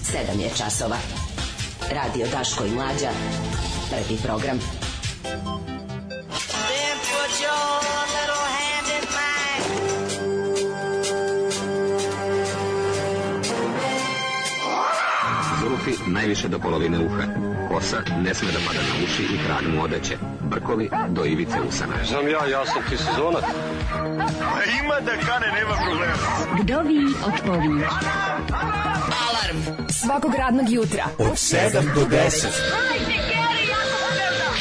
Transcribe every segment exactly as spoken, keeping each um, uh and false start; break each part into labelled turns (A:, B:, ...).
A: sedam je časova. Radio Daško i Mlađa. Prvi program. Then put your little hand in mine.
B: Zulufi najviše do polovine uha. Kosa ne sme da pada na uši i krag mu odeće. Brkovi do ivice usana.
C: Znam ja, ja sam ti sezonac.
D: A ima da kane, nema problema.
A: Vdovi odpovi.
E: Alarm svakog radnog jutra
F: od sedam do deset.
E: Hajde, Geri, jako se velda.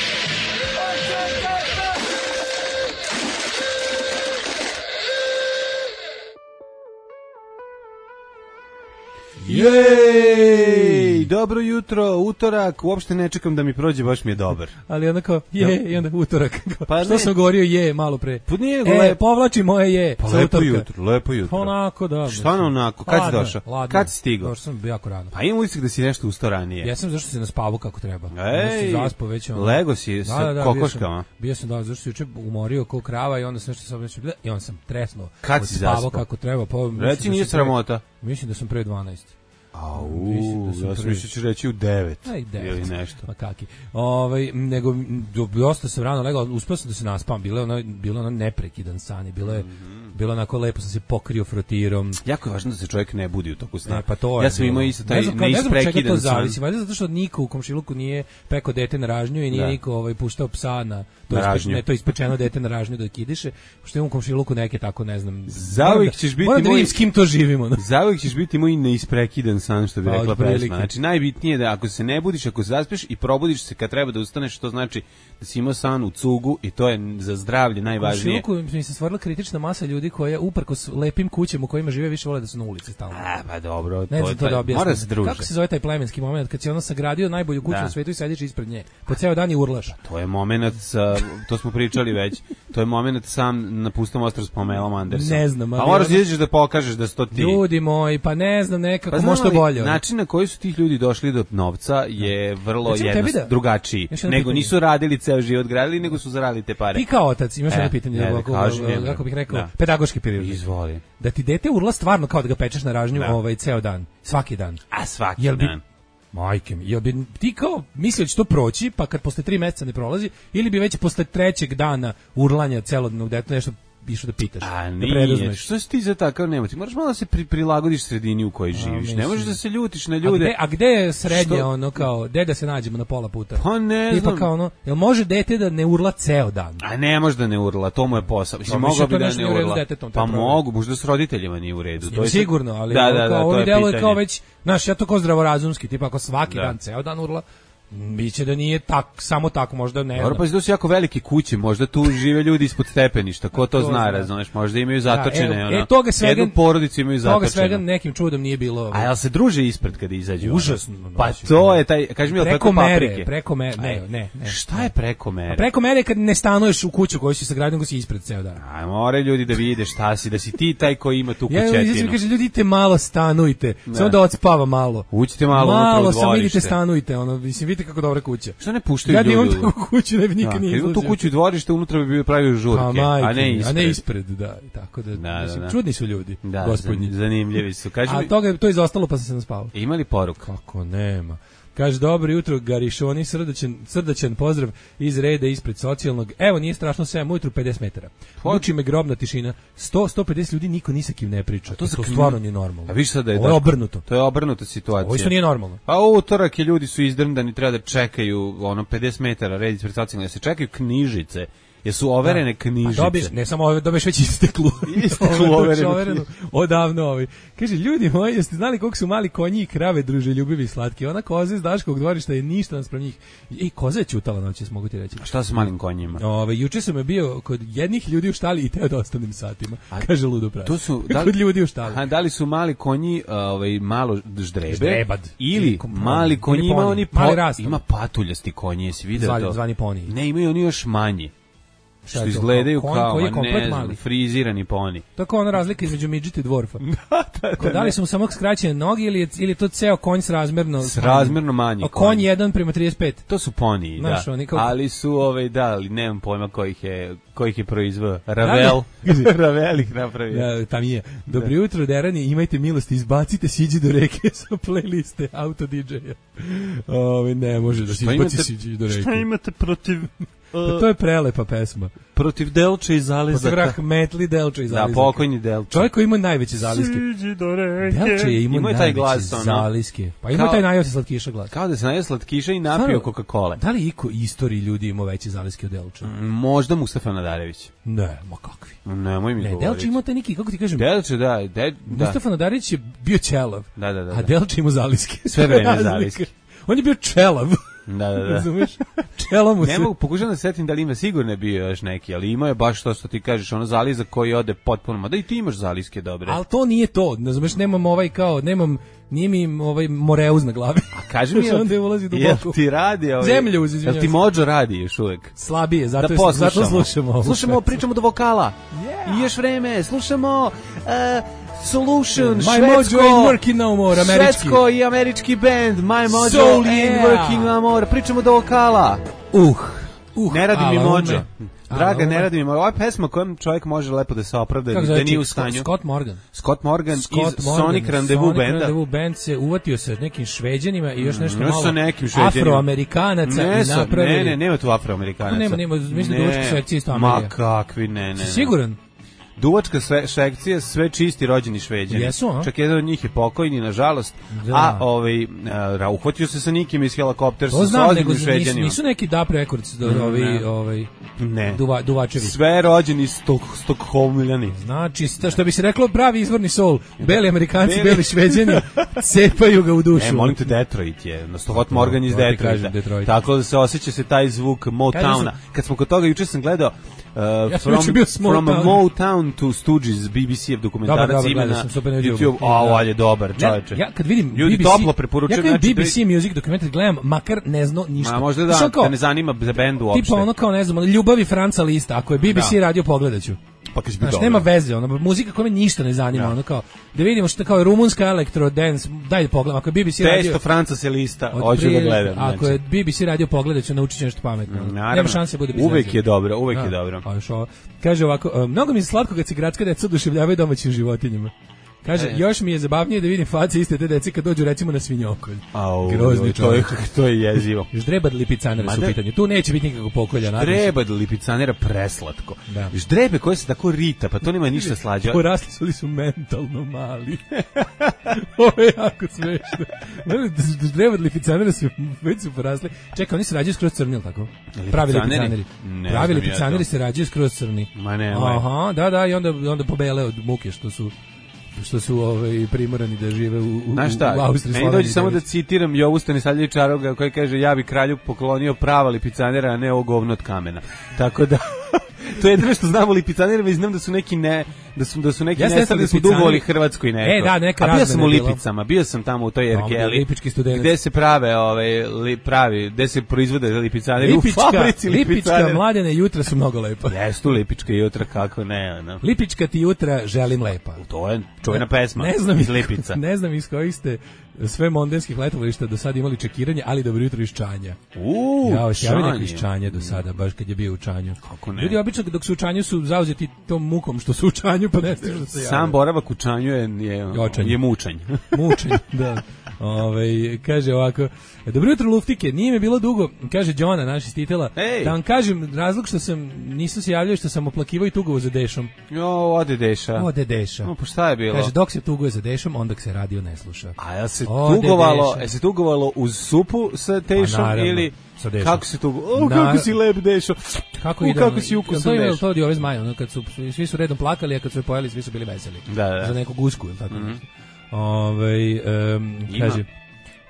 F: Jej, dobro jutro, utorak, uopšte ne čekam da mi prođe, baš mi je dobar.
G: Ali onda kao, je, ja. I onda utorak.
F: Pa
G: što sam govorio je malo pre?
F: Pa nije,
G: e,
F: lep...
G: povlači moje je.
F: Pa lepo jutro, lepo jutro.
G: Onako, da.
F: Šta na onako, kad si došao?
G: Ladno.
F: Kad si stigao?
G: Došao sam jako rano.
F: Pa imam utisak da si nešto ustao ranije.
G: Ja sam zašto se naspavao kako treba.
F: Ej,
G: zaspao već ono.
F: Lego si sa da, da, da, kokoškama.
G: Bio sam, bio sam da, zašto se juče umorio kao krava i onda sam nešto sam nešto i onda sam tresnuo.
F: Kad si zaspao?
G: Kako treba, pa
F: reci nije sramota.
G: Mislim da sam pre dvanaest.
F: Au, da ja sam mislio ću reći u devet ili nešto.
G: Pa kaki. Ovaj, nego, dosta sam rano legao, uspio sam da se naspam, bilo je ono, bilo ono neprekidan san, bilo je, mm-hmm. bilo onako lepo, sam se pokrio frotirom.
F: Jako je važno da se čovjek ne budi u toku sna.
G: Ne, pa to je,
F: ja sam imao isto taj
G: neisprekidan san. Ne znam čega to zavisi, valjda zato što niko u komšiluku nije pekao dete na ražnju i nije da. niko ovaj, puštao psa na to,
F: na
G: ispe, ne, to ispečeno dete na ražnju da kidiše, pošto imam u komšiluku neke tako, ne znam.
F: Zauvijek ćeš biti
G: moram da vidim s kim to živimo. No.
F: Zauvijek ćeš biti moj neisprekidan san, što bi pa, rekla pesma. Znači, najbitnije je da ako se ne budiš, ako se zaspeš i probudiš se kad treba da ustaneš, to znači da si imao san u cugu i to je za zdravlje najvažnije. U
G: komšiluku mi se stvorila kritična masa ljudi koja uprkos lepim kućama u kojima žive više vole da su na ulici stalno.
F: A, pa dobro,
G: ne
F: to je
G: to da
F: mora se družiti.
G: Kako se zove taj plemenski moment kad si ono sagradio najbolju kuću da. u svetu i sediš ispred nje? Po ceo dan i urlaš.
F: Pa, to je momenat, sa, to smo pričali već, to je momenat sam na pustom ostrvu s Pamelom Anderson.
G: Ne znam, ali
F: a moraš izaći da pokažeš da sto ti.
G: Ljudi moji, pa ne znam, nekako
F: pa
G: možda bolje.
F: Način na koji su tih ljudi došli do novca je vrlo jednostavno drugačiji. Nego nisu radili ceo život, gradili, nego su zaradili te pare.
G: Ti kao otac imaš jedno pitanje,
F: ne,
G: ovako,
F: kažem,
G: kako bih rekao, da. pedagoški period.
F: Izvoli.
G: Da ti dete urla stvarno kao da ga pečeš na ražnju da. ovaj ceo dan, svaki dan.
F: A svaki
G: jel bi,
F: dan.
G: Majke mi, jel bi ti kao mislio da će to proći, pa kad posle tri meseca ne prolazi, ili bi već posle trećeg dana urlanja celodnevnog deteta nešto išao da pitaš.
F: A nije, da što si ti za takav nema? Ti moraš malo da se pri, prilagodiš sredini u kojoj živiš. A, ne možeš da se ljutiš na ljude.
G: A gde, a gde je srednje što? Ono kao, gde da se nađemo na pola puta?
F: Pa ne
G: Tipa
F: znam.
G: Kao ono, jel može dete da ne urla ceo dan?
F: A ne može da ne urla, to mu je posao. Mislim,
G: pa,
F: mogao bi da ne urla.
G: Detetom,
F: pa mogu, možda s roditeljima nije u redu.
G: To je sigurno, ali
F: da, da, da,
G: kao,
F: to je
G: delo
F: pitanje.
G: Kao već, znaš, ja to kao zdravorazumski, tipa ako svaki
F: da.
G: dan, ceo dan urla, biće da nije tak, samo tako, možda ne
F: znam. Pa to su jako velike kuće, možda tu žive ljudi ispod stepeništa, ko to, to zna, razumeš, možda imaju zatočene,
G: da,
F: ono,
G: e, toga svega,
F: jednu porodicu imaju zatočene.
G: Toga svega nekim čudom nije bilo.
F: A jel se druže ispred kad izađu?
G: Užasno.
F: Pa to je taj, kaži mi, jel preko
G: mere, preko mere, ne, ne, ne.
F: Šta je preko mere?
G: A preko mere kad ne stanuješ u kuću koju si sagradio, nego si ispred ceo dan.
F: A more ljudi da vide šta si, da si ti taj koji ima tu kućetinu.
G: Ja, izvijem, kaže, ljudi, idite malo stanujte, samo da odspava malo.
F: Uđite malo
G: unutra u
F: dvorište.
G: Malo samo idite stanujte, ono, mislim, vidite kako dobra kuća.
F: Što ne puštaju
G: ja
F: ljudi?
G: Ja imam takvu kuću, ne bi nikad nije izlazio.
F: Imam tu kuću i dvorište, unutra bi bio pravio žurke,
G: pa, majke,
F: a ne ispred.
G: A ne ispred, da. Tako da, da, mislim, da, da. Čudni su ljudi,
F: da,
G: gospodnji.
F: Zanimljivi su. Kaži
G: a
F: mi...
G: toga, to je izostalo pa sam se naspavao.
F: Ima li poruk?
G: Kako nema. Kaže, dobro jutro, Garišoni, srdačan, srdačan pozdrav iz reda ispred socijalnog. Evo, nije strašno, sedam ujutru, pedeset metara. Muči me grobna tišina. sto do sto pedeset ljudi, niko ni sa kim ne priča. A to, to stvarno nije normalno.
F: A viš sad da je,
G: ovo je obrnuto.
F: To je obrnuta situacija.
G: Ovo isto nije normalno.
F: Pa u utorak je ljudi su izdrndani, treba da čekaju ono pedeset metara red ispred socijalnog, da se čekaju knjižice. Jesu overene da. knjižice.
G: A dobiješ, ne samo ove, dobiješ već isteklu.
F: Isteklu overenu. overenu
G: odavno ovi. Kaže, ljudi moji, jeste znali koliko su mali konji i krave druže ljubivi i slatki? Ona koza iz Daškovog dvorišta je ništa naspram njih. I koza je ćutala noćas, mogu ti reći.
F: A šta sa malim konjima?
G: Ove, juče sam je bio kod jednih ljudi u štali i teo da ostanem satima. A, kaže ludo pravi.
F: To su, da li,
G: kod ljudi u štali.
F: A da li su mali konji ovaj, malo ždrebe?
G: Ždrebad.
F: Ili, ili mali konji ima oni
G: po,
F: ima patuljasti konji, jesi vidio to?
G: Zvani poni.
F: Ne, imaju oni još manji. što izgledaju
G: konj,
F: kao,
G: koji je
F: ne znam, frizirani poni.
G: Tako ona razlika između midžeta i dvorfa.
F: da, da, da,
G: da li su mu samo skraćene noge ili je, ili je to ceo konj s razmerno...
F: S razmerno manji
G: konj. Konj jedan prema trideset pet.
F: To su poniji, da. Kao... Ali su, ovaj, da, ali nemam pojma kojih je, kojih je proizveo. Ravel. Ravel ih napravio.
G: Ja, tam je. Dobro da. Jutro, derani, imajte milosti, izbacite Siđi do reke sa playliste auto didžeja. Ove, ne može da se izbaci Siđi do reke.
F: Šta imate protiv...
G: Pa to je prelepa pesma.
F: Protiv Delče i Zalizaka.
G: Protiv rahmetli Delče i Zalizaka.
F: Da, pokojni Delče.
G: Čovjek koji ima najveće zaliske. Delče je imao najveće taj glas, zaliske. Pa ima taj najveći slatkiša glas.
F: Kao da se najeo slatkiša i napio Coca-Cola.
G: Da li iko istoriji ljudi imao veće zaliske od Delče?
F: Možda Mustafa Nadarević.
G: Ne, ma kakvi.
F: Nemoj mi
G: ne,
F: govoriti.
G: Delče imao taj neki, kako ti kažem?
F: Delče, da. De, da.
G: Mustafa Nadarević je bio ćelav.
F: Da, da, da.
G: A Delče imao zaliske.
F: Sve vreme zaliske.
G: On je bio čelav.
F: Da, da, da.
G: Razumeš? Čelo mu se.
F: Ne mogu, pokušam da setim da li ima, sigurno je bio još neki, ali imao je baš to što ti kažeš, ono zaliza koji ode potpuno, ma da i ti imaš zaliske dobre.
G: Ali to nije to, razumeš, nemam ovaj kao, nemam, nije mi ovaj moreuz na glavi.
F: A kaži mi, jel, jel ti radi ovaj,
G: zemljuz, izvinjam.
F: Jel ti mođo radi još uvek?
G: Slabije, zato,
F: da
G: je, zato slušamo ovo.
F: Slušamo, pričamo do vokala.
G: Yeah.
F: I još vreme, slušamo... Uh, Solution,
G: My
F: švedsko,
G: Mojo ain't working no more, američki.
F: Švedsko i američki band, My Mojo
G: Soul,
F: ain't
G: yeah.
F: working no more. Pričamo do vokala.
G: Uh, uh
F: ne radi mi Mojo. Draga,
G: ume.
F: ne radi mi Mojo. Ova pesma kojom čovjek može lepo da se opravda, da znači, nije u stanju.
G: Scott Morgan.
F: Scott Morgan
G: Scott
F: iz
G: Morgan,
F: Sonic Rendezvous banda.
G: Sonic Rendezvous band se uvatio sa nekim Šveđanima i još nešto
F: mm,
G: malo afroamerikanaca
F: ne
G: i napravili.
F: Ne, ne, nema tu afroamerikanaca.
G: Nema, nema, mislim da duvačka sekcija isto Amerija.
F: Ma kakvi, ne, ne. ne.
G: Siguran?
F: Duvačka sekcija, sve čisti rođeni Šveđani.
G: Jesu, a?
F: Čak jedan od njih je pokojni, nažalost.
G: Da.
F: A ovaj, a, uhvatio se sa nikim iz helikoptersa.
G: To znam, nego nisu, nisu neki D A P Records, do, ovi, ovaj,
F: ne.
G: Duva, Duvačevi.
F: Sve rođeni Stok, Stokholmljani.
G: Znači, što bi se reklo, pravi izvorni soul. Beli Amerikanci, beli, beli Šveđani, cepaju ga u dušu.
F: E, molim te, Detroit je. Scott Morgan iz Detroita. Detroit. Tako da se osjeća se taj zvuk Motowna. Kad smo kod toga, juče sam gledao Uh,
G: ja
F: from, from
G: Motown.
F: Motown to Stooges, B B C-ev dokumentarac ima na YouTube. A, on je dobar, čoveče.
G: Ja, ja kad vidim
F: ljudi
G: B B C,
F: toplo preporučuju.
G: Ja kad vidim B B C Music dokumentar gledam, makar ne zna ništa.
F: Ma, možda da,
G: kao,
F: da ne zanima za bendu uopšte.
G: Tipa ono kao, ne znam, Ljubavi Franca Lista, ako je B B C da. radio, pogledaću.
F: Pa kad
G: znaš, nema veze, ono, muzika koja me ništa ne zanima, ja. ono kao, da vidimo što kao rumunska elektro dance, daj da pogledam, ako je B B C radio...
F: Testo Franca se lista, hoću da gledam.
G: Ako je B B C radio, pogledat ću, naučit ću nešto pametno.
F: Naravno,
G: nema šanse bude bez
F: uvek je dobro, uvek
G: da.
F: je dobro.
G: Pa još ovo, kaže ovako, mnogo mi se slatko kad se gradska deca oduševljavaju domaćim životinjama. Kaže, e. još mi je zabavnije da vidim face iste te dece kad dođu recimo na svinjokolj.
F: Au, grozni čovjek. To je, to je jezivo.
G: Ždrebad lipicanera su u pitanju. Tu neće biti nikakvog pokolja.
F: Ždrebad lipicanera preslatko. Da. Ždrebe koje se tako rita, pa to nema ništa slađe.
G: Porasli su li su mentalno mali. Ovo je jako smešno. Ždrebad lipicanera su već su porasli. Čekaj, oni se rađaju skroz crni, ili tako? Pravi lipicaneri. Pravi lipicaneri ja se rađaju skroz crni.
F: Ma ne,
G: aha, da, da, i onda, onda pobele od muke što su što su ovaj primorani da žive u, u,
F: znaš šta,
G: u Austriji.
F: Meni dođe samo da citiram Jovu Stanisavljevića koji kaže, ja bi kralju poklonio prava lipicanera, a ne ovo govno od kamena. Tako da, to je jedno što znamo lipicanera, i znam da su neki ne, da su, da su neki ja nestali, da su dugovali Hrvatskoj neko.
G: E, da, neka
F: a bio sam u Lipicama, bio sam tamo u toj Ergeli, gde se prave, ovaj, li, pravi, gde se proizvode lipicaneri,
G: Lipička,
F: u fabrici lipicanera.
G: Lipička Mladene jutra su mnogo lepa.
F: Jesu Lipička jutra, kako ne, no.
G: Lipička ti jutra želim lepa.
F: To je čuvena pesma
G: ne znam
F: iz Lipica.
G: Ne znam iz kojih ste sve mondenskih letovališta do sada imali čekiranje, ali dobro jutro iz Čanja.
F: Uuu,
G: ja, Čanje. Ja iz Čanja do sada, baš kad je bio u Čanju.
F: Kako ne?
G: Ljudi obično dok su u Čanju su zauzeti tom mukom što su u Čanju, pa ne stižu da se jave.
F: Sam boravak u Čanju je, je, je mučanj.
G: Mučanj, da. Ove, kaže ovako, dobro jutro luftike, nije me bilo dugo, kaže Đona, naš iz Titela,
F: hey.
G: Da vam kažem, razlog što sam, nisam se javljao što sam oplakivao i tugovo za Dešom.
F: Jo, ode Deša.
G: Ode Deša.
F: No, pa šta je bilo?
G: Kaže, dok se tuguje za Dešom, onda se radio ne sluša.
F: A ja se ode tugovalo, je se tugovalo uz supu sa Dešom
G: naravno,
F: ili...
G: Sa Dešom.
F: Kako si tugovalo? O, kako si lep Dešo.
G: Kako,
F: U, kako si ukusan
G: Dešo.
F: Dešo.
G: To je ove zmaje, ono, kad su, svi su redom plakali, a kad su je pojeli, svi su bili veseli.
F: Da, da.
G: Za neku gusku, ili tako.
F: Mm-hmm.
G: Ove, um, kaže...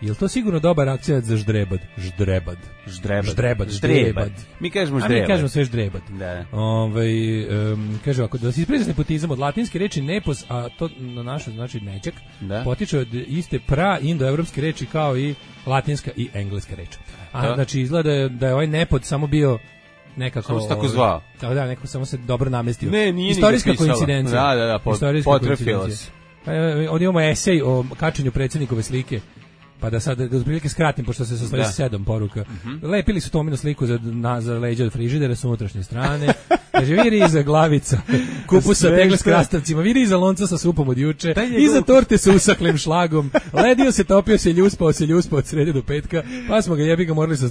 G: Jel to sigurno dobar akcent za ždrebad? Ždrebad.
F: Ždrebad.
G: Ždrebad. Ždrebad.
F: Mi kažemo ždrebad.
G: A mi kažemo sve ždrebad.
F: Da.
G: Ovaj um, kaže ovako, da se ispriča nepotizam od latinske reči nepos, a to na našoj znači nećak, da. Potiče od iste pra-indoevropske reči kao i latinska i engleska reč. A
F: da.
G: Znači izgleda da je ovaj nepod samo bio nekako...
F: Samo se tako zvao.
G: Tako da, nekako samo se dobro namestio.
F: Ne, nije
G: Istorijska
F: ni ga pisalo.
G: koincidencija.
F: Da, da, da, pot, potrefilo se.
G: E, ovdje imamo esej o kačenju predsjednikove slike. Pa da sad da otprilike skratim, pošto se sastoji sedam poruka. Mm-hmm. Lepili su Tominu sliku za, na, za leđa od frižidera s unutrašnje strane. Kaže, viri iza glavica, kupusa tegle s krastavcima, viri iza lonca sa supom od juče, iza torte sa usaklim šlagom, ledio se, topio se, ljuspao se, ljuspao od srede do petka, pa smo ga jebi ga morali sa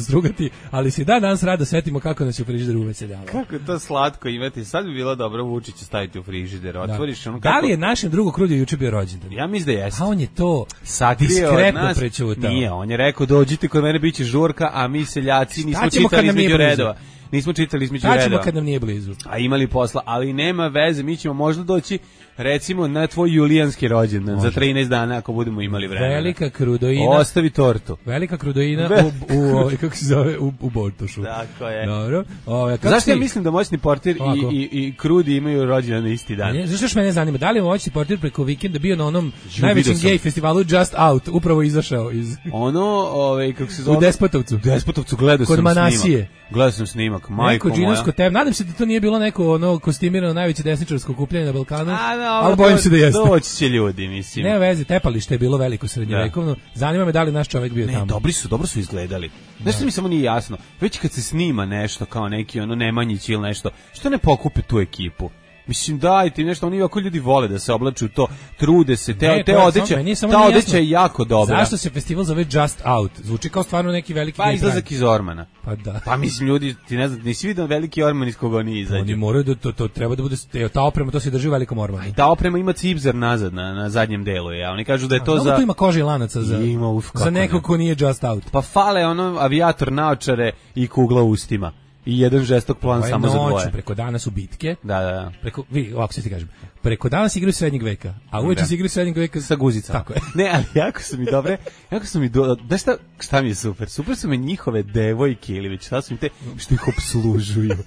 G: strugati, ali si dan danas rado setimo kako nas je u frižideru uveseljavao.
F: Kako je to slatko imati, sad bi bilo dobro Vučića staviti u frižider, otvoriš ono kako...
G: Da li je našem drugu Krudiju juče bio rođendan?
F: Ja mislim da jeste.
G: A on je to
F: Sakrio
G: diskretno prećutao.
F: Nije, on je rekao dođite kod mene, biće žurka, a mi seljaci nismo čitali između redova. Nismo čitali između redova.
G: Tačemo kad nam nije blizu.
F: A imali posla, ali nema veze, mi ćemo možda doći recimo na tvoj julijanski rođendan za trinaest dana ako budemo imali vremena.
G: Velika Krudoina.
F: Ostavi tortu.
G: Velika Krudoina u, u, u kako se zove, u, u Bortošu.
F: Tako je.
G: Dobro. Ove, kako
F: zašto
G: si...
F: ja mislim da moćni portir i, i, i Krudi imaju rođendan na isti dan?
G: Ne, zašto što mene zanima, da li je moćni portir preko vikenda bio na onom Ju, najvećem gej festivalu Just Out, upravo izašao iz...
F: Ono, ove, kako se zove?
G: U Despotovcu.
F: U Despotovcu gledao
G: Kod
F: sam
G: Manasije.
F: snimak. Gledao sam snimak, majko moja.
G: Neko tem. Nadam se da to nije bilo neko ono kostimirano najveće desničarsko okupljanje na Balkanu,
F: A, no,
G: ali bojim se da jeste.
F: Doći će ljudi, mislim.
G: Nema veze, tepalište je bilo veliko srednjevekovno. Zanima me da li naš čovjek bio
F: ne,
G: tamo.
F: Dobri su, dobro su izgledali. Nešto mi samo nije jasno. Već kad se snima nešto kao neki ono Nemanjić ili nešto, što ne pokupe tu ekipu? Mislim, dajte im nešto, oni ovako ljudi vole da se oblaču to, trude se, te,
G: ne,
F: te odeće, ta odeća je jako dobra.
G: Zašto se festival zove Just Out? Zvuči kao stvarno neki veliki...
F: Pa izlazak iz Ormana.
G: Pa da.
F: Pa mislim, ljudi, ti ne znam, nisi vidio veliki Orman iz koga oni izađu.
G: Oni moraju da, to, to treba da bude, ta oprema, to se drži u velikom Ormanu.
F: I ta oprema ima cipzer nazad, na, na zadnjem delu, ja. Oni kažu da je to
G: A,
F: za...
G: tu ima kože i lanaca za,
F: ima, uf,
G: za nekog ko nije Just Out.
F: Pa fale ono avijator naočare i kugla u ustima. I jedan žestok plan
G: Ovo
F: samo za dvoje.
G: Noću, preko dana su bitke.
F: Da, da, da.
G: Preko, vi, ovako se ti kažem, preko dana se igraju srednjeg veka, a uveče
F: da.
G: se igraju srednjeg veka
F: sa guzicama.
G: Tako je.
F: Ne, ali jako su mi dobre, jako su mi, do, da šta, šta mi je super? Super su mi njihove devojke ili već šta su mi te, što ih obslužuju.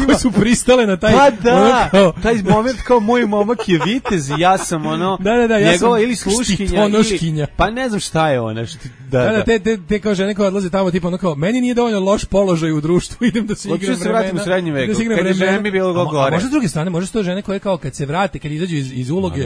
G: Koje su pristale na taj...
F: Pa da,
G: ono kao,
F: taj moment kao moj momak je vitez i ja sam ono,
G: da, da, da, ja
F: njegova
G: sam
F: ili sluškinja, ili, pa ne znam šta je ona. Šti, da,
G: da,
F: da,
G: da, te, te, te kao žene koje odlaze tamo, tipa ono kao, meni nije dovoljno loš položaj u društvu, idem da se igram vremena.
F: Hoću se vratim u srednji vek, da kad je žena bi bilo go gore.
G: A možda s druge strane, možda su to žene koje kao kad se vrate, kad izađu iz, iz uloge,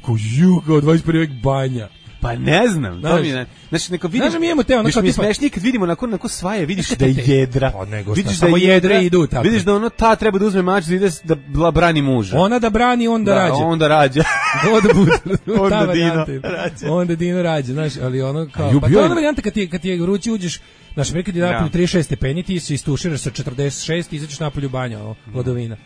G: kao ju, kao dvadeset prvi vek banja.
F: Pa ne znam, to mi ne. Znači neka vidimo.
G: Znaš, mi imamo te ono kao
F: tipa smešnije kad vidimo nakon nakon svaje, vidiš da je jedra.
G: Pa nego
F: vidiš
G: šta, da jedre idu tako.
F: Vidiš da ono ta treba da uzme mač da ide da brani muža.
G: Ona da brani, on da,
F: da
G: rađa.
F: Onda rađa.
G: onda bude.
F: onda Dino rađa.
G: Onda Dino rađa, znaš, ali ono kao pa to je ona varijanta kad ti kad ti vruće uđeš, znaš, rekao ti da napolju trideset šest stepeni, ti se istuširaš sa četrdeset šest i izađeš napolju banja, ono, hladovina.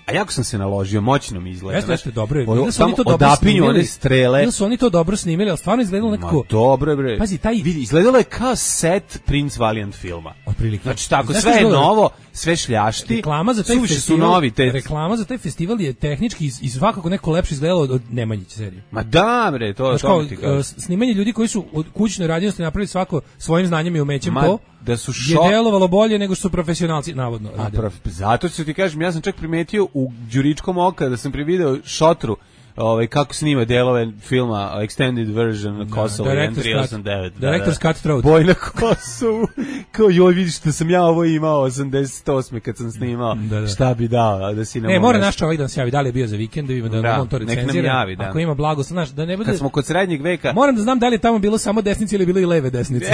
F: A jako sam se naložio, moćno mi izgleda.
G: Jeste, jeste, dobro je.
F: Ono, samo odapinju one strele.
G: Ili su oni to dobro snimili, ali stvarno izgledalo nekako...
F: Ma dobro, bre.
G: Pazi, taj...
F: Vidi, izgledalo je kao set Prince Valiant filma.
G: Otprilike.
F: Znači, tako, sve je novo, sve šljašti.
G: Reklama za taj festival,
F: su novi, te...
G: reklama za taj festival je tehnički i, i svakako neko lepše izgledalo od Nemanjić serije.
F: Ma da, bre, to je to ti kažem.
G: Snimanje ljudi koji su od kućne radinosti napravili svako svojim znanjem i umećem
F: Ma,
G: to,
F: da su šo...
G: je delovalo bolje nego što su profesionalci, navodno.
F: A, prof... Zato ću ti kažem, ja sam čak primetio u Đuričkom oka da sam privideo šotru ovaj kako snima delove filma extended version na Kosovo jedan tri osam devet.
G: Director's Cut Throat.
F: Boj na Kosovu. Kao joj, vidiš da sam ja ovo imao osamdeset osme kad sam snimao. Da, da. Šta bi dao da si na.
G: Ne, mora naš čovjek da se javi, da li je bio za vikend, da ima da, da on to recenzira.
F: Javi, da.
G: Ako ima blago, znaš, da ne bude.
F: Kad smo kod srednjeg veka.
G: Moram da znam da li je tamo bilo samo desnice ili bilo i leve desnice.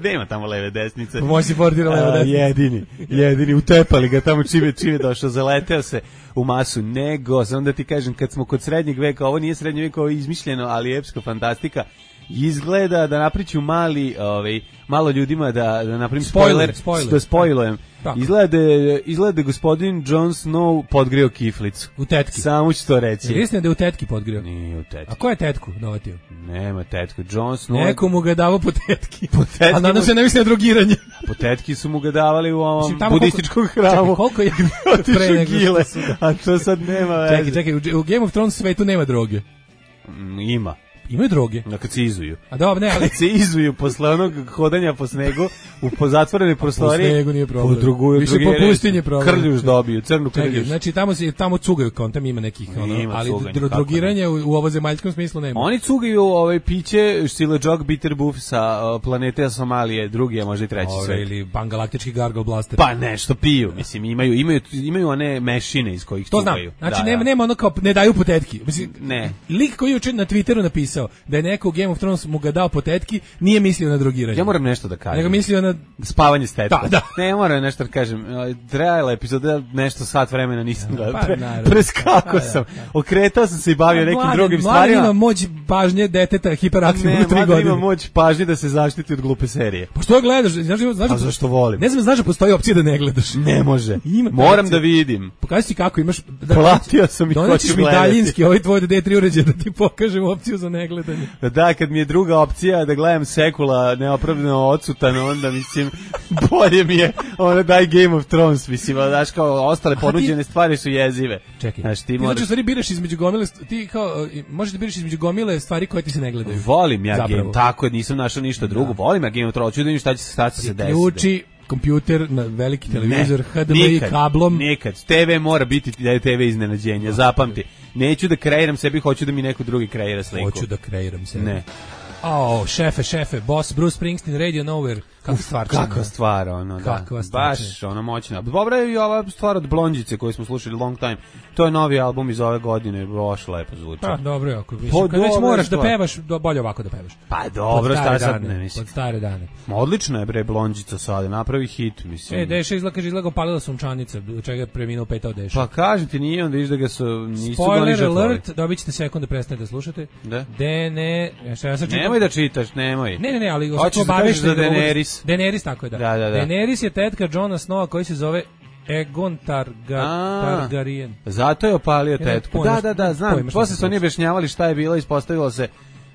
F: Nema tamo leve desnice.
G: Moći portira leve desnice.
F: Jedini, jedini utepali ga tamo čime čime došao, zaleteo se u masu, nego, samo da ti kažem, kad smo kod srednjeg veka, ovo nije srednji vek, ovo je izmišljeno, ali epska fantastika, izgleda da napriču mali, ovaj, malo ljudima da, da napravim spoiler, spoiler. da spoilujem. Izgleda, izgleda gospodin Jon Snow podgrio kiflicu.
G: U tetki.
F: Samo ću to reći.
G: Jer istina da je u tetki podgrio?
F: Nije u tetki.
G: A ko je tetku dovatio?
F: Nema tetku. Jon Snow...
G: Neko mu ga davao po tetki.
F: Po tetki.
G: A nadam se ne misli na drogiranje.
F: Po tetki su mu ga davali u ovom Mislim, budističkom hramu. Čekaj,
G: koliko je
F: pre nego gile, a to sad nema veze.
G: Čekaj, čekaj, u Game of Thrones svetu nema droge.
F: Mm, ima.
G: imaju droge.
F: Da, kad se izuju.
G: A dobro, ne, ali
F: Kad se izuju posle onog hodanja po snegu u po zatvorenoj prostoriji.
G: Po snegu nije problem.
F: Podruguju,
G: Više po pustinji problem.
F: Krljuš dobiju, crnu
G: Čekaj,
F: krljuš.
G: znači tamo se tamo cugaju kontam ima nekih ono,
F: Ima
G: ali
F: cuganja,
G: dro-
F: kako
G: drogiranje u, u ovozemaljskom smislu nema.
F: Oni cugaju ovaj piće Silajog Bitter Buff sa uh, planete Somalije, drugi, a možda i treći
G: Ove,
F: svet.
G: ili pangalaktički Gargle Blaster.
F: Pa nešto piju, mislim, imaju imaju imaju one mešine iz kojih
G: To znam.
F: cugaju.
G: Znači
F: Da,
G: nema
F: da.
G: nema ono kao ne daju potetki. Mislim,
F: Ne.
G: lik koji je juče na Twitteru napisao da je neko u Game of Thrones mu ga dao potetki, nije mislio na drogiranje.
F: Ja moram nešto da kažem.
G: Nego mislio na
F: Spavanje s tetkom.
G: Da, da.
F: Ne, moram nešto da kažem. Trajala epizoda, nešto sat vremena nisam gledao.
G: pa,
F: Pre,
G: naravno.
F: preskako
G: Pa, da,
F: sam.
G: da.
F: Okretao sam se i bavio nekim
G: Mladen-
F: drugim
G: Mladen
F: stvarima.
G: ima moć pažnje deteta hiperaktivnog
F: Ne,
G: u tri
F: Mladen
G: godine.
F: ima moć pažnje da se zaštiti od glupe serije.
G: Pa što gledaš? Znaš, znaš,
F: A zašto volim?
G: Ne znam, znaš da postoji opcija da ne gledaš.
F: Ne može.
G: Ima
F: Moram
G: opcija.
F: da vidim.
G: Pokaži ti kako imaš. Da,
F: Platio sam i
G: donećeš
F: hoću
G: mi
F: gledati.
G: daljinski ovaj tvoj D tri uređaj da ti pokažem opciju za negledanje.
F: Da, kad mi je druga opcija da gledam sekula neopravdano odsutan, onda mislim, bolje mi je ono daj Game of Thrones, mislim, a znaš kao ostale ponuđene stvari su jezive.
G: Čekaj.
F: Znaš, ti
G: ti
F: moraš...
G: znači u stvari biraš između gomile, ti kao, e, možeš da biraš između gomile stvari koje ti se ne gledaju.
F: Volim ja
G: Zapravo.
F: Game, tako je, nisam našao ništa drugo. Volim ja Game of Thrones, ću da vidim šta će se šta će se desiti.
G: Ključi kompjuter na veliki televizor,
F: Ne,
G: H D M I
F: nikad,
G: kablom.
F: Nikad. T V mora biti T V iznenađenja, zapamti. Neću da kreiram sebi, hoću da mi neko drugi kreira sliku.
G: Hoću da kreiram se.
F: Ne.
G: Oh, šefe, šefe, boss, Bruce Springsteen, Radio Nowhere. Kakva stvar.
F: Kakva stvar, ono, da.
G: Kakva stvar.
F: Baš, ono, moćna. Dobra je i ova stvar od Blondjice koju smo slušali Long Time. To je novi album iz ove godine, baš lepo zvuči.
G: Pa, dobro je, ako mislim,
F: Pa,
G: kad već
F: dobro je
G: moraš da
F: stvar.
G: pevaš, do, bolje ovako da pevaš.
F: Pa dobro,
G: Pod stare
F: šta sad
G: dane,
F: ne mislim.
G: Pod stare dane.
F: Ma odlično je bre Blondjica sada, napravi hit, mislim.
G: E, Deša izgleda, kaže, izgleda palila sunčanica, od čega je preminuo petao Deša.
F: Pa kažem ti, nije onda viš da ga su, nisu ga ni
G: Spoiler
F: žrtvovali.
G: alert, dobit ćete sekund da prestanete da slušate.
F: Da?
G: Dene, ja sad ja sad čitam-
F: Nemoj da čitaš, nemoj.
G: Ne, ne, ne, ali
F: Hoćeš da kažeš za Daenerys?
G: Daenerys, tako je, da.
F: Da, da, da.
G: Daenerys je tetka Jona Snowa koji se zove Egon Targa,
F: A.
G: Targaryen.
F: Zato je opalio
G: Ja nemam
F: tetku.
G: pojma
F: Da,
G: šta-
F: da, da,
G: nemam
F: znam.
G: pojma šta
F: Posle
G: se
F: su oni
G: desilo.
F: objašnjavali šta je bilo, ispostavilo se.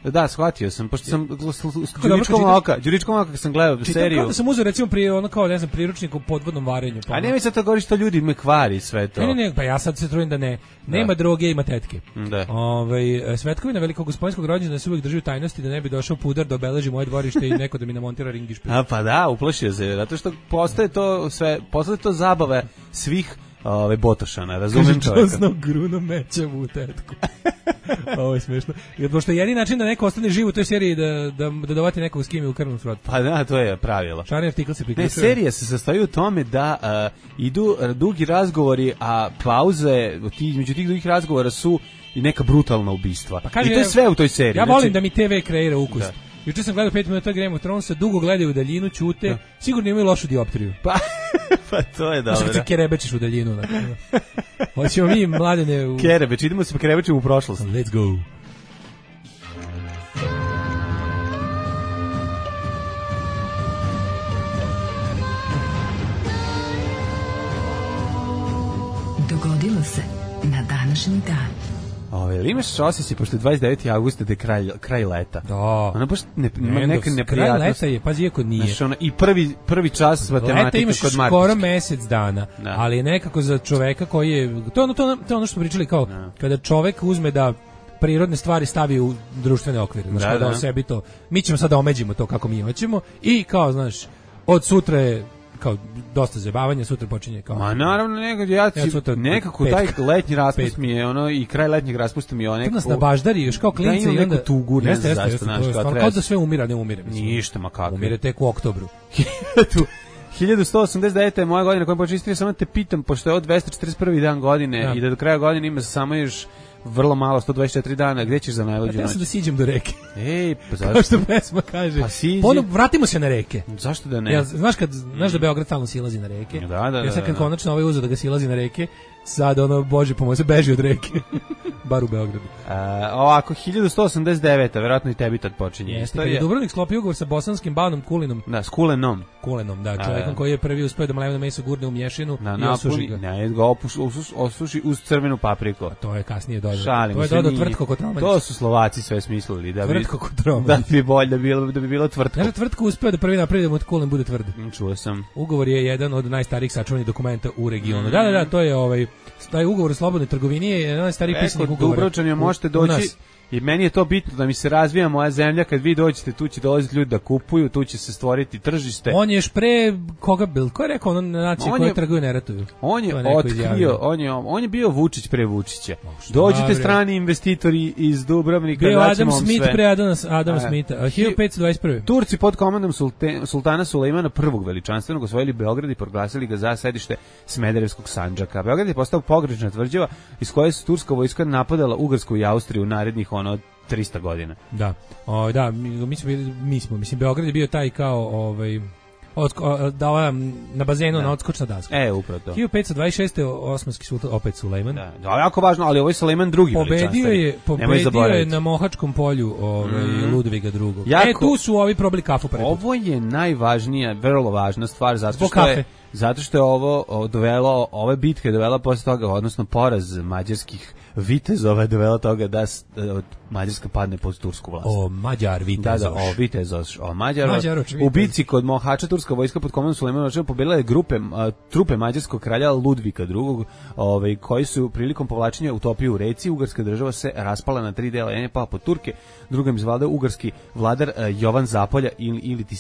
F: Da, shvatio sam, pošto sam
G: dobro
F: Đuričkom
G: čitam.
F: oka, Đuričkom oka kad sam gledao
G: Čitam
F: seriju.
G: kao da sam uzeo recimo prije ono kao, ne znam, priručnik u podvodnom varenju. Pa
F: A
G: ono-
F: nemoj sad to govoriš, to ljudi me kvari sve to.
G: Ne, ne, ne, pa ja sad se trudim da ne. Nema droge, ima tetke.
F: Da.
G: Ovaj svetkovina velikog gospodinskog rođendana se uvijek drži u tajnosti da ne bi došao pudar da obeleži moje dvorište i neko da mi namontira ring i špil.
F: A pa da, uplašio se, zato što postaje to sve, postaje to zabave svih ove botošana, razumem čovjeka.
G: Čosno gruno meća u tetku. Ovo je smiješno. Jer pošto je jedini način da neko ostane živ u toj seriji da, da, da dovati nekog s kim je u krvnom srodu.
F: Pa da, to je pravilo.
G: Šarni artikl se
F: Ne,
G: priključuje.
F: serija se sastoji u tome da uh, idu uh, dugi razgovori, a pauze ti, među tih dugih razgovora su i neka brutalna ubistva.
G: Pa kaže,
F: I to je sve u toj seriji.
G: Ja volim
F: znači,
G: da mi te ve kreira ukus.
F: Da.
G: Juče sam gledao pet minuta Game of Thronesa, dugo gledaju u daljinu, ćute,
F: Da.
G: sigurno imaju lošu dioptriju.
F: Pa, pa to je
G: Znaš kad se
F: dobro.
G: kerebečiš u daljinu. Dakle. Hoćemo mi, mladene, u...
F: Kerebeč, idemo se krebećemo u prošlost.
G: Let's go.
A: Dogodilo se na današnji dan.
F: Ove, ili imaš osjećaj, pošto je dvadeset deveti avgusta da je kraj, kraj leta.
G: Da.
F: Ono baš ne, ima
G: Mendos,
F: neka
G: kraj
F: neprijatnost.
G: leta je, pazi, iako nije.
F: Znaš, ono, i prvi, prvi čas
G: Leta
F: matematike
G: imaš
F: kod
G: skoro
F: Martića.
G: mesec dana,
F: Da.
G: ali je nekako za čoveka koji je, to je ono, to, je ono- to je ono što smo pričali kao,
F: Da.
G: kada čovek uzme da prirodne stvari stavi u društvene okvire, znači
F: Da,
G: kao da,
F: da.
G: o sebi to, mi ćemo sada omeđimo to kako mi hoćemo i kao, znaš, od sutra je kao dosta zabavanja, sutra počinje kao...
F: Ma naravno, nekako, ja,
G: Ja sutra
F: nekako
G: petka.
F: taj letnji raspust
G: Petka.
F: mi je ono, i kraj letnjeg raspusta mi je ono
G: Kad nas
F: nekako...
G: na baždari još kao klinci
F: imam
G: i onda...
F: neku tugu, ne
G: Jeste,
F: znam
G: jeste,
F: zašto,
G: jeste,
F: znaš,
G: to je
F: kao
G: stvarno
F: treba
G: kao
F: se-
G: da sve umira, ne umire. Mislim.
F: Ništa, ma kako.
G: Umire tek u oktobru.
F: hiljadu sto osamdeset deveta je moja godina kojom počeo istorija, samo te pitam, pošto je ovo dvesta četrdeset prvi dan godine
G: Da.
F: i da do kraja godine ima samo još vrlo malo, sto dvadeset četiri dana, gde ćeš za
G: Pa
F: najluđu
G: treba
F: noć?
G: se da siđem do reke.
F: Ej, pa
G: Kao
F: zašto?
G: što pesma kaže.
F: Pa siđi.
G: Ono, vratimo se na reke.
F: Zašto da ne?
G: Ja, znaš kad znaš da Beograd stalno silazi na reke?
F: Da, da, da,
G: Ja sad kad
F: da, da.
G: konačno ovaj uzeo da ga silazi na reke, sad ono bože pomoć se beži od reke. Bar u Beogradu.
F: A, ovako, hiljadu sto osamdeset deveta, verovatno i tebi tad počinje
G: Jeste, kad je
F: istorija.
G: Dubrovnik sklopio ugovor sa bosanskim banom Kulinom,
F: Da, s Kulenom.
G: Kulenom, da,
F: A,
G: čovjekom
F: da.
G: koji je prvi uspeo da mleveno meso gurne u mješinu
F: Na
G: i osuši
F: napuni,
G: ga.
F: ne, ga opuš, osuš, osuši uz crvenu papriku.
G: To je kasnije dodao.
F: Šalim
G: To je
F: se,
G: dodao
F: nije.
G: tvrtko Kotromanić.
F: To su Slovaci sve smislili da bi
G: Tvrtko Kotromanić.
F: da bi bolje da bi bilo da bi bilo tvrtko.
G: Znaš da tvrtko uspeo da prvi napravi da mu Kulen bude tvrd.
F: Čuo sam.
G: Ugovor je jedan od najstarijih sačuvanih dokumenta u regionu. Da, da, da, to je ovaj taj ugovor o slobodnoj trgovini je jedan od najstarijih
F: Eko,
G: pisanih ugovora.
F: Dubrovčanima
G: u-
F: možete
G: u
F: doći
G: nas.
F: I meni je to bitno da mi se razvija moja zemlja, kad vi dođete tu će dolaziti ljudi da kupuju, tu će se stvoriti tržište.
G: On je još pre koga bil? Ko je rekao ono nacije koje trguju ne ratuju?
F: On je otkrio, on je, on je bio Vučić pre Vučića. Dođite strani investitori iz Dubrovnika,
G: bio
F: daćemo
G: Adam
F: vam
G: Smith
F: sve.
G: pre Adama, Adama Smitha, hiljadu petsto dvadeset prve.
F: Turci pod komandom Sulte, sultana Sulejmana prvog veličanstvenog osvojili Beograd i proglasili ga za sedište Smederevskog Sandžaka. Beograd je postao pogrešna tvrđava iz koje se turska vojska napadala Ugarsku i Austriju u narednih ono trista godina.
G: Da. O, da, mi, mi smo bili, mi smo, mislim Beograd je bio taj kao ovaj Odsko, da ova, na bazenu da. Na odskočna daska.
F: E, upravo to.
G: hiljadu petsto dvadeset šeste. osmanski sultan, opet Sulejman.
F: Da, da, jako važno, ali ovaj Sulejman drugi
G: pobedio je, pobedio je na Mohačkom polju ovaj, mm. Ludviga drugog. Jako, e, tu su ovi probili kafu preko.
F: Ovo je najvažnija, vrlo važna stvar, zato što je, zato što je ovo dovelo, ove bitke je dovela posle toga, odnosno poraz mađarskih vitezova je dovela toga da Mađarska padne pod tursku vlast.
G: O, Mađar Vitezoš.
F: Da, da, o Vitezoš, o Mađar. U bici kod Mohača turska vojska pod komandom Sulejmana pobedila je grupe a, trupe mađarskog kralja Ludvika drugog, ovaj koji su prilikom povlačenja utopio u reci. Ugarska država se raspala na tri dela, jedan je pao pod Turke, drugim zvladao ugarski vladar a, Jovan Zapolja ili ili ti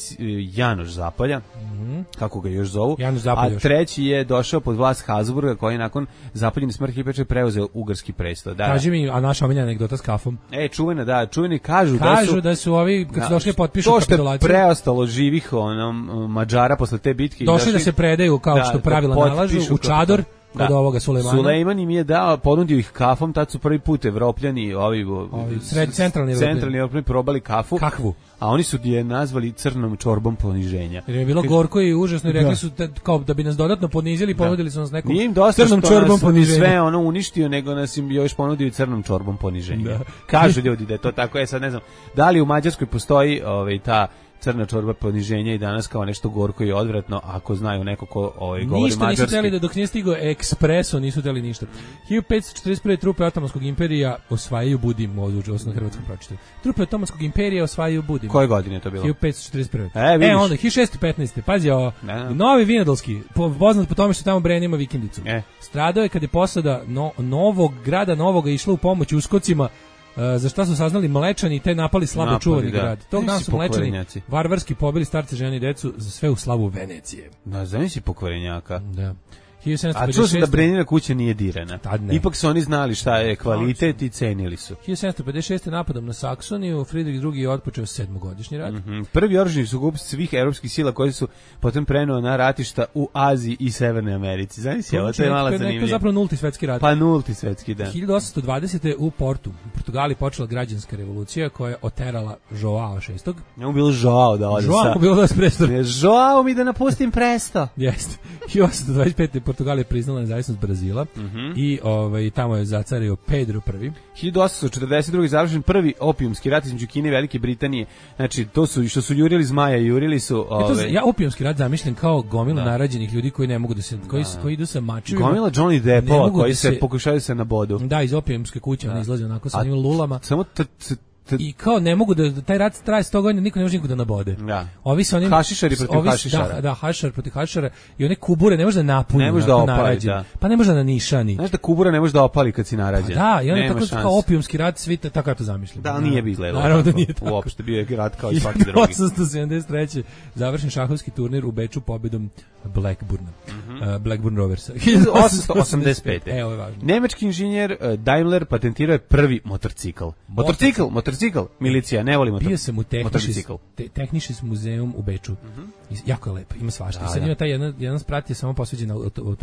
F: Janoš Zapolja. Mm-hmm. Kako ga još zovu. A treći je došao pod vlast Habsburga koji nakon zapaljene smrti Peče preuzeo ugarski presto. Da.
G: Kaži mi, a naša omiljena anegdota s kafom.
F: E, čuvena, da, čuveni kažu,
G: kažu
F: da su...
G: da su ovi, kad su došli potpišu kapitulaciju...
F: To što je preostalo živih onom, Mađara posle te bitke...
G: Došli, došli da se predaju, kao da, što pravila da nalažu, u čador, kod da. Ovoga Sulejmana.
F: Sulejman im je dao, ponudio ih kafom, tad su prvi put Evropljani, ovi...
G: ovi sred, centralni Evropljani.
F: Centralni Evropljani probali kafu.
G: Kakvu?
F: A oni su je nazvali crnom čorbom poniženja.
G: Jer je bilo gorko i užasno i rekli da. Su te, kao da bi nas dodatno ponizili, ponudili da. Su nas nekom
F: nije im dosta
G: crnom čorbom poniženja.
F: Sve ono uništio, nego nas im još ponudio i crnom čorbom poniženja. Da. Kažu ljudi da je to tako, ja sad ne znam, da li u Mađarskoj postoji ovaj, ta crna čorba poniženja i danas kao nešto gorko i odvratno, ako znaju neko ko ovaj, govori
G: ništa
F: mađarski.
G: Ništa nisu teli da dok nije stigao ekspreso, nisu teli ništa. hiljadu petsto četrdeset prve. trupe Otomanskog imperija osvajaju Budim, odlučio sam na hrvatskom pročitaju. Trupe Otomanskog imperija osvajaju Budim.
F: Koje godine je to bilo?
G: hiljadu petsto četrdeset prve.
F: E, vidiš.
G: E onda, hiljadu šessto petnaeste. Pazi ovo, Novi Vinodolski, poznat po tome što tamo Bren ima vikendicu. E. Stradao je kad je posada no, novog grada Novoga išla u pomoć uskocima. Uh, za šta su saznali Mlečani i te napali slabo napali, čuvani da. Grad. Tog dana su Mlečani varvarski pobili starce, žene i decu za sve u slavu Venecije.
F: Da, zamisli pokvarenjaka.
G: Da.
F: A čuo sam da Brenina kuća nije dirana. Ipak su oni znali šta je kvalitet i cenili su.
G: hiljadu sedamsto pedeset šeste. napadom na Saksoniju, Fridrik drugi je otpočeo sedmogodišnji rat.
F: Mm-hmm. Prvi oružani sukob svih evropskih sila koji su potom prenuo na ratišta u Aziji i Severnoj Americi. Zamisli, ovo to je malo zanimljivo.
G: To je zapravo nulti svetski rat.
F: Pa nulti svetski, da.
G: hiljadu osamsto dvadesete. u Portu, u Portugaliji počela građanska revolucija koja je oterala Joao šestog.
F: Njemu bilo Joao da ode
G: Joao
F: sa...
G: bilo da sprestor.
F: Joao mi da napustim presto.
G: Jeste. hiljadu osamsto dvadeset pete. Portugalija priznala nezavisnost Brazila mm-hmm. i ovaj, tamo je zacario Pedro prvi.
F: hiljadu osamsto četrdeset druge. završen prvi opijumski rat između Kine i Velike Britanije. Znači, to su, što su jurili zmaja, jurili su... Ove...
G: E to, ja opijumski rat zamišljam kao gomila da. Narađenih ljudi koji ne mogu da se... koji, da. Koji idu sa mačevima.
F: Gomila Johnny Deppova koji da se, se pokušaju se na bodu.
G: Da, iz opijumske kuće, da. On izlazi onako sa njim lulama.
F: Samo t, t, t,
G: i kao ne mogu da taj rat traje sto godina, niko ne može nikoga da nabode.
F: Da.
G: Ovi su oni
F: hašišari protiv
G: ovi,
F: hašišara.
G: Da, da, hašišar protiv hašišara i one kubure ne može da napuni.
F: Ne može da opali, da.
G: Pa ne može da nanišani.
F: Znaš da kubura ne može da opali kad si narađen.
G: Pa da, i on tako kao opijumski rat, svi tako ja to zamišljam.
F: Da, nije bi izgledalo.
G: Naravno da nije tako.
F: Uopšte bio je rat kao i svaki drugi.
G: osamsto sedamdeset treće. završen šahovski turnir u Beču pobedom Blackburna. Mm-hmm. Uh, Blackburn Roversa.
F: hiljadu osamsto osamdeset pete.
G: E, ovo je važno.
F: Nemački inženjer uh, Daimler patentirao je prvi motorcikl. Motorcikl, motorcikl. Milicija, ne voli motor.
G: Bio sam u Technisches te, Technisches muzeum u Beču. Mm-hmm. Jako je lepo, ima svašta. Da, sad da. Ima taj jedan, jedan sprat je samo posveđen na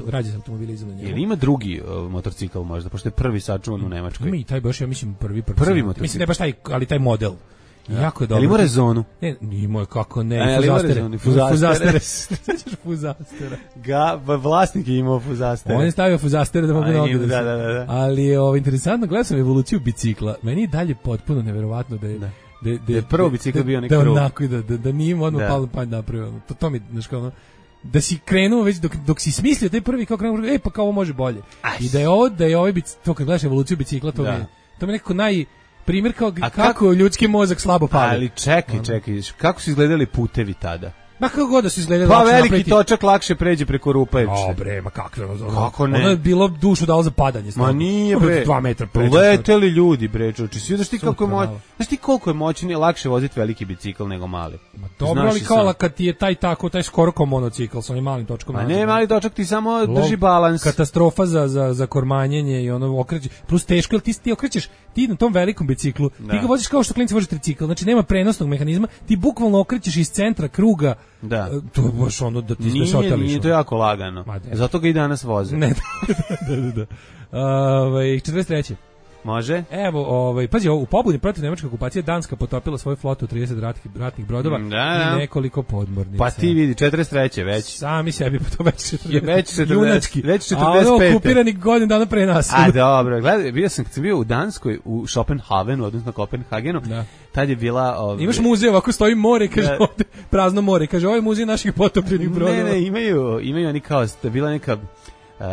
G: rađe automobilizam.
F: Jel ima drugi uh, motorcikl možda, pošto je prvi sačuvan u Nemačkoj?
G: Ima i taj baš, ja mislim, prvi prvi.
F: Prvi motorcikl.
G: Mislim, ne baš taj, ali taj model. Ja. Jako je dobro.
F: Ali ima rezonu?
G: Ne, ima kako ne,
F: A,
G: fuzastere.
F: Fuzastere.
G: Sećaš fuzastera?
F: Ga, vlasnik je imao fuzastere.
G: On je stavio fuzastere da mogu noge.
F: Da, da, da, da.
G: Ali je ovo interesantno, gledao sam evoluciju bicikla. Meni je dalje potpuno neverovatno da je... Da.
F: Da, da je prvo bicikl bio neki
G: krug.
F: Da,
G: onako, da, da, da nije odmah palo na pamet napravio. To, to mi, znaš kao ono, da si krenuo već, dok, dok si smislio taj prvi, kao krenuo, e pa kao ovo može bolje. Aj. I da je ovo, da je ovaj bicikl, to kad gledaš evoluciju bicikla, to, da. mi, je, to mi je nekako naj... primjer kao kako, kako ljudski mozak slabo pali.
F: Ali čekaj, čekaj, kako su izgledali putevi tada?
G: Ma kako god da se izgledalo.
F: Pa veliki napreti... točak lakše pređe preko rupe.
G: O bre, ma kakve ono.
F: Kako ne?
G: Ono je bilo dušu dalo za padanje.
F: Ma nije bre.
G: dva metra pređe.
F: Leteli ljudi bre, čoči. Svi znaš ti kako je moć. Znaš ti koliko je moćnije lakše voziti veliki bicikl nego mali.
G: Ma dobro, ali kao kad ti je taj tako, taj skoro kao monocikl sa onim malim točkom.
F: A ne, mali točak ti samo drži balans.
G: Katastrofa za za za kormanjenje i ono okreće. Plus teško, jer ti ti okrećeš ti na tom velikom biciklu. Da. Ti ga voziš kao što klinci voze tricikl. Znači nema prenosnog mehanizma. Ti bukvalno okrećeš iz centra kruga.
F: Da.
G: To baš ono da ti
F: nije,
G: se otališ.
F: Nije to jako lagano. Zato ga i danas voze.
G: Ne, da, da, da. Ovaj četrdeset treće
F: Može?
G: Evo, ovaj, pazi, u pobuni protiv nemačke okupacije Danska potopila svoju flotu od trideset ratnih, ratnih brodova
F: da, da.
G: i nekoliko podmornica.
F: Pa ti vidi, četrdeset treće već.
G: Sami sebi, pa to već četrdeset.
F: Već četrdeset.
G: Junački.
F: Već četrdeset pet.
G: A ono okupirani godin dana pre nas.
F: A dobro, gledaj, bio sam kad sam bio u Danskoj, u Schopenhavenu, odnosno Kopenhagenu,
G: da.
F: Tad je bila... Ove...
G: Imaš muzej, ovako stoji more, kaže, da. Ovde, prazno more, kaže, ovo je muzej naših potopljenih brodova.
F: Ne, ne, imaju, imaju oni kao, bila neka... Uh,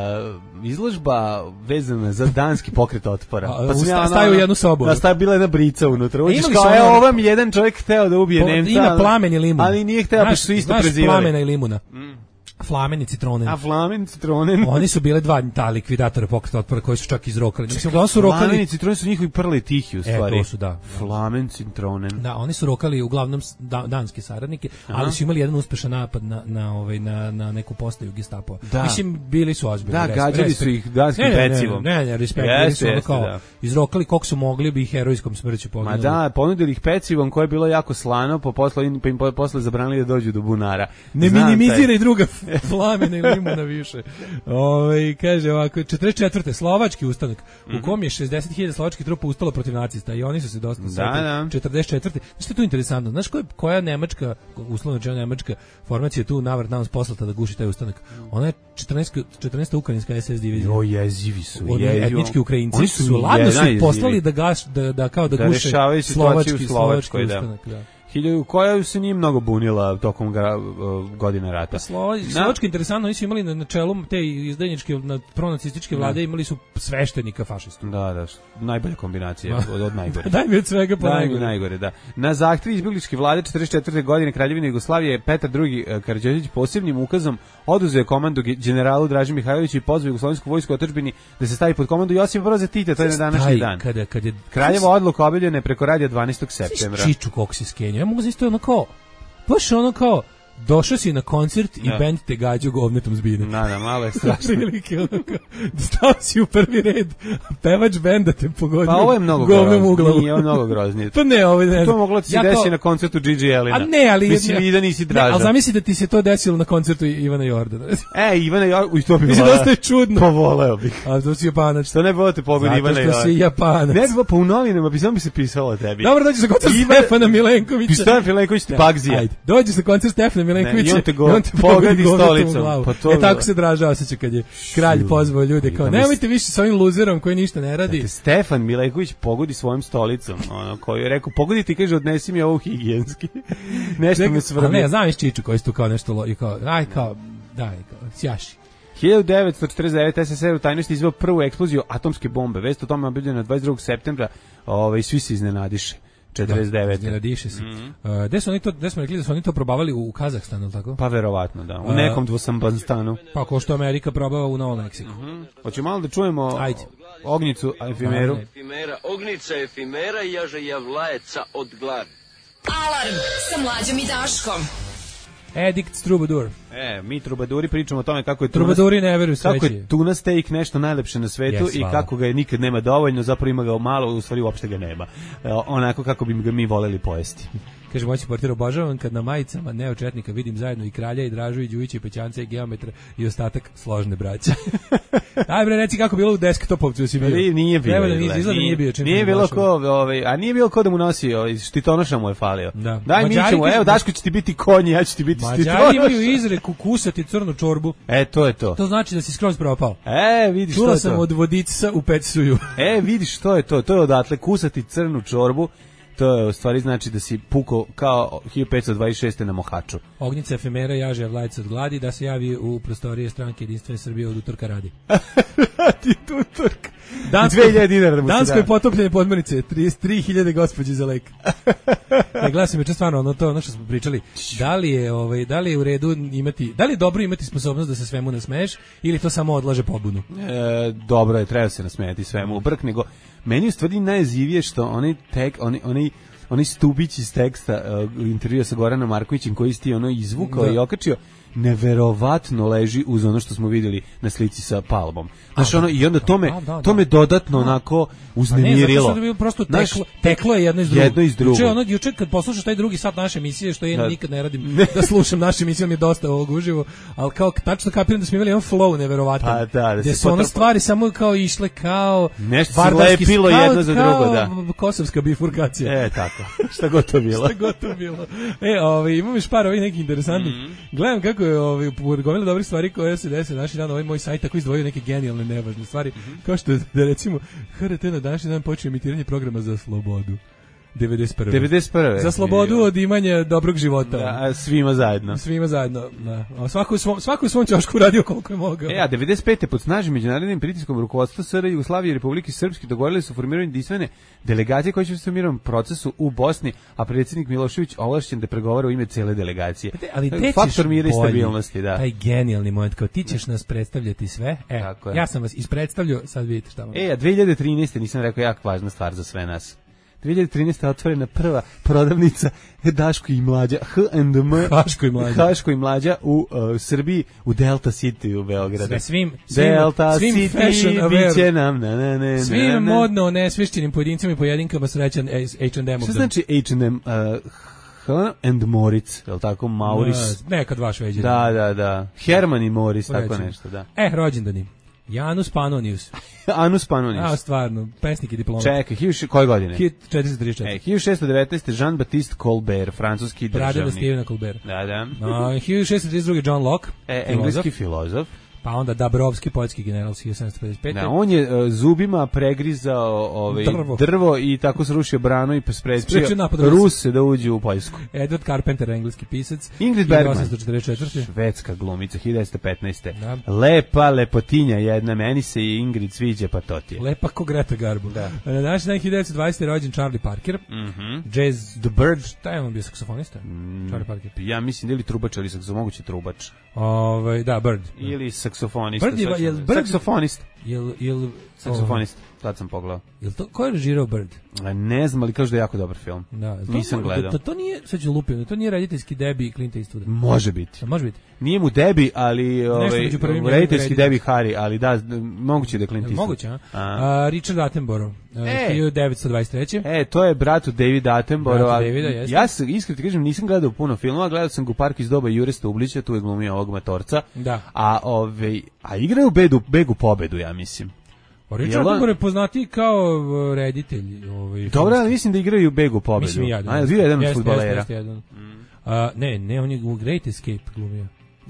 F: izložba vezana za danski pokret otpora.
G: Pa sam ja staju u jednu sobu.
F: Da, staje bila jedna brica unutra. Uđeš kao, evo, ovam jedan čovjek hteo da ubije po, Nemca.
G: Ima plamen i limun.
F: Ali nije hteo, pa su isto prezivali.
G: Znaš plamena i limuna. Mm. Flamen i citronen.
F: A flamen i citronen.
G: Oni su bile dva ta likvidatora pokreta otpora koji su čak izrokali. Mislim da su rokali.
F: Flamen i citronen su njihovi prli tihi u stvari.
G: E, to su da.
F: Flamen, citronen.
G: Da, oni su rokali uglavnom da, danske saradnike, aha. Ali su imali jedan uspešan napad na na ovaj na na neku postaju Gestapo. Da. Mislim bili su ozbiljni.
F: Da, gađali su ih danskim pecivom.
G: Ne, ne, ne, respekt, bili su kao da. Izrokali koliko su mogli bi ih herojskom smrću poginuli.
F: Ma da, ponudili ih pecivom koje je bilo jako slano, po posle pa im posle zabranili da dođu do bunara.
G: Ne minimiziraj druga flamena limuna više. Ovaj kaže ovako četrdeset četvrte slovački ustanak mm-hmm. u kom je šezdeset hiljada slovačkih trupa ustalo protiv nacista i oni su se dosta
F: da,
G: četrdeset četvrte Što je tu interesantno? Znaš koja koja nemačka uslovno rečeno nemačka formacija tu navrat nas poslata da guši taj ustanak? Ona je četrnaesta četrnaesta ukrajinska es es divizija.
F: O jezivi su,
G: jezivi. Etnički Ukrajinci oni su ladno su poslali da gaš da da kao da, da guše slovački slovački ustanak, da.
F: Hiljadu koja se nije mnogo bunila tokom gra, uh, godine rata.
G: Slova, Slovački interesantno, oni su imali na, na čelu te izdajničke, na pronacističke vlade, imali su sveštenika fašistu.
F: Da, da, najbolja kombinacija, od, od najgore.
G: Daj mi od svega po najgore.
F: najgore. Da. Na zahtev izbjegličke vlade četrdeset četvrte godine Kraljevine Jugoslavije Petar drugi Karađorđević posebnim ukazom oduzeo komandu generalu Draži Mihajloviću i pozvao jugoslovensku vojsku otadžbini da se stavi pod komandu Josipa Broza Tita, to je na današnji dan.
G: Kada, kada je,
F: Kraljeva odluka objavljena je preko radija dvanaestog septembra.
G: Čiču kako se skenio. Ja mogu zamisliti ono kao, baš ono kao, došao si na koncert i bend te gađu govnetom zbine.
F: Da, da, malo je strašno.
G: Prilike, ono kao, stao si u prvi red, pevač benda te pogodio.
F: Pa ovo je mnogo groznije. Nije ovo mnogo groznije.
G: Pa ne, ovo ne.
F: To moglo ti se ja desiti to... na koncertu G G Elina.
G: A ne, ali...
F: Mislim i da nisi draža.
G: Ali zamisli da ti se to desilo na koncertu Ivana Jordana.
F: E, Ivana Jordana, to bi
G: mislim, dosta je čudno.
F: Povoleo bih.
G: A to si Japanac.
F: Što ne bilo te pogodi Ivana Jordana?
G: Zato što si Japanac.
F: Ne bi bilo, pa u novinama bi samo bi se pisalo o tebi.
G: Dobro, dođi sa koncert Stefana Milenkovića.
F: Stefan Milenković ti Pagzija.
G: Ajde, dođi sa koncert Stefana Milenkovića.
F: On te pogodi stolicom.
G: Pa to e tako se Draža osjeća kad je kralj pozvao ljude kao nemojte više sa ovim luzerom koji ništa ne radi.
F: Dakle, Stefan Milenković pogodi svojom stolicom, ono koji je rekao pogoditi i kaže odnesi mi ovo higijenski. Nešto me svrbi.
G: Ne, ja znam iz Čiču koji su tu kao nešto i kao aj kao daj kao sjaši.
F: hiljadu devetsto četrdeset devete es es er u tajnosti izveo prvu eksploziju atomske bombe. Vest o tome objavljena dvadeset drugog septembra. Ovaj svi se iznenadiše. četrdeset devete
G: Da, diše se. Mm-hmm. Uh, gde su oni to, gde smo rekli da su oni to probavali u Kazahstanu, tako?
F: Pa verovatno, da. U nekom dvosambanstanu.
G: Pa ko što Amerika probava u Novom Meksiku.
F: Mm-hmm. Hoće malo da čujemo
G: Ajde.
F: Ognjicu Efimeru.
C: Efimera, Ognjica Efimera i jaže javlajeca od glavi.
A: Alarm sa Mlađom i Daškom.
G: Edict Troubadour.
F: E, mi Troubaduri pričamo o tome kako je
G: Troubaduri ne veruju sreći.
F: Kako je tuna steak nešto najlepše na svetu yes, i hvala. Kako ga je nikad nema dovoljno, zapravo ima ga malo, u stvari uopšte ga nema. E, onako kako bi ga mi voleli pojesti.
G: Kaže moći portir, obožavam kad na majicama neočetnika vidim zajedno i Kralja i Dražu i Đujića i Pećanca i Geometra i ostatak složne braće. Daj bre, reci kako bilo u desktopovcu si bio.
F: Nije, nije bio.
G: Treba da nije, izgleda nije bio.
F: Nije bilo ko, ovaj, a nije bilo ko da mu nosi, ovaj, štitonoša mu je falio.
G: Da.
F: Daj mi ćemo, evo Daško će ti biti konj, ja ću ti biti štitonoša.
G: Mađari imaju izreku kusati crnu čorbu.
F: E, to je to.
G: To znači da si skroz propao.
F: E, vidiš što je to.
G: Čula sam od vodica u Pecsuju.
F: E, vidiš što je to. To je odatle kusati crnu čorbu. to je u stvari znači da si pukao kao hiljadu petsto dvadeset šeste na Mohaču.
G: Ognjica efemera jaže Javlajca od gladi da se javi u prostorije stranke Jedinstvene Srbije od utorka radi.
F: Radi utorka.
G: Dansko,
F: dve hiljade dinara da mu se
G: Dansko
F: da.
G: je potopljene podmornice, trideset tri hiljade gospođe za lek. Ne, gledam me stvarno ono to, ono što smo pričali. Da li je ovaj da li je u redu imati, da li je dobro imati sposobnost da se svemu nasmeješ ili to samo odlaže pobunu?
F: E, dobro je, treba se nasmejati svemu u brk, nego meni u stvari najjezivije što oni tek oni oni oni stubić iz teksta uh, intervjua sa Goranom Markovićem koji isti ono izvukao da. I okačio, neverovatno leži uz ono što smo vidjeli na slici sa Palmom. Znaš, ono, i onda to me,
G: da, da, da.
F: to me dodatno onako uznemirilo.
G: Ne, zato što je prosto teklo, Znaš, teklo je jedno iz drugog.
F: Jedno iz drugog.
G: Juče, ono, juče kad poslušaš taj drugi sat naše emisije, što ja nikad ne radim da slušam naše emisije, mi je dosta ovog uživo, ali kao tačno kapiram da smo imali jedan flow neverovatan.
F: Pa da, da
G: gde su ono stvari samo kao išle kao
F: nešto se lepilo jedno za drugo, da.
G: Kosovska bifurkacija.
F: E, tako. Šta god to bilo.
G: Šta god to bilo. E, ovaj, imam još par ovih nekih interesantnih. Mm -hmm. Gledam kako je ovaj, gomila dobrih stvari koje se dese naši dan, ovaj moj sajt tako izdvojio neke genijalne nevažne stvari, mm -hmm. kao što je, da recimo H R T na današnji dan počeo emitiranje programa za slobodu. devedeset prve
F: devedeset prve
G: Za slobodu od imanja dobrog života.
F: Da, svima zajedno.
G: Svima zajedno, da. A svako u svom, svako u svom ćošku radio koliko je mogao.
F: E, a devedeset pete pod snažnim međunarodnim pritiskom rukovodstva S R Jugoslavije i Republike Srpske dogovorili su formiranje jedinstvene delegacije koje će učestvovati u mirovnom procesu u Bosni, a predsjednik Milošević ovlašćen da pregovara u ime cele delegacije.
G: Te, ali te
F: faktor mira i stabilnosti, da.
G: Taj genijalni moment, kao ti ćeš nas predstavljati sve. E, ja sam vas ispredstavljao, sad vidite šta vam.
F: E, a dve hiljade trinaeste nisam rekao jako važna stvar za sve nas. dve hiljade trinaeste otvorena prva prodavnica Daško i Mlađa, H and M,
G: Haško i Mlađa,
F: Haško i Mlađa u uh, Srbiji, u Delta City u Beogradu.
G: Sve svim, svim,
F: Delta
G: svim
F: City, biće nam, na, na, na,
G: svim
F: na, na.
G: modno nesvešćenim pojedincima i pojedinkama srećan H and M.
F: Šta znači H and M? Uh, H and Moritz, je li tako? Mauris?
G: Uh, nekad vaš veđer.
F: Da, da, da. Herman i Moritz, tako nešto, da.
G: E, rođendani. Janus Pannonius.
F: Anus Pannonius.
G: A, stvarno, pesnik i diplomat.
F: Čekaj, koje godine?
G: hiljadu četiristo trideset četiri.
F: E, hiljadu šessto devetnaeste. Jean-Baptiste Colbert, francuski državnik.
G: Pradeda Stevena Colbert.
F: Da, da.
G: Uh, hiljadu šessto trideset drugi. John Locke.
F: E, engleski filozof.
G: Pa onda Dabrovski, poljski general, hiljadu sedamsto pedeset pete.
F: Da, on je uh, zubima pregrizao ovaj, drvo. drvo i tako srušio branu i sprečio Ruse da uđu u Poljsku.
G: Edward Carpenter, engleski pisac.
F: Ingrid Bergman,
G: hiljadu osamsto četrdeset četvrte.
F: švedska glumica, hiljadu devetsto petnaeste. Da. Lepa, lepotinja jedna, meni se i Ingrid sviđa, pa to ti je.
G: Lepa ko Greta Garbo. Da. Na današnji dan hiljadu devetsto dvadesete. rođen Charlie Parker.
F: Mm -hmm.
G: Jazz
F: The Bird.
G: Šta je on bio, saksofonista? Mm, Charlie Parker.
F: Ja mislim da ili trubač, ali saksofonist, moguće trubač.
G: Ovaj, da, Bird.
F: Ili saksofonista.
G: Bird je, jel Bird,
F: saksofonist.
G: Jel, jel,
F: saksofonist. Sad sam pogledao.
G: Jel to, ko je režirao Bird?
F: Ne znam, ali kažu da je jako dobar film.
G: Da,
F: nisam
G: to,
F: gledao.
G: To, to nije, sad ću lupiti, to nije rediteljski debi Clint Eastwooda.
F: Može biti.
G: A može biti.
F: Nije mu debi, ali ovaj, rediteljski debi Harry, ali da, moguće da je Clint Eastwood.
G: Moguće, a? a Richard Attenborough,
F: e,
G: hiljadu devetsto dvadeset treće.
F: E, to je bratu David Attenborough.
G: Bratu Davida, jeste.
F: Ja se, iskreno ti kažem, nisam gledao puno filmova, gledao sam ga u Parku iz doba Jure Stublića, tu je glumio ovog matorca.
G: Da.
F: A, ovaj, a igraju bedu, begu pobedu, ja mislim.
G: Richard Attenborough je poznati kao reditelj. Ovaj,
F: dobro, ali mislim da igraju begu pobedu.
G: Mislim i ja.
F: A, je bio jedan od fudbalera.
G: Ne, ne, on je u Great Escape glumio.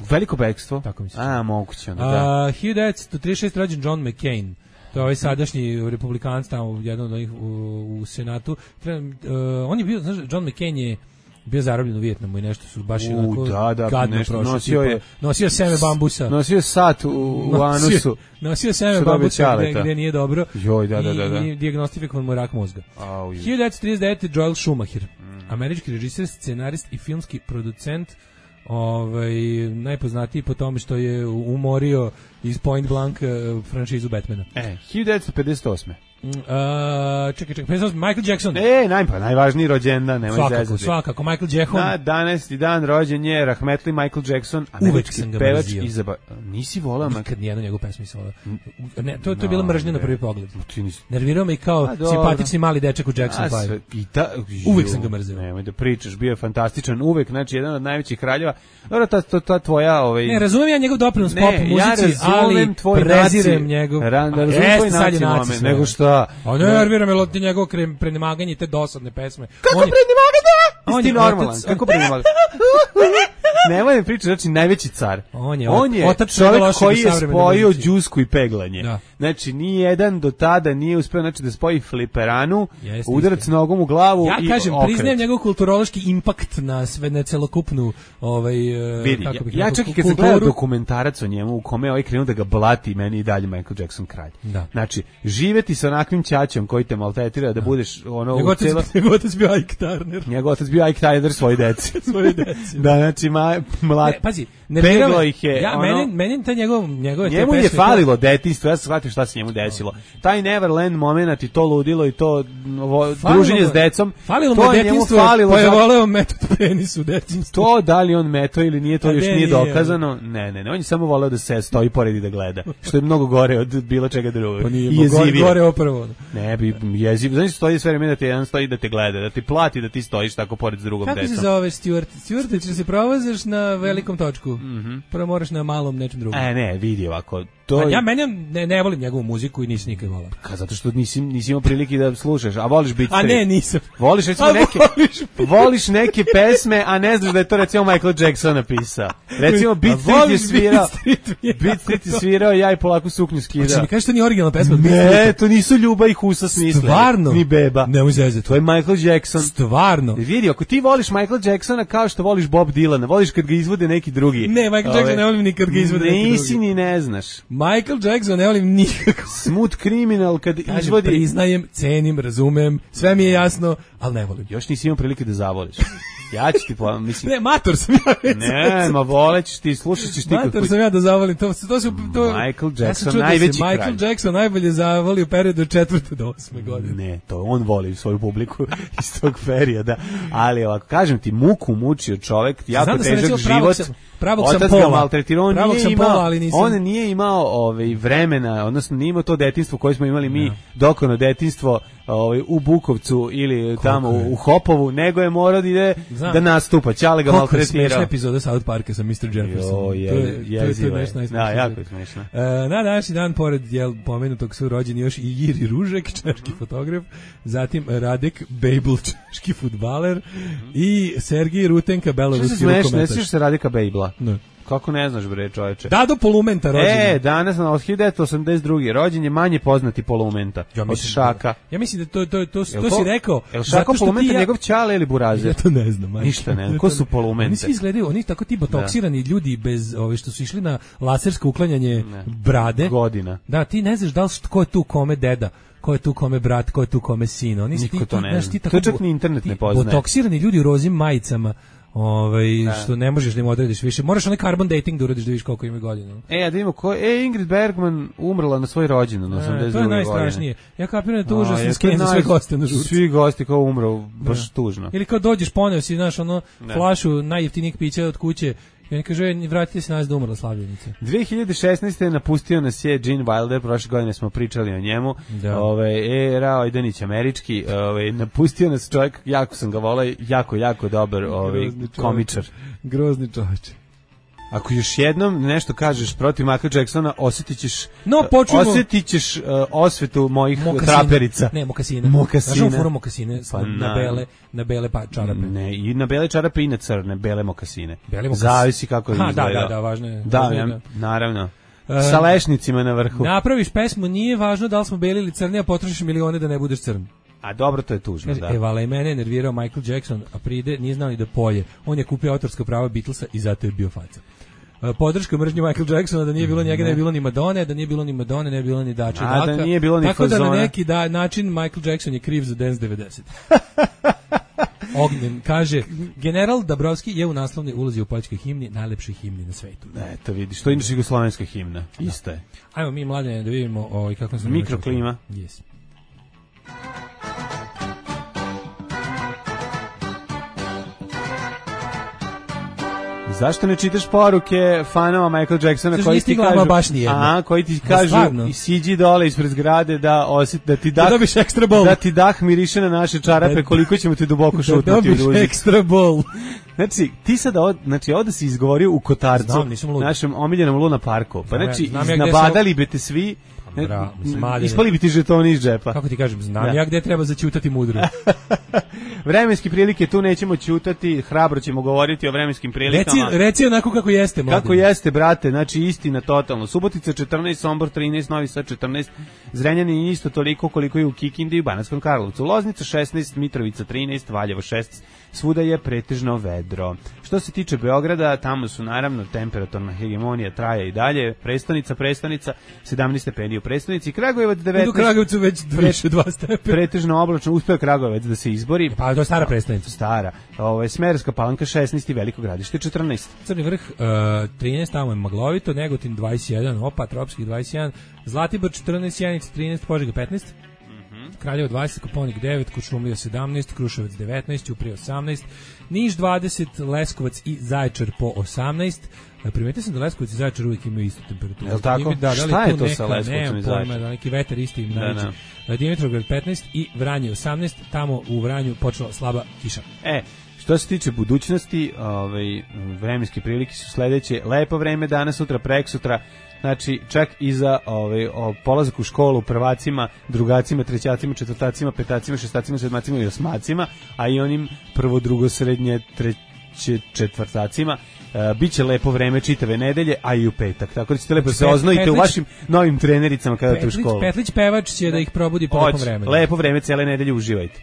F: Veliko bekstvo?
G: Tako mislim.
F: A, moguće onda, da.
G: hiljadu devetsto trideset šeste. rođen John McCain. To je ovaj sadašnji republikanac tamo, jedan od onih u, u Senatu. Treba, uh, on je bio, znaš, John McCain je bio zarobljen u Vijetnamu i nešto su baš
F: u,
G: onako
F: da, da,
G: gadno
F: nešto,
G: prošlo.
F: Nosio,
G: tipa,
F: je,
G: nosio seme bambusa.
F: Nosio sat u, u anusu.
G: Nosio, nosio seme bambusa gde, gde nije dobro.
F: Joj, da, da, da, da.
G: I dijagnostifikovan mu rak mozga.
F: Au,
G: hiljadu devetsto trideset devete. Joel Schumacher. Mm. Američki režiser, scenarist i filmski producent. Ovaj, najpoznatiji po tome što je umorio iz Point Blank uh, franšizu Batmana.
F: E, hiljadu devetsto pedeset osme.
G: Uh, čekaj, čekaj, Michael Jackson.
F: E, najpa, najvažniji rođendan, nemoj
G: svakako,
F: zezati.
G: Svakako, Michael Jackson.
F: Na danaesti dan rođen je rahmetli Michael Jackson, američki pevač i zaba... Nisi volao?
G: Nikad nijednu njegovu pesmu nisam volao. Ne, to, to je bila mržnja na prvi pogled.
F: Nisi...
G: Nervirao me i kao a, simpatični mali dečak u Jackson five.
F: Ta...
G: Uvijek sam ga mrzio.
F: Nemoj da pričaš, bio je fantastičan, uvek, znači, jedan od najvećih kraljeva. Dobro, ta, ta, ta tvoja... Ovaj...
G: Ne, razumijem ja njegov doprinos pop muzici,
F: ja
G: ali prezirem njegov...
F: Razumem tvoj naci moment, nego šta...
G: A ne, nervira me loti njegov prenemaganje te dosadne pesme.
F: Kako prenemaganje? Isti normalan, kako prenemaganje? Nemoj mi pričati, znači najveći car.
G: On je,
F: on je
G: otac
F: čovjek
G: lošeg
F: koji je
G: savremene
F: spojio
G: muzici.
F: đusku i peglanje.
G: Da.
F: Znači, ni jedan do tada nije uspeo znači, da spoji fliperanu,
G: Jeste,
F: udarac
G: jeste.
F: nogom u glavu
G: Ja
F: i
G: kažem,
F: okret.
G: priznajem njegov kulturološki impakt na sve, na celokupnu ovaj,
F: Vidi,
G: kako
F: ja,
G: bih
F: ja
G: rekao,
F: čak i kad sam
G: kulturu.
F: gledao dokumentarac o njemu u kome je ovaj krenuo da ga blati, meni i dalje Michael Jackson kralj.
G: Da.
F: Znači, živeti sa onakvim ćaćom koji te maltretira da budeš ono
G: Njegov
F: u celo...
G: otac, njegov otac bio Ike Turner.
F: Njegov otac bio Ike Turner svoje deci.
G: Svoje deci.
F: Da, znači, ma, mlad...
G: Ne, pazi,
F: Peglo
G: nervirao
F: ih je,
G: ja,
F: ono-
G: meni, meni ta njegov, njegove te
F: Njemu je
G: pesme,
F: falilo detinjstvo, ja sam shvatio šta se njemu desilo. Taj Neverland moment i to ludilo i to ovo,
G: Falilo
F: druženje
G: mu-
F: s decom,
G: falilo mu
F: to je njemu
G: detinjstvo,
F: falilo.
G: pa je
F: za-
G: voleo metod penis u detinjstvu.
F: To da li on meto ili nije, to
G: A
F: još
G: ne,
F: nije
G: nije,
F: dokazano. Ne, ne, ne, on je samo voleo da se stoji pored i da gleda, što je mnogo gore od bilo čega drugog.
G: Pa nije,
F: I
G: gore,
F: jezivije.
G: gore opravo.
F: Ne, bi jeziv. Znači stoji sve vreme da te jedan stoji da te gleda, da ti plati da ti stojiš tako pored s drugom
G: Kako se
F: decom.
G: zove Stuart? Stuart, ti se provozaš na velikom točku. Prvo moraš na malom nečem drugom.
F: E, ne, vidi ovako. To
G: A
F: je-
G: ja meni ne, ne volim njegovu muziku i nisam nikad volao.
F: Ka, zato što nisi, nisi imao prilike da slušaš, a voliš Beat
G: A
F: Street.
G: ne, nisam.
F: Voliš recimo
G: A
F: neke,
G: voliš
F: voliš neke pesme, a ne znaš da je to recimo Michael Jackson napisao. Recimo Beat
G: A
F: Street je
G: voliš
F: svirao,
G: Beat Street, mi je
F: Beat Street je svirao, ja i polako suknju
G: Hoće
F: skidao.
G: mi kažeš to nije originalna pesma? od Beat
F: Ne,
G: Streeta?
F: to nisu Ljuba i Husa smislili.
G: Stvarno?
F: Ni Beba.
G: Nemoj zezati.
F: To je Michael Jackson.
G: Stvarno?
F: Vidi, ako ti voliš Michael Jacksona kao što voliš Bob Dylana, voliš kad ga izvode neki drugi.
G: Ne, Michael Jackson ne volim ni kad ga izvode neki drugi.
F: Nisi ni ne znaš.
G: Michael Jackson ne volim nikako.
F: Smooth Criminal kad
G: Kažem,
F: izvodi...
G: priznajem, cenim, razumem, sve mi je jasno, ali ne volim.
F: Još nisi imao prilike da zavoliš. Ja ću ti po... Mislim...
G: Ne, mator sam ja. već.
F: Ne, ma volećeš ti, slušat ćeš ti
G: Mator
F: kako...
G: sam ja da zavolim. To, to su, to,
F: Michael
G: ja
F: Jackson,
G: sam čuo da se
F: najveći
G: Michael
F: kralj.
G: Jackson najbolje zavoli u periodu od četvrte do osme godine.
F: Ne, to on voli svoju publiku iz tog perioda. Ali ovako, kažem ti, muku mučio čovek, jako
G: Znam da sam
F: težak
G: recimo pravog
F: život.
G: sam- pravog sam
F: Otac ga
G: pola.
F: maltretirao, on
G: Pravog
F: nije
G: sam
F: imao,
G: pola, ali nisam.
F: on nije imao ovaj, vremena, odnosno nije imao to detinjstvo koje smo imali mi, dokono detinjstvo ovaj, u Bukovcu ili tamo
G: je?
F: u, u Hopovu, nego je morao da ide
G: Znam.
F: da nastupa. Čale ga
G: Koliko je smešna
F: maltretirao.
G: epizoda South Parka sa mister Jefferson.
F: Jo, je,
G: to je, to je, to je
F: jezivo je.
G: nešto
F: Da,
G: najsmešnije.
F: jako je smešno.
G: E, na današnji dan, pored jel, pomenutog su rođeni još i Jiri Ružek, češki fotograf, zatim Radek Bejbl, češki fudbaler i Sergij Rutenka,
F: Što se
G: beloruski
F: smešno, ne
G: rukometaš.
F: sviš se Radika Bejbla?
G: Ne.
F: Kako ne znaš, bre, čoveče?
G: Dado Polumenta rođen.
F: E, danas na hiljadu devetsto osamdeset druge rođen je manje poznati Polumenta od Šaka.
G: Ja mislim da to, to, to,
F: Jel
G: to si rekao.
F: Jel
G: zato
F: Šako
G: što
F: Polumenta
G: ti ja-
F: njegov ćale ili burazer?
G: Ja to ne znam. majko.
F: Ništa ne znam. Ko su Polumente?
G: Oni svi izgledaju, oni tako ti botoksirani ljudi bez, ove, što su išli na lasersko uklanjanje brade.
F: Godina.
G: Da, ti ne znaš da li što- ko je tu kome deda, ko je tu kome brat, ko je tu kome sin. Oni
F: Niko
G: ti,
F: to
G: ti,
F: ne
G: znaš,
F: zna.
G: ti
F: To
G: tako
F: čak
G: bo-
F: ni internet
G: ti
F: ne poznaje.
G: Botoksirani ljudi u rozim majicama. Ovaj što ne možeš da im odrediš više. Moraš onaj carbon dating da uradiš da vidiš koliko ima godina.
F: E, a da vidimo ko... E, Ingrid Bergman umrla na svoj rođendan, na
G: E,
F: osamdeset
G: to je
F: druge
G: najstrašnije. Ja kapiram da je to
F: A,
G: užasno
F: je, to
G: skenje
F: je
G: za sve
F: naj-
G: goste na žurci.
F: Svi gosti kao umro, baš tužno.
G: Ili kao dođeš poneo si, znaš, ono, flašu najjeftinijeg pića od kuće i oni kažu, "E, vratite se nas da umrla slavljenica."
F: dve hiljade šesnaeste napustio nas je Gene Wilder, prošle godine smo pričali o njemu.
G: Da.
F: Ove, era Ojdanić američki, ove, napustio nas čovjek, jako sam ga volao, jako, jako dobar ovaj,
G: Grozni čovjek.
F: komičar.
G: Grozni čovječe.
F: Ako još jednom nešto kažeš protiv Michael Jacksona, osjetit ćeš,
G: No, počujemo-
F: osjetit ćeš uh, osvetu mojih
G: Mokasine.
F: traperica.
G: Ne, mokasine.
F: Mokasine.
G: Znaš, on fura mokasine
F: Pa
G: na,
F: na-
G: na bele, na bele pa čarape.
F: Ne, i na bele čarape i na crne, bele mokasine.
G: Bele mokasine.
F: Zavisi kako
G: Aha,
F: izgleda.
G: da, da, da, važno je.
F: Da,
G: Važno je
F: ja,
G: da-
F: naravno.
G: E,
F: Sa lešnicima na vrhu.
G: Napraviš pesmu, nije važno da li smo beli ili crni, a potrošiš milione da ne budeš crn.
F: A dobro, to je tužno,
G: Kaže,
F: da.
G: e, vala i mene je nervirao Michael Jackson, a pride nije znao ni da poje. On je kupio autorska prava Beatlesa i zato je bio faca. E, Podrška mržnje Michael Jacksona, da nije bilo njega, ne bi bilo ni Madone, da nije bilo ni Madone, ne bi bilo ni Dače
F: A, da
G: Daka.
F: nije bilo ni
G: Tako da na
F: fazona.
G: neki da, način Michael Jackson je kriv za Dance devedeset. Ognjen kaže, general Dabrowski je u naslovnoj ulozi u poljskoj himni, najlepšoj himni na svetu.
F: Eto vidiš, to je inače jugoslovenska himna. Isto je.
G: Ajmo mi mladene da vidimo ovaj kako se
F: Mikroklima.
G: Yes.
F: Zašto ne čitaš poruke fanova Michael Jacksona
G: Zašto
F: koji
G: nije
F: ti
G: stigla
F: kažu,
G: ama baš nijedna?
F: aha, koji ti
G: Da,
F: kažu
G: stvarno?
F: i siđi dole ispred zgrade da osjet, da ti dah,
G: Da dobiš ekstra bol.
F: da ti dah miriše na naše čarape,
G: Da-
F: koliko ćemo ti duboko
G: Da
F: šutnuti u
G: dobiš
F: duzi.
G: ekstra bol.
F: Znači, ti sada, od, znači, ovdje si izgovorio u Kotarcu,
G: Znam, nisam lud.
F: našem omiljenom Luna Parku. Pa
G: Znam ja,
F: znači,
G: znam ja gde
F: iznabadali bi te svi
G: Bra, smaljene.
F: Ispali bi ti žetoni iz džepa.
G: Kako ti kažem, znam
F: Da.
G: ja gde treba zaćutati mudro.
F: Vremenske prilike, tu nećemo ćutati, hrabro ćemo govoriti o vremenskim prilikama.
G: Reci, reci onako kako jeste, mladen.
F: Kako jeste, brate, znači istina totalno. Subotica četrnaest, Sombor trinaest, Novi Sad četrnaest, Zrenjanin isto toliko koliko je u Kikindi i Banatskom Karlovcu. Loznica šesnaest, Mitrovica trinaest, Valjevo šesnaest, svuda je pretežno vedro. Što se tiče Beograda, tamo su naravno temperaturna hegemonija traje i dalje, prestonica, prestonica, sedamnaest stepeni u prestonici, Kragujevac devetnaest.
G: U Kragujevcu već više dva stepena.
F: Pretežno oblačno, uspeo Kragujevac da se izbori.
G: Pa to je stara prestonica.
F: Stara. Ovo je Smederevska Palanka šesnaest i Veliko Gradište četrnaest.
G: Crni vrh uh, trinaest, tamo je maglovito, Negotin dvadeset jedan, Opa, Tropski dvadeset jedan, Zlatibor četrnaest, Sjenica trinaest, Požega petnaest. Kraljevo dvadeset, Koponik devet, Kuršumlija sedamnaest, Kruševac devetnaest, Ćuprija osamnaest, Niš dvadeset, Leskovac i Zaječar po osamnaest. Primetio sam da Leskovac i Zaječar uvijek imaju istu temperaturu.
F: Jel' tako?
G: Da, da li
F: šta je to
G: neka,
F: sa Leskovcem i Zaječarom?
G: Da, neki veter isti im
F: Da,
G: najveći.
F: da.
G: Dimitrovgrad petnaest i Vranje osamnaest, tamo u Vranju počela slaba kiša.
F: E, što se tiče budućnosti, ovaj, vremenske prilike su sledeće. Lepo vreme danas, sutra, preksutra. Znači, čak i za ovaj, o, polazak u školu prvacima, drugacima, trećacima, četvrtacima, petacima, šestacima, sedmacima i osmacima, a i onim prvo, drugo, srednje, treće, četvrtacima. Uh, biće lepo vreme čitave nedelje, a i u petak. Tako da ćete lepo se oznojite u vašim novim trenericama kada te u školu.
G: Petlić pevač će da ih probudi po lepom vremenu.
F: Lepo vreme, cele nedelje uživajte.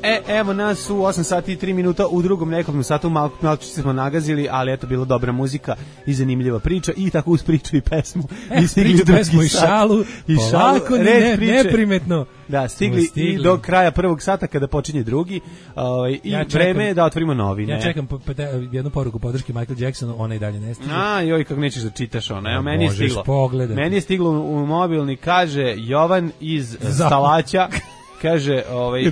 F: E, evo nas u osam sati i tri minuta, u drugom nekom satu malo, malo smo nagazili, ali eto, bila dobra muzika i zanimljiva priča i tako uz priču i pesmu.
G: E,
F: I stigli
G: priču, pesmu i šalu,
F: i
G: polako,
F: šalu,
G: ne,
F: priče.
G: neprimetno.
F: Da, stigli,
G: stigli
F: i do kraja prvog sata kada počinje drugi ovaj, i
G: ja
F: vreme je da otvorimo novine.
G: Ja čekam po, po, jednu poruku podrške Michael Jacksonu, ona i dalje ne stiže.
F: A, joj, kako nećeš da čitaš ono. Evo,
G: A,
F: meni je stiglo.
G: Pogledati.
F: Meni je stiglo u mobilni, kaže Jovan iz Stalaća. Kaže, ovaj,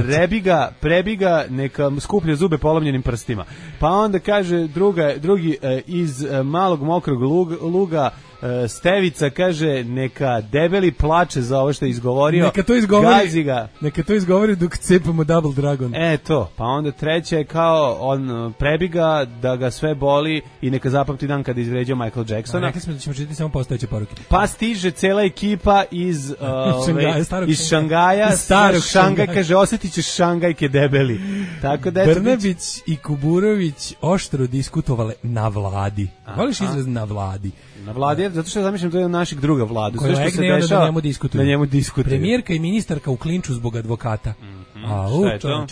F: prebiga, prebiga, neka skuplja zube polomljenim prstima. Pa onda kaže druga, drugi e, iz e, malog mokrog lug, luga, e, Stevica, kaže, neka debeli plače za ovo što je izgovorio.
G: Neka to izgovori,
F: gazi ga.
G: Neka to izgovori dok cepamo Double Dragon.
F: E to, pa onda treća je kao, on prebiga da ga sve boli i neka zapamti dan kada izvređao Michael Jacksona.
G: Rekli smo da ćemo čitati samo postojeće poruke.
F: Pa stiže cela ekipa iz, uh,
G: Šangaja,
F: ove, iz Šangaja,
G: starog
F: Šangaj,
G: Šangaja.
F: kaže, osjetit ćeš Šangajke debeli. Tako da
G: Brnabić i Kuburović oštro diskutovale na vladi. Voliš izraz na vladi?
F: Na vladi, zato što ja zamišljam to je našeg druga vladu. Sve što se
G: dešava,
F: dešava,
G: da njemu diskutuju.
F: Da njemu diskutuju.
G: Premijerka i ministarka u klinču zbog advokata.
F: Mm-hmm.
G: A, u,
F: šta je to?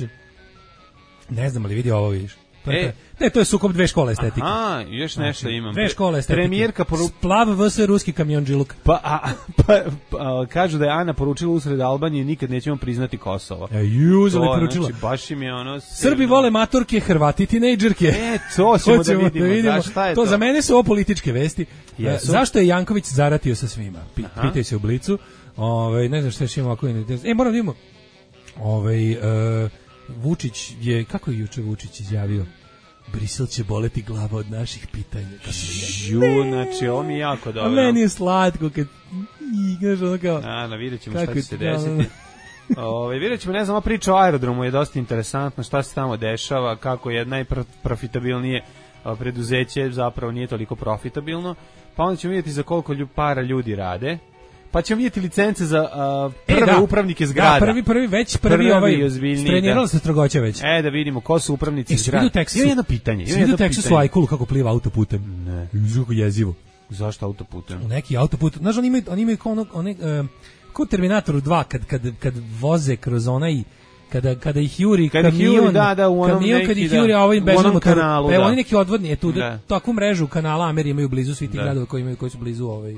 G: Ne znam, ali vidi ovo, vidiš. To je,
F: e,
G: ne, to je sukob dve škole estetike.
F: Aha, još nešto
G: znači,
F: imam.
G: Dve škole estetike.
F: Premijerka poru...
G: Splav vs ruski kamionđiluk.
F: Pa, a, pa, pa, kažu da je Ana poručila usred Albanije nikad nećemo priznati Kosovo.
G: E, juzeli poručila.
F: Znači, baš im je ono...
G: Srbi vole matorke, Hrvati tinejdžerke.
F: E, to ćemo da vidimo. Da vidimo. Šta je
G: to,
F: to?
G: Za mene su ovo političke vesti.
F: Jesu.
G: Zašto je Janković zaratio sa svima? Pitaj se u Blicu. Ove, ne znam šta još imamo ovako. E, moram da vidimo. Ove, uh, Vučić je, kako je juče Vučić izjavio? Brisel će boleti glava od naših pitanja.
F: Ju, znači, ovo mi je jako dobro.
G: A meni je slatko kad igraš ono kao...
F: A, na, vidjet ćemo šta će se desiti. Ove, vidjet ćemo, ne znam, priča o aerodromu je dosta interesantna, šta se tamo dešava, kako je najprofitabilnije preduzeće zapravo nije toliko profitabilno, pa onda ćemo vidjeti za koliko para ljudi rade. Pa ćemo vidjeti licence za uh, prve e, da. upravnike zgrada.
G: Da, prvi, prvi, već prvi, prvi ovaj, strenirala se strogoća već.
F: E, da vidimo ko su upravnici
G: e,
F: zgrada.
G: Ima jedno pitanje. Svi vidu tekstu su Ajkulu kako pliva autoputem.
F: Ne.
G: Kako jezivo.
F: Zašto autoputem?
G: U neki autoput. Znaš, oni imaju, oni imaju kao ono, one, uh, kao Terminator dva, kad, kad, kad voze kroz onaj, kada, kada ih juri
F: kada
G: kamion,
F: juri, da, da, u onom
G: kamion,
F: neki,
G: kad ih
F: da,
G: juri, a ovaj bežan motor.
F: Kanalu,
G: evo,
F: da.
G: oni neki odvodni, je tu,
F: da.
G: takvu mrežu kanala Ameri imaju blizu svih tih
F: da.
G: gradova koji imaju, koji su blizu ovaj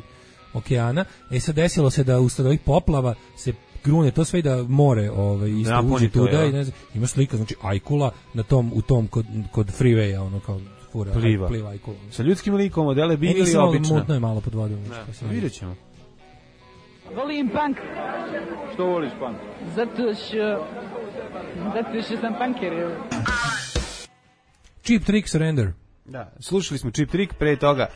G: okeana. E sad desilo se da usled ovih poplava se grune to sve i da more ovaj isto
F: da,
G: uđe tuda
F: je,
G: i ne znam, ima slika, znači Ajkula na tom u tom kod kod freewaya, ono kao fura
F: pliva,
G: pliva Ajkula.
F: Sa ljudskim likom, modele bili
G: ili
F: obično.
G: Mutno je malo pod vodom.
F: Da, vidjet ćemo.
H: Volim punk.
D: Što voliš punk?
H: Zato što zato što sam punker.
G: Cheap Trick Surrender.
F: Da, slušali smo Cheap Trick, pre toga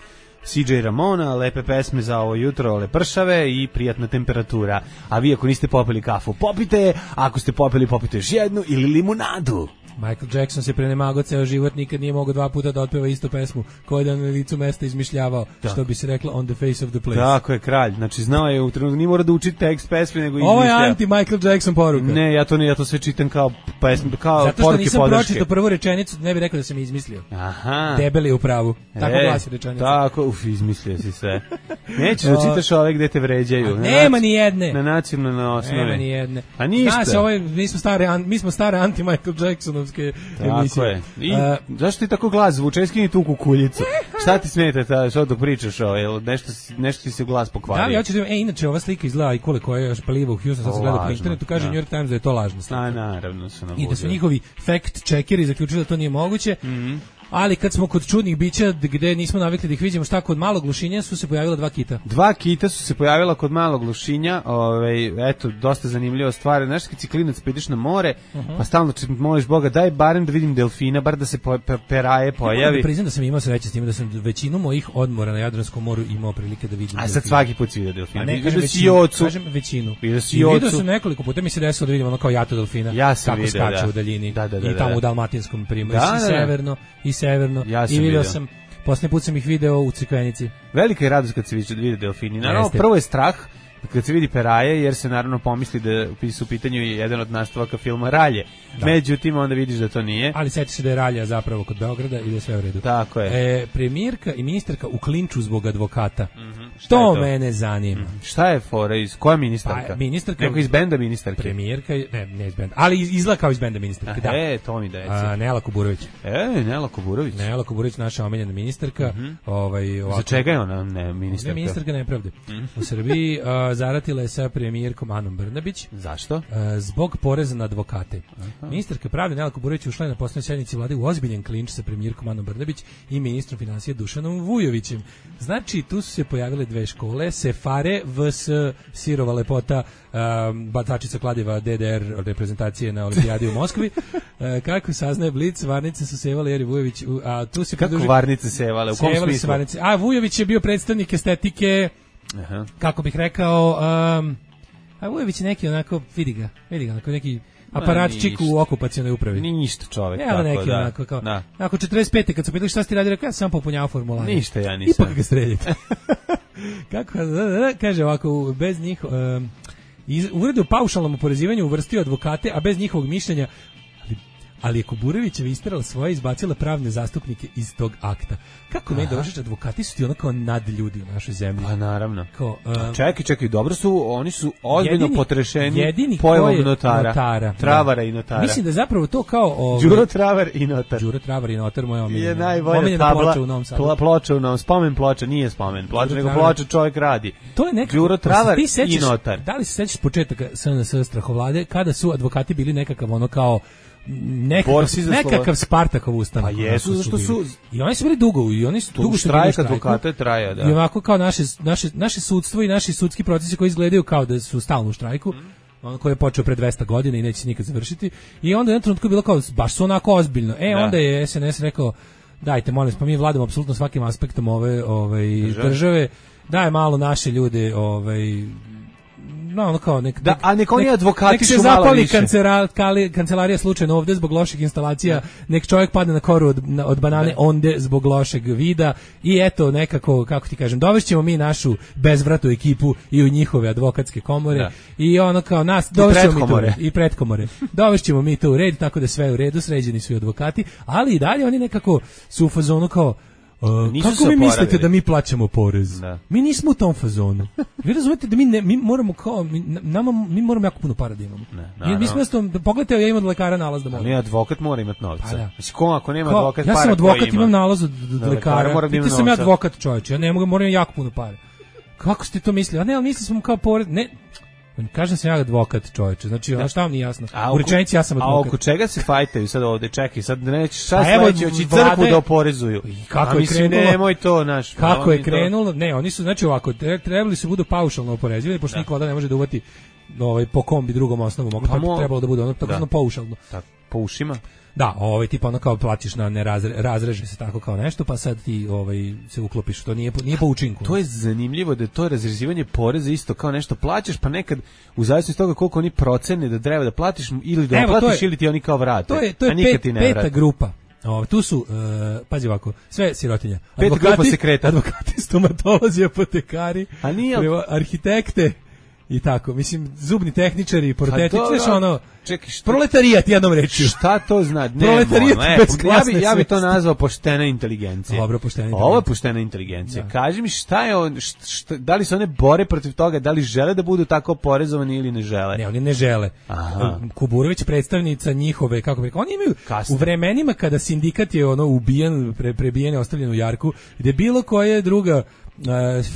F: C J Ramona, lepe pesme za ovo jutro, lepršave i prijatna temperatura. A vi ako niste popili kafu, popite, a ako ste popili, popite još jednu ili limunadu.
G: Michael Jackson se prenemagao ceo život, nikad nije mogao dva puta da otpeva istu pesmu, koju je na licu mesta izmišljavao, da. Što bi se reklo on the face of the place.
F: Tako je, kralj. Znači, znao je u trenutku, nije mora da uči tekst pesme, nego izmišlja.
G: Ovo je anti-Michael Jackson poruka.
F: Ne, ja to ne, ja to sve čitam kao pesme, kao
G: zato što
F: poruke
G: nisam
F: podrške.
G: pročitao prvu rečenicu, ne bih rekao da sam je izmislio.
F: Aha.
G: Debeli je u pravu. Tako
F: e,
G: glasi rečenica.
F: Tako, uf, izmislio si sve. Nećeš da čitaš ove gde te vređaju.
G: Na nema naci, ni jedne.
F: Na nacionalnoj osnovi.
G: Nema ni jedne.
F: A ništa.
G: Znaš, ovaj, mi smo stare, mi smo stare anti-Michael Jacksonovske emisije.
F: Tako je. I, uh, zašto ti tako glas zvuče? Skini tu kukuljicu. Šta ti smeta ta, što dok pričaš ovo? Nešto, nešto ti se glas pokvario.
G: Da, ja ću da, e, inače, ova slika izgleda i koliko je još paliva u Houston, sad se gleda po internetu, kaže da. New York Times da je to lažna slika.
F: A, naravno su nam
G: I da su njihovi fact-checkeri zaključili da to nije moguće.
F: Mhm.
G: Ali kad smo kod čudnih bića gde nismo navikli da ih vidimo, šta kod malog glušinja su se pojavila dva kita.
F: Dva kita su se pojavila kod malog glušinja, ovaj eto dosta zanimljiva stvar. Znaš kad si klinac pa ideš na more, uh -huh. pa stalno moliš Boga daj barem da vidim delfina, bar da se po, pe, peraje pojavi.
G: Ja da priznam da sam imao sreće s tim da sam većinu mojih odmora na Jadranskom moru imao prilike da vidim.
F: A sad svaki put si vidio delfina.
G: Ne,
F: kažem većinu,
G: kažem većinu.
F: Vidio si
G: I vidio sam nekoliko puta, mi se desilo da vidim ono kao jato delfina.
F: Ja sam
G: kako
F: vidio,
G: skače
F: da.
G: u daljini.
F: Da, da, da,
G: i tamo
F: da.
G: u Dalmatinskom primorju,
F: da,
G: i severno, i severno.
F: Ja
G: I vidio sam, posljednji put sam ih video u Crikvenici.
F: Velika je radost kad se vidi delfini. Naravno, Jeste. Prvo je strah kad se vidi peraje, jer se naravno pomisli da su u pitanju jedan od nastavaka filma Ralje. Da. Međutim, onda vidiš da to nije.
G: Ali sjeti se da je Ralja zapravo kod Beograda i da je sve u redu.
F: Tako je.
G: E, premijerka i ministarka u klinču zbog advokata.
F: Mm -hmm.
G: To, to mene zanima.
F: Mm. Šta je fora? Iz koja ministarka?
G: Pa, ministarka.
F: Neko iz benda ministarke?
G: Premijerka, ne, ne iz benda, ali izgleda kao iz benda ministarke, da.
F: E, to mi deci.
G: A, Nela Kuburović.
F: E, Nela Kuburović.
G: Nela Kuburović, naša omiljena ministarka. Mm -hmm. ovaj, ovako,
F: za čega je ona ne, ministarka?
G: Ne, ministarka nepravde. Mm. U Srbiji a, zaratila je sa premijerkom Anom Brnabić.
F: Zašto?
G: A, zbog poreza na advokate.
F: Aha.
G: Ministarka pravde Nela Kuburović ušla je na poslednjoj sednici vlade u ozbiljan klinč sa premijerkom Anom Brnabić i ministrom finansija Dušanom Vujovićem. Znači, tu su se pojavile dve škole, Sefare vs Sirova lepota, um, batačica kladiva D D R reprezentacije na olimpijadi u Moskvi. Uh, kako saznaje Blic, varnice su sevale Jeri Vujović, u, a tu se
F: kako
G: pridruži...
F: varnice sevale, u kom
G: sevale
F: smislu?
G: Varnice. A Vujović je bio predstavnik estetike, Aha. kako bih rekao, um, a Vujović je neki onako, vidi ga, vidi ga, onako neki aparatčik u okupacionoj upravi.
F: Ništa čovjek,
G: ja,
F: tako
G: neki,
F: da.
G: Onako, kao,
F: da.
G: Nakon četrdeset pete kad su pitali šta ste radili, rekao, ja sam popunjavao formulare.
F: Ništa ja nisam.
G: Ipak ga streljite. Kako, da, da, da, kaže ovako, bez njih, um, iz, uredu paušalnom oporezivanju uvrstio advokate, a bez njihovog mišljenja, ali, ali je Kuburovićeva isterala svoje, izbacila pravne zastupnike iz tog akta. Kako meni došliš, advokati su ti ono kao nad ljudi u našoj zemlji.
F: Pa naravno.
G: Kao, um,
F: čekaj, čekaj, dobro su, oni su ozbiljno
G: jedini,
F: potrešeni
G: jedini
F: pojavom notara.
G: notara.
F: Travara i notara.
G: Mislim da zapravo to kao... Ovaj,
F: Đuro Travar i notar.
G: Đuro Travar i notar, moja omiljena.
F: Je najbolja tabla,
G: ploča u Novom Sadu.
F: Pla, ploča u Novom, spomen ploča, nije spomen ploča, nego ploča čovjek radi.
G: To je nekako...
F: Đuro Travar
G: sećaš,
F: i notar.
G: Da li se sećaš početaka S N S strahovlade, kada su advokati bili nekakav ono kao nekakav, nekakav Spartakov ustanak.
F: Pa jesu, zašto su...
G: I oni su bili dugo, i oni su dugo što
F: bili u štrajku. Advokate traja, da.
G: I ovako kao naše, naše, naše sudstvo i naši sudski procesi koji izgledaju kao da su stalno u štrajku, mm. on koji je počeo pre dvesta godina i neće se nikad završiti. I onda je na trenutku bilo kao, baš su onako ozbiljno. E, da. Onda je S N S rekao, dajte, molim, pa mi vladamo apsolutno svakim aspektom ove ovaj, države. države, daj malo naše ljude, ovaj, no, ono kao nek,
F: da, a nek oni advokati
G: nek se
F: su malo
G: zapali
F: više.
G: Kancera, kali, kancelarija slučajno ovde zbog loših instalacija, nek čovjek padne na koru od, na, od banane da. Onde zbog lošeg vida i eto nekako, kako ti kažem, dovešćemo mi našu bezvratu ekipu i u njihove advokatske komore da. I ono kao nas, dovešćemo mi to i pretkomore. Dovešćemo mi to u red, tako da sve u redu, sređeni su i advokati, ali i dalje oni nekako su u fazonu kao Uh, kako vi mislite da mi plaćamo porez? Da. Mi nismo u tom fazonu. Vi razumete da mi ne, mi moramo kao mi, nama, mi moramo jako puno para da imamo. Ne, mi smo isto, pogledajte, ja imam od lekara nalaz da moram.
F: Ali advokat mora imati novca. Pa da. Mislim, ko ako nema
G: kao,
F: advokat
G: ja
F: para,
G: sam advokat,
F: ima.
G: imam nalaz od, od
F: da,
G: lekara. Vidite sam ja advokat, čovječe, ja ne mogu, moram jako puno para. Kako ste to mislili? A ne, ali mislili smo kao porez, ne... Kažem se ja advokat, čovječe. Znači, ono šta vam nije jasno? U rečenici ja sam advokat.
F: A oko čega se fajtaju sad ovde? Čekaj, sad neće šta sledeće, hoće crkvu da oporezuju.
G: Kako je
F: mislim,
G: krenulo?
F: Nemoj to, naš.
G: Kako je krenulo? Ne, oni su, znači ovako, trebali su budu paušalno oporezivani, pošto niko da ne može da uvati ovaj, po kombi drugom osnovu. Mogu, pa trebalo da bude ono tako paušalno.
F: Tako, po ušima?
G: Da, ovaj tipa ono kao platiš na ne razre, razreže se tako kao nešto, pa sad ti ovaj se uklopiš, to nije po, nije po učinku.
F: To je zanimljivo da je to razrezivanje poreza isto kao nešto plaćaš, pa nekad u zavisnosti od toga koliko oni procene da treba da platiš ili da
G: Evo,
F: platiš
G: je,
F: ili ti oni kao vrate.
G: To je to je pet, peta grupa. O, tu su, uh, pazi ovako, sve sirotinja. Advokati, advokati, stomatolozi, apotekari,
F: a nije,
G: arhitekte i tako. Mislim, zubni tehničari, porotetičari, znaš ono,
F: čekaj, šta,
G: proletarijat jednom rečju.
F: Šta to zna? Ne,
G: proletarijat
F: ne,
G: bez klasne
F: ja bi, ja bi to nazvao poštena inteligencija.
G: Dobro, poštena inteligencija.
F: Ovo je poštena inteligencija. Da. Kaži mi šta je on, šta, šta, da li se one bore protiv toga, da li žele da budu tako porezovani ili ne žele?
G: Ne, oni ne žele. Aha. Kuburović predstavnica njihove, kako bi, oni imaju Kasne. U vremenima kada sindikat je ono ubijen, pre, prebijen, ostavljen u jarku, gde bilo koje druga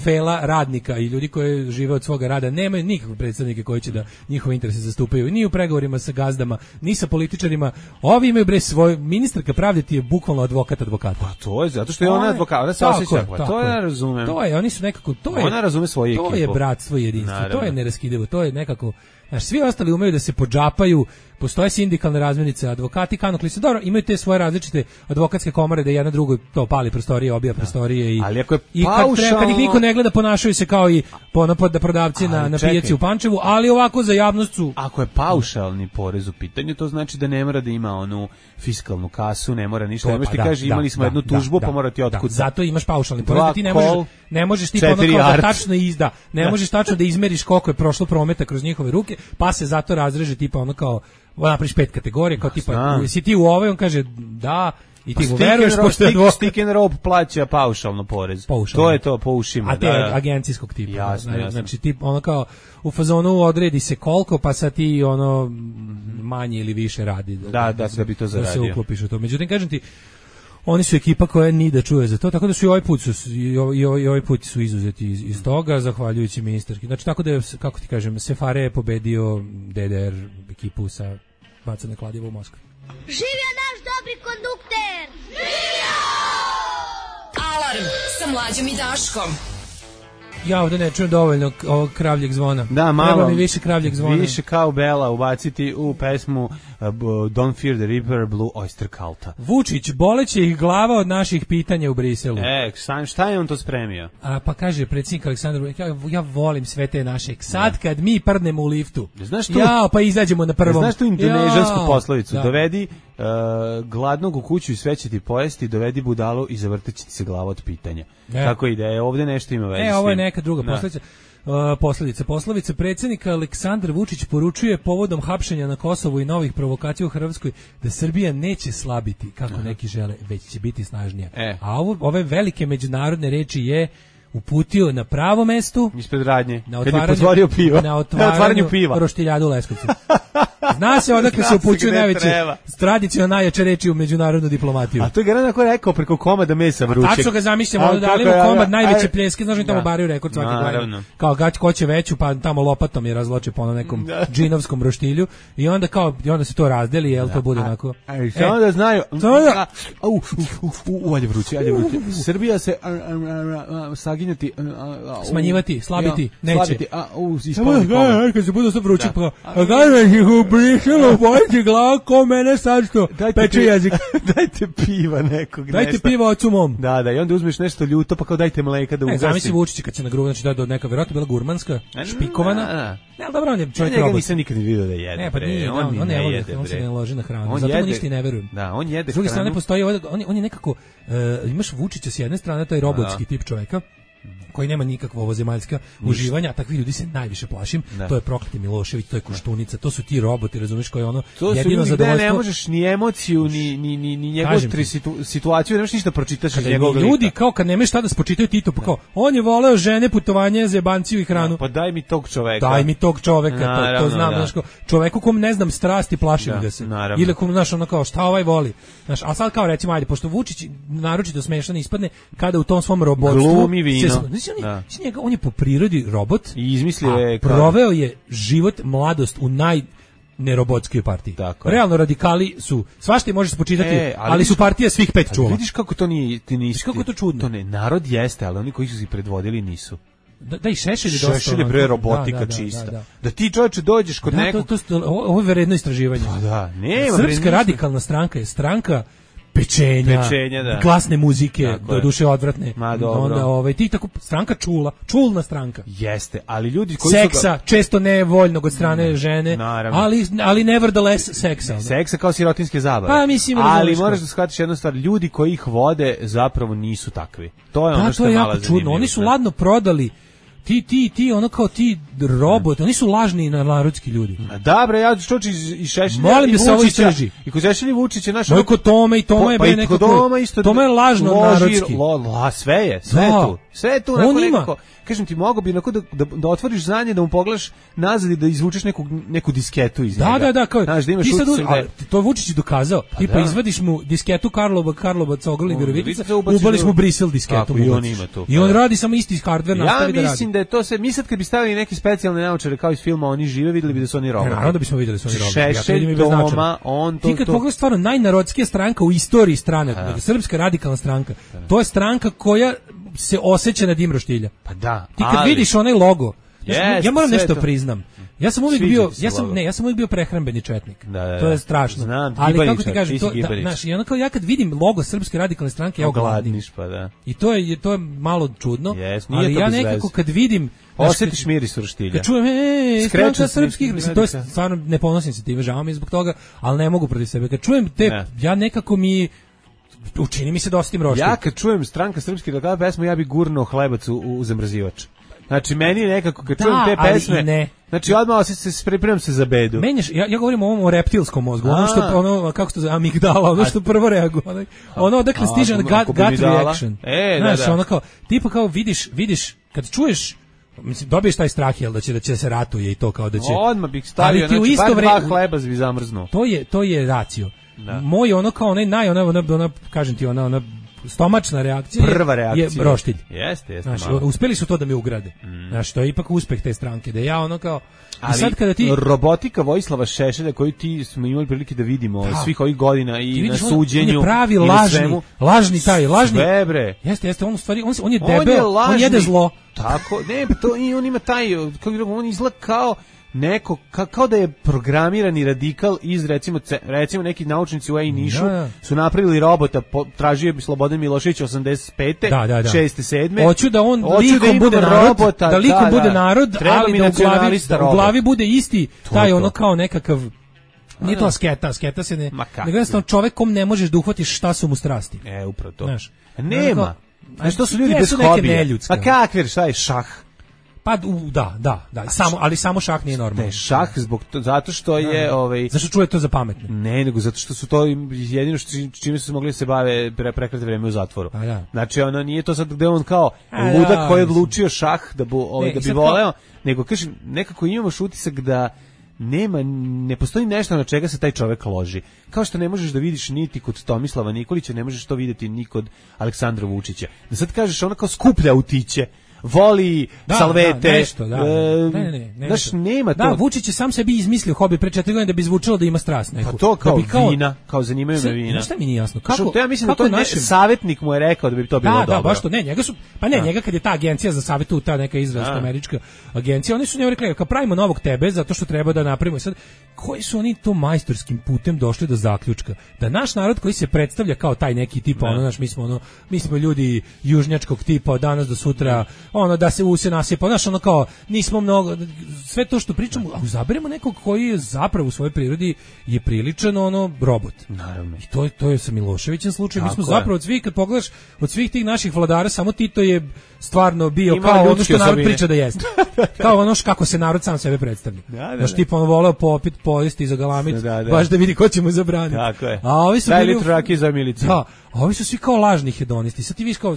G: fela radnika i ljudi koji žive od svoga rada nemaju nikakve predstavnike koji će da njihove interese zastupaju ni u pregovorima sa gazdama, ni sa političarima. Ovi imaju bre svoj ministarka pravde ti je bukvalno advokat advokata.
F: Pa to je zato što je ona advokat, ona se osjeća, pa to ja razumem.
G: To je, oni su nekako to je.
F: Ona razume svoju ekipu.
G: To je bratstvo i jedinstvo, naravno. To je neraskidivo, to je nekako. Znaš, svi ostali umeju da se podžapaju, postoje sindikalne razmenice, advokati, kanukli se, dobro, imaju te svoje različite advokatske komore da jedna drugoj to pali prostorije, obija prostorije i,
F: ali ako je
G: i kad,
F: paušalno...
G: treba, kad ih niko ne gleda ponašaju se kao i ponapod da prodavci ali, na, na pijaci u Pančevu, ali ovako za javnost su...
F: Ako je paušalni porez u pitanju, to znači da ne mora da ima onu fiskalnu kasu, ne mora ništa, ne možeš ti
G: da,
F: kaži imali
G: da,
F: smo
G: da,
F: jednu tužbu,
G: da,
F: pa mora ti otkud.
G: Da, zato imaš paušalni porez, da ti ne možeš, ne možeš ti ono kao da tačno izda, ne možeš tačno da izmeriš koliko je prošlo prometa kroz njihove ruke, pa se zato razreže tipa ono kao napraviš pet kategorija, kao tipa si ti u ovoj, on kaže da i ti mu veruješ pošto je
F: stick and rope plaća paušalno porez.
G: Paušalno.
F: To je to po ušima.
G: A te
F: da,
G: agencijskog tipa.
F: Jasno,
G: znači,
F: jasno.
G: znači tip ono kao u fazonu odredi se koliko pa sad ti ono manje ili više radi.
F: Da, da, da, da bi to zaradio.
G: Da se uklopiš u to. Međutim, kažem ti, oni su ekipa koja ni da čuje za to, tako da su i ovaj put su i ovaj, i ovaj put su izuzeti iz, iz toga zahvaljujući ministarki. Znači tako da je, kako ti kažem, Sefare je pobedio D D R ekipu sa bacane kladivo u Moskvi.
E: Živio naš dobri kondukter! Živio!
A: Alarm sa Mlađom i Daškom.
G: Ja ovdje ne čujem dovoljno ovog kravljeg zvona.
F: Da, malo.
G: Treba mi više kravljeg zvona.
F: Više kao Bela ubaciti u pesmu uh, Don't Fear the Reaper, Blue Oyster Culta.
G: Vučić, boleće ih glava od naših pitanja u Briselu.
F: E, šta je on to spremio?
G: A, pa kaže predsjednik Aleksandar Vučić, ja, ja volim sve te naše. Sad da. Kad mi prdnemo u liftu,
F: znaš tu,
G: ja, pa izađemo na prvom.
F: Znaš tu indonežansku ja, poslovicu?
G: Da.
F: Dovedi uh, gladnog u kuću i sve će ti pojesti, dovedi budalu i zavrtit će ti se glava od pitanja. E. Tako ide, e, ovdje nešto ima veze.
G: E, ovo je neka druga posljedica. Uh, posljedica. Poslovica predsjednika Aleksandar Vučić poručuje povodom hapšenja na Kosovu i novih provokacija u Hrvatskoj da Srbija neće slabiti, kako neki žele, već će biti snažnija.
F: E.
G: A ovo, ove velike međunarodne reči je uputio na pravo mestu
F: ispred radnje,
G: na
F: otvaranju piva,
G: na otvaranju,
F: na otvaranju piva.
G: Roštiljadu u Leskovcu. Zna se odakle se upućuju najveće tradicionalno najjače reči u međunarodnu diplomatiju.
F: A to je Garana koji je rekao preko komada mesa vrućeg.
G: Tačno ga zamišljamo, onda dali mu komad najveće pljeske, znaš mi tamo baraju rekord svake godine. Kao gać ko će veću, pa tamo lopatom je razloče po nekom džinovskom roštilju i onda kao i onda se to razdeli, jel to bude onako.
F: Ej, samo da znaju. Au, u, ajde vruće, ajde vruće. Srbija se saginjati,
G: smanjivati, slabiti, neće.
F: Slabiti, a u ispod.
G: Kad se bude sve vruće, pa gledaj ih u Briselu, bojite glavu ko mene sad što peče jezik.
F: Dajte piva nekog.
G: Dajte nesta. Piva ocu mom.
F: Da, da, i onda uzmeš nešto ljuto, pa kao dajte mleka da ugasi.
G: Ne, zamisli Vučić kad se na grubu, znači da do neka vjerojatno bila gurmanska, špikovana. Ne, ali dobro, on je čovjek robot.
F: Ja nisam nikad vidio da jede.
G: Ne, pa nije, on, on, on ne jede, on se ne loži na hranu. On zato jede, mu ništa i ne verujem.
F: Da, on jede.
G: S druge strane postoji, on, on je nekako, uh, imaš Vučića s jedne strane, to je robotski tip čovjeka, koji nema nikakvo ovozemaljska uživanja, a takvi ljudi se najviše plašim. Da. To je prokleti Milošević, to je Koštunica, to su ti roboti, razumiješ, koji ono
F: to
G: jedino
F: zadovoljstvo. Ne možeš ni emociju, ni, ni, ni, ni njegovu situ, situaciju, ne možeš ništa pročitaš iz njegovog lika.
G: Ljudi, kao kad nemaš šta da spočitaju Tito, pa kao, on je voleo žene, putovanje, zebanciju i hranu.
F: Da, pa daj mi tog čoveka.
G: Daj mi tog čoveka, naravno, to, to znam, da. Znaš, kao, čoveku kom ne znam strasti, plašim da, ga se. Naravno. Ili kom, znaš, ono kao, šta ovaj voli. Znaš, a sad kao recimo, ajde, pošto Vučić naročito smešan ispadne, kada u tom svom robotstvu
F: glumi vino.
G: Se, on je po prirodi robot
F: i izmislio je
G: proveo je život, mladost u naj nerobotskoj partiji.
F: Tako
G: realno radikali su, svašta može se počitati, e, ali, ali su partija svih pet čula.
F: Vidiš kako to nije, ti nisi,
G: kako to čudno.
F: To ne, narod jeste, ali oni koji su se predvodili nisu.
G: Da, da i Šešelj je dosta.
F: Šešelj je bre robotika da, da, čista. Da, da, da. da ti čovječe dođeš kod
G: da,
F: nekog...
G: To, to, ovo je vredno istraživanje.
F: Pa da, nema.
G: Srpska radikalna stranka je stranka pečenja,
F: pečenja da.
G: glasne muzike, do duše odvratne.
F: Ma dobro.
G: Onda ovaj ti tako stranka čula, čulna stranka.
F: Jeste, ali ljudi koji
G: seksa,
F: su ga...
G: često nevoljnog od strane ne, žene,
F: naravno.
G: ali ali nevertheless seksa.
F: Seksa kao sirotinske zabave.
G: Pa mislim,
F: ali moraš da shvatiš jednu stvar, ljudi koji ih vode zapravo nisu takvi. To je
G: da,
F: ono što
G: to je
F: je
G: jako
F: malo
G: čudno.
F: zanimljivo.
G: Oni su ladno prodali ti ti ti ono kao ti robot, oni su lažni narodski ljudi.
F: A da bre, ja čuči i Šešelja.
G: Molim da se ovo istraži.
F: I kod Šešelja i Vučića naš.
G: Moj kod Tome i Toma je bre nekako.
F: Toma isto.
G: Toma je lažno narodski.
F: Lo, lo, sve je, sve je tu. Sve je tu
G: on
F: nekako. Ima. Kažem ti, mogo bi onako da, da, da otvoriš znanje, da mu pogledaš nazad i da izvučeš neku, neku disketu iz
G: da,
F: njega.
G: Da, da, kao,
F: znaš, da imaš
G: ti sad,
F: utisak da je...
G: to Vučić je dokazao. Pa ti pa da. Izvadiš mu disketu Karlova, Karlova, Cogol i Virovitica, ubališ mu Brisel disketu.
F: Tako, i on ima tu.
G: I on radi samo isti hardware,
F: ja
G: nastavi da radi.
F: Ja mislim da je to sve, mi sad kad bi stavili neki specijalne naočare kao iz filma Oni žive, videli bi da su oni roboti.
G: Naravno da bismo videli da su oni roboti.
F: Šešelj, Toma, on to...
G: Ti kad pogledaš stvarno najnarodskija stranka u istoriji strane, Srpska radikalna stranka, to je stranka koja se osjeća na dim roštilja.
F: Pa da.
G: Ti kad ali... vidiš onaj logo, ja, sam,
F: yes,
G: ja moram nešto
F: to.
G: priznam. Ja sam uvijek bio, ja sam ne, ja sam uvijek bio prehrambeni četnik.
F: Da, da,
G: to je strašno.
F: Znam,
G: ali kako ti kažem, to da, znaš, i onako ja kad vidim logo Srpske radikalne stranke, ja ogladniš,
F: pa da.
G: I to je to je malo čudno,
F: yes,
G: ali ja nekako kad vidim
F: osjetiš miris roštilja.
G: Kad čujem, ej, stranka srpskih, mislim, to je stvarno ne ponosim se time, žao mi je zbog toga, ali ne mogu protiv sebe. Kad čujem te, ne. ja nekako mi učini mi se da osjetim roštilj.
F: Ja kad čujem stranka srpskih radikala pesmu, ja bi gurnuo hlebac u, u zamrzivač. Znači meni nekako kad da, čujem te pesme, ne. Znači odmah se se pripremam se za bedu.
G: Menjaš, ja ja govorim o ovom o reptilskom mozgu, ono što ono kako se zove amigdala, ono što prvo reaguje, ono, ono odakle stiže gut, gut reaction.
F: E,
G: znaš,
F: da, da.
G: ono kao tipa kao vidiš, vidiš kad čuješ, mislim dobiješ taj strah jel da će da će se ratuje i to kao da će.
F: Odmah bih stavio, znači bar dva hleba bi zamrznuo.
G: To je to je racio. Da. Moj ono kao onaj naj ona ona, ona kažem ti ona ona stomačna reakcija,
F: prva reakcija
G: je roštilj.
F: Jeste, jeste.
G: Znaš, uspeli su to da me ugrade. Mm. Znaš, to je ipak uspeh te stranke, da ja ono kao...
F: Ali
G: i sad kada ti...
F: robotika Vojislava Šešelja koju ti smo imali prilike da vidimo da. svih ovih godina i na suđenju. On
G: je pravi lažni, lažni taj, lažni.
F: Sve bre.
G: Jeste, jeste, on u stvari, on, on je debel, on, on jede zlo.
F: Tako, ne, to, i on ima taj, kako on izgleda kao neko, ka, kao da je programirani radikal iz recimo recimo neki naučnici u Nišu da. su napravili robota, po, tražio bi Slobodan Milošević osamdeset pete,
G: da, da, da.
F: šeste, sedme
G: Hoću da on likom da bude narod, robota, da likom da, bude narod,
F: treba
G: ali da u glavi, da u glavi bude isti taj ono kao nekakav nije to sketa, sketa se ne, nego jednostavno čovek kom ne možeš da uhvatiš šta su mu strasti.
F: E, upravo to.
G: Znaš,
F: nema. Znaš, to su ljudi bez hobija. A kakvi, šta je šah?
G: Pa u, da, da, da, samo, ali samo šah nije normalno.
F: Ne, šah zbog to, zato što je
G: da,
F: ovaj
G: zašto čuje to za pametne?
F: Ne, nego zato što su to jedino što čime su mogli se bave pre prekratko vreme u zatvoru.
G: Da.
F: Znači ono nije to sad gde on kao A, ludak da, koji je odlučio šah da bu ovaj ne, da bi voleo, kao... nego kažem nekako imamo utisak da nema, ne postoji nešto na čega se taj čovek loži. Kao što ne možeš da vidiš niti kod Tomislava Nikolića, ne možeš to videti ni kod Aleksandra Vučića. Da sad kažeš ona kao skuplja autiće, voli
G: da,
F: salvete,
G: da, nešto, da,
F: e,
G: ne, ne, ne,
F: znaš, nema
G: da,
F: to.
G: Vučić je sam sebi izmislio hobi pre četiri godine da bi zvučalo da ima strast neku.
F: Pa to kao,
G: da kao
F: vina, kao zanimaju me vina.
G: Šta mi nije jasno? Kako?
F: Što ja mislim da to našem... savjetnik mu je rekao da bi to bilo
G: da,
F: dobro.
G: Da, baš to, ne, njega su, pa ne, da. njega kad je ta agencija za savjetu, ta neka izraelska američka agencija, oni su njemu rekli, kao pravimo novog tebe zato što treba da napravimo. Sad, koji su oni to majstorskim putem došli do zaključka da naš narod koji se predstavlja kao taj neki tip, ono naš, mi smo ono, mi smo ljudi južnjačkog tipa od danas do sutra, ono da se use nasipa, znaš, ono kao, nismo mnogo, sve to što pričamo, a uzaberemo nekog koji je zapravo u svojoj prirodi je priličan, ono, robot.
F: Naravno.
G: I to je, to je sa Miloševićem slučaj, mi smo zapravo od svih, kad pogledaš, od svih tih naših vladara, samo Tito je stvarno bio ima kao ono što narod osobine. Priča da jeste. Kao ono kako se narod sam sebe predstavlja. Da, da, znaš, tipa ono voleo popit, pojesti za galamit, da, da. baš da vidi ko će mu zabraniti.
F: Tako je.
G: A ovi su
F: daj litru rakije za milicu.
G: Da, a ovi su svi kao lažni hedonisti. Sad ti viš kao,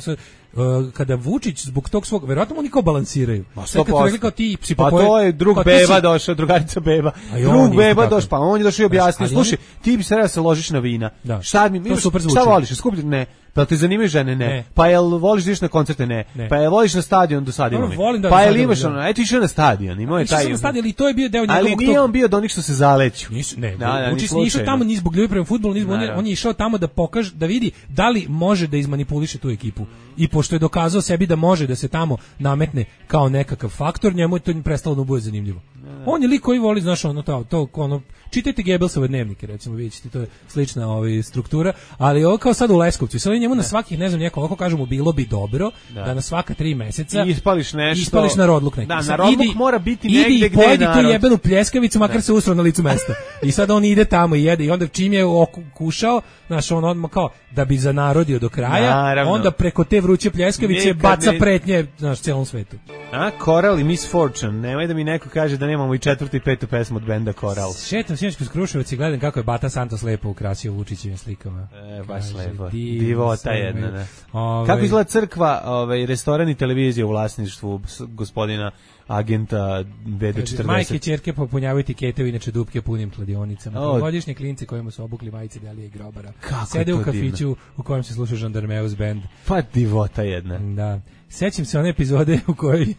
G: Uh, kada Vučić zbog tog svog, verovatno oni kao balansiraju. Sve kad su rekli kao ti psi
F: pa to je drug Beba si... došao, drugarica Beba. Drug Beba došao, pa on je došao i objasnio, slušaj, on... ti bi se da se ložiš na vina.
G: Da.
F: Šta mi, šta voliš, skuplje? Ne. Pa te zanimaju žene? Ne. ne. Pa jel voliš da ideš na koncerte? Ne. ne. Pa jel voliš na stadion do sad imamo?
G: Da
F: pa jel imaš ono, eto išao na stadion, imao je taj.
G: Išao na stadion, ali to je bio deo njegovog.
F: Ali nije on bio do onih što se zaleću.
G: Nisu, ne, da, Vučić nije išao tamo ni zbog ljubavi prema fudbalu, ni zbog on je išao tamo da pokaže, da vidi da li može da izmanipuliše tu ekipu. i pošto je dokazao sebi da može da se tamo nametne kao nekakav faktor, njemu je to prestalo da mu bude zanimljivo. On je lik koji voli, znaš, ono, to, to ono, čitajte Gebelsove dnevnike, recimo, vidjet ćete, to je slična ovaj, struktura, ali ovo kao sad u Leskovcu, sad njemu na svakih, ne znam, neko, ovako kažemo, bilo bi dobro da, da na svaka tri meseca
F: I ispališ nešto.
G: Ispališ na rodluk neki.
F: Da,
G: sad,
F: na rodluk
G: idi,
F: mora biti
G: idi
F: negde
G: i
F: gde je
G: pojedi tu
F: narod.
G: jebenu pljeskavicu, makar se usro na licu mesta. I sad on ide tamo i jede i onda čim je okušao, znaš, on odmah kao, da bi zanarodio do kraja,
F: Naravno.
G: onda preko te vruće pljeskavice
F: Nikad
G: baca
F: ne-
G: pretnje, znaš, celom svetu.
F: A, Coral i Miss Fortune. Nemoj da mi neko kaže da nemamo i četvrtu i petu pesmu od benda Coral.
G: Šetam sinoć kroz Kruševac i gledam kako je Bata Santos lepo ukrasio Vučićevim slikama.
F: E, baš
G: Kaže,
F: lepo.
G: divno
F: Divota
G: sve,
F: jedna, ne.
G: ovaj,
F: Kako izgleda crkva, ovaj, restoran i televizija u vlasništvu s- gospodina agenta V D
G: kaže, majke
F: četrdeset?
G: ćerke popunjavaju tikete, inače dupke punim kladionicama.
F: O.
G: Godišnje klinci kojima su obukli majice Delije i Grobara.
F: Kako
G: Sede
F: je
G: u
F: to
G: kafiću u kojem se sluša Žandarmeus band.
F: Pa divota jedna.
G: Da. Sećam se one epizode u kojoj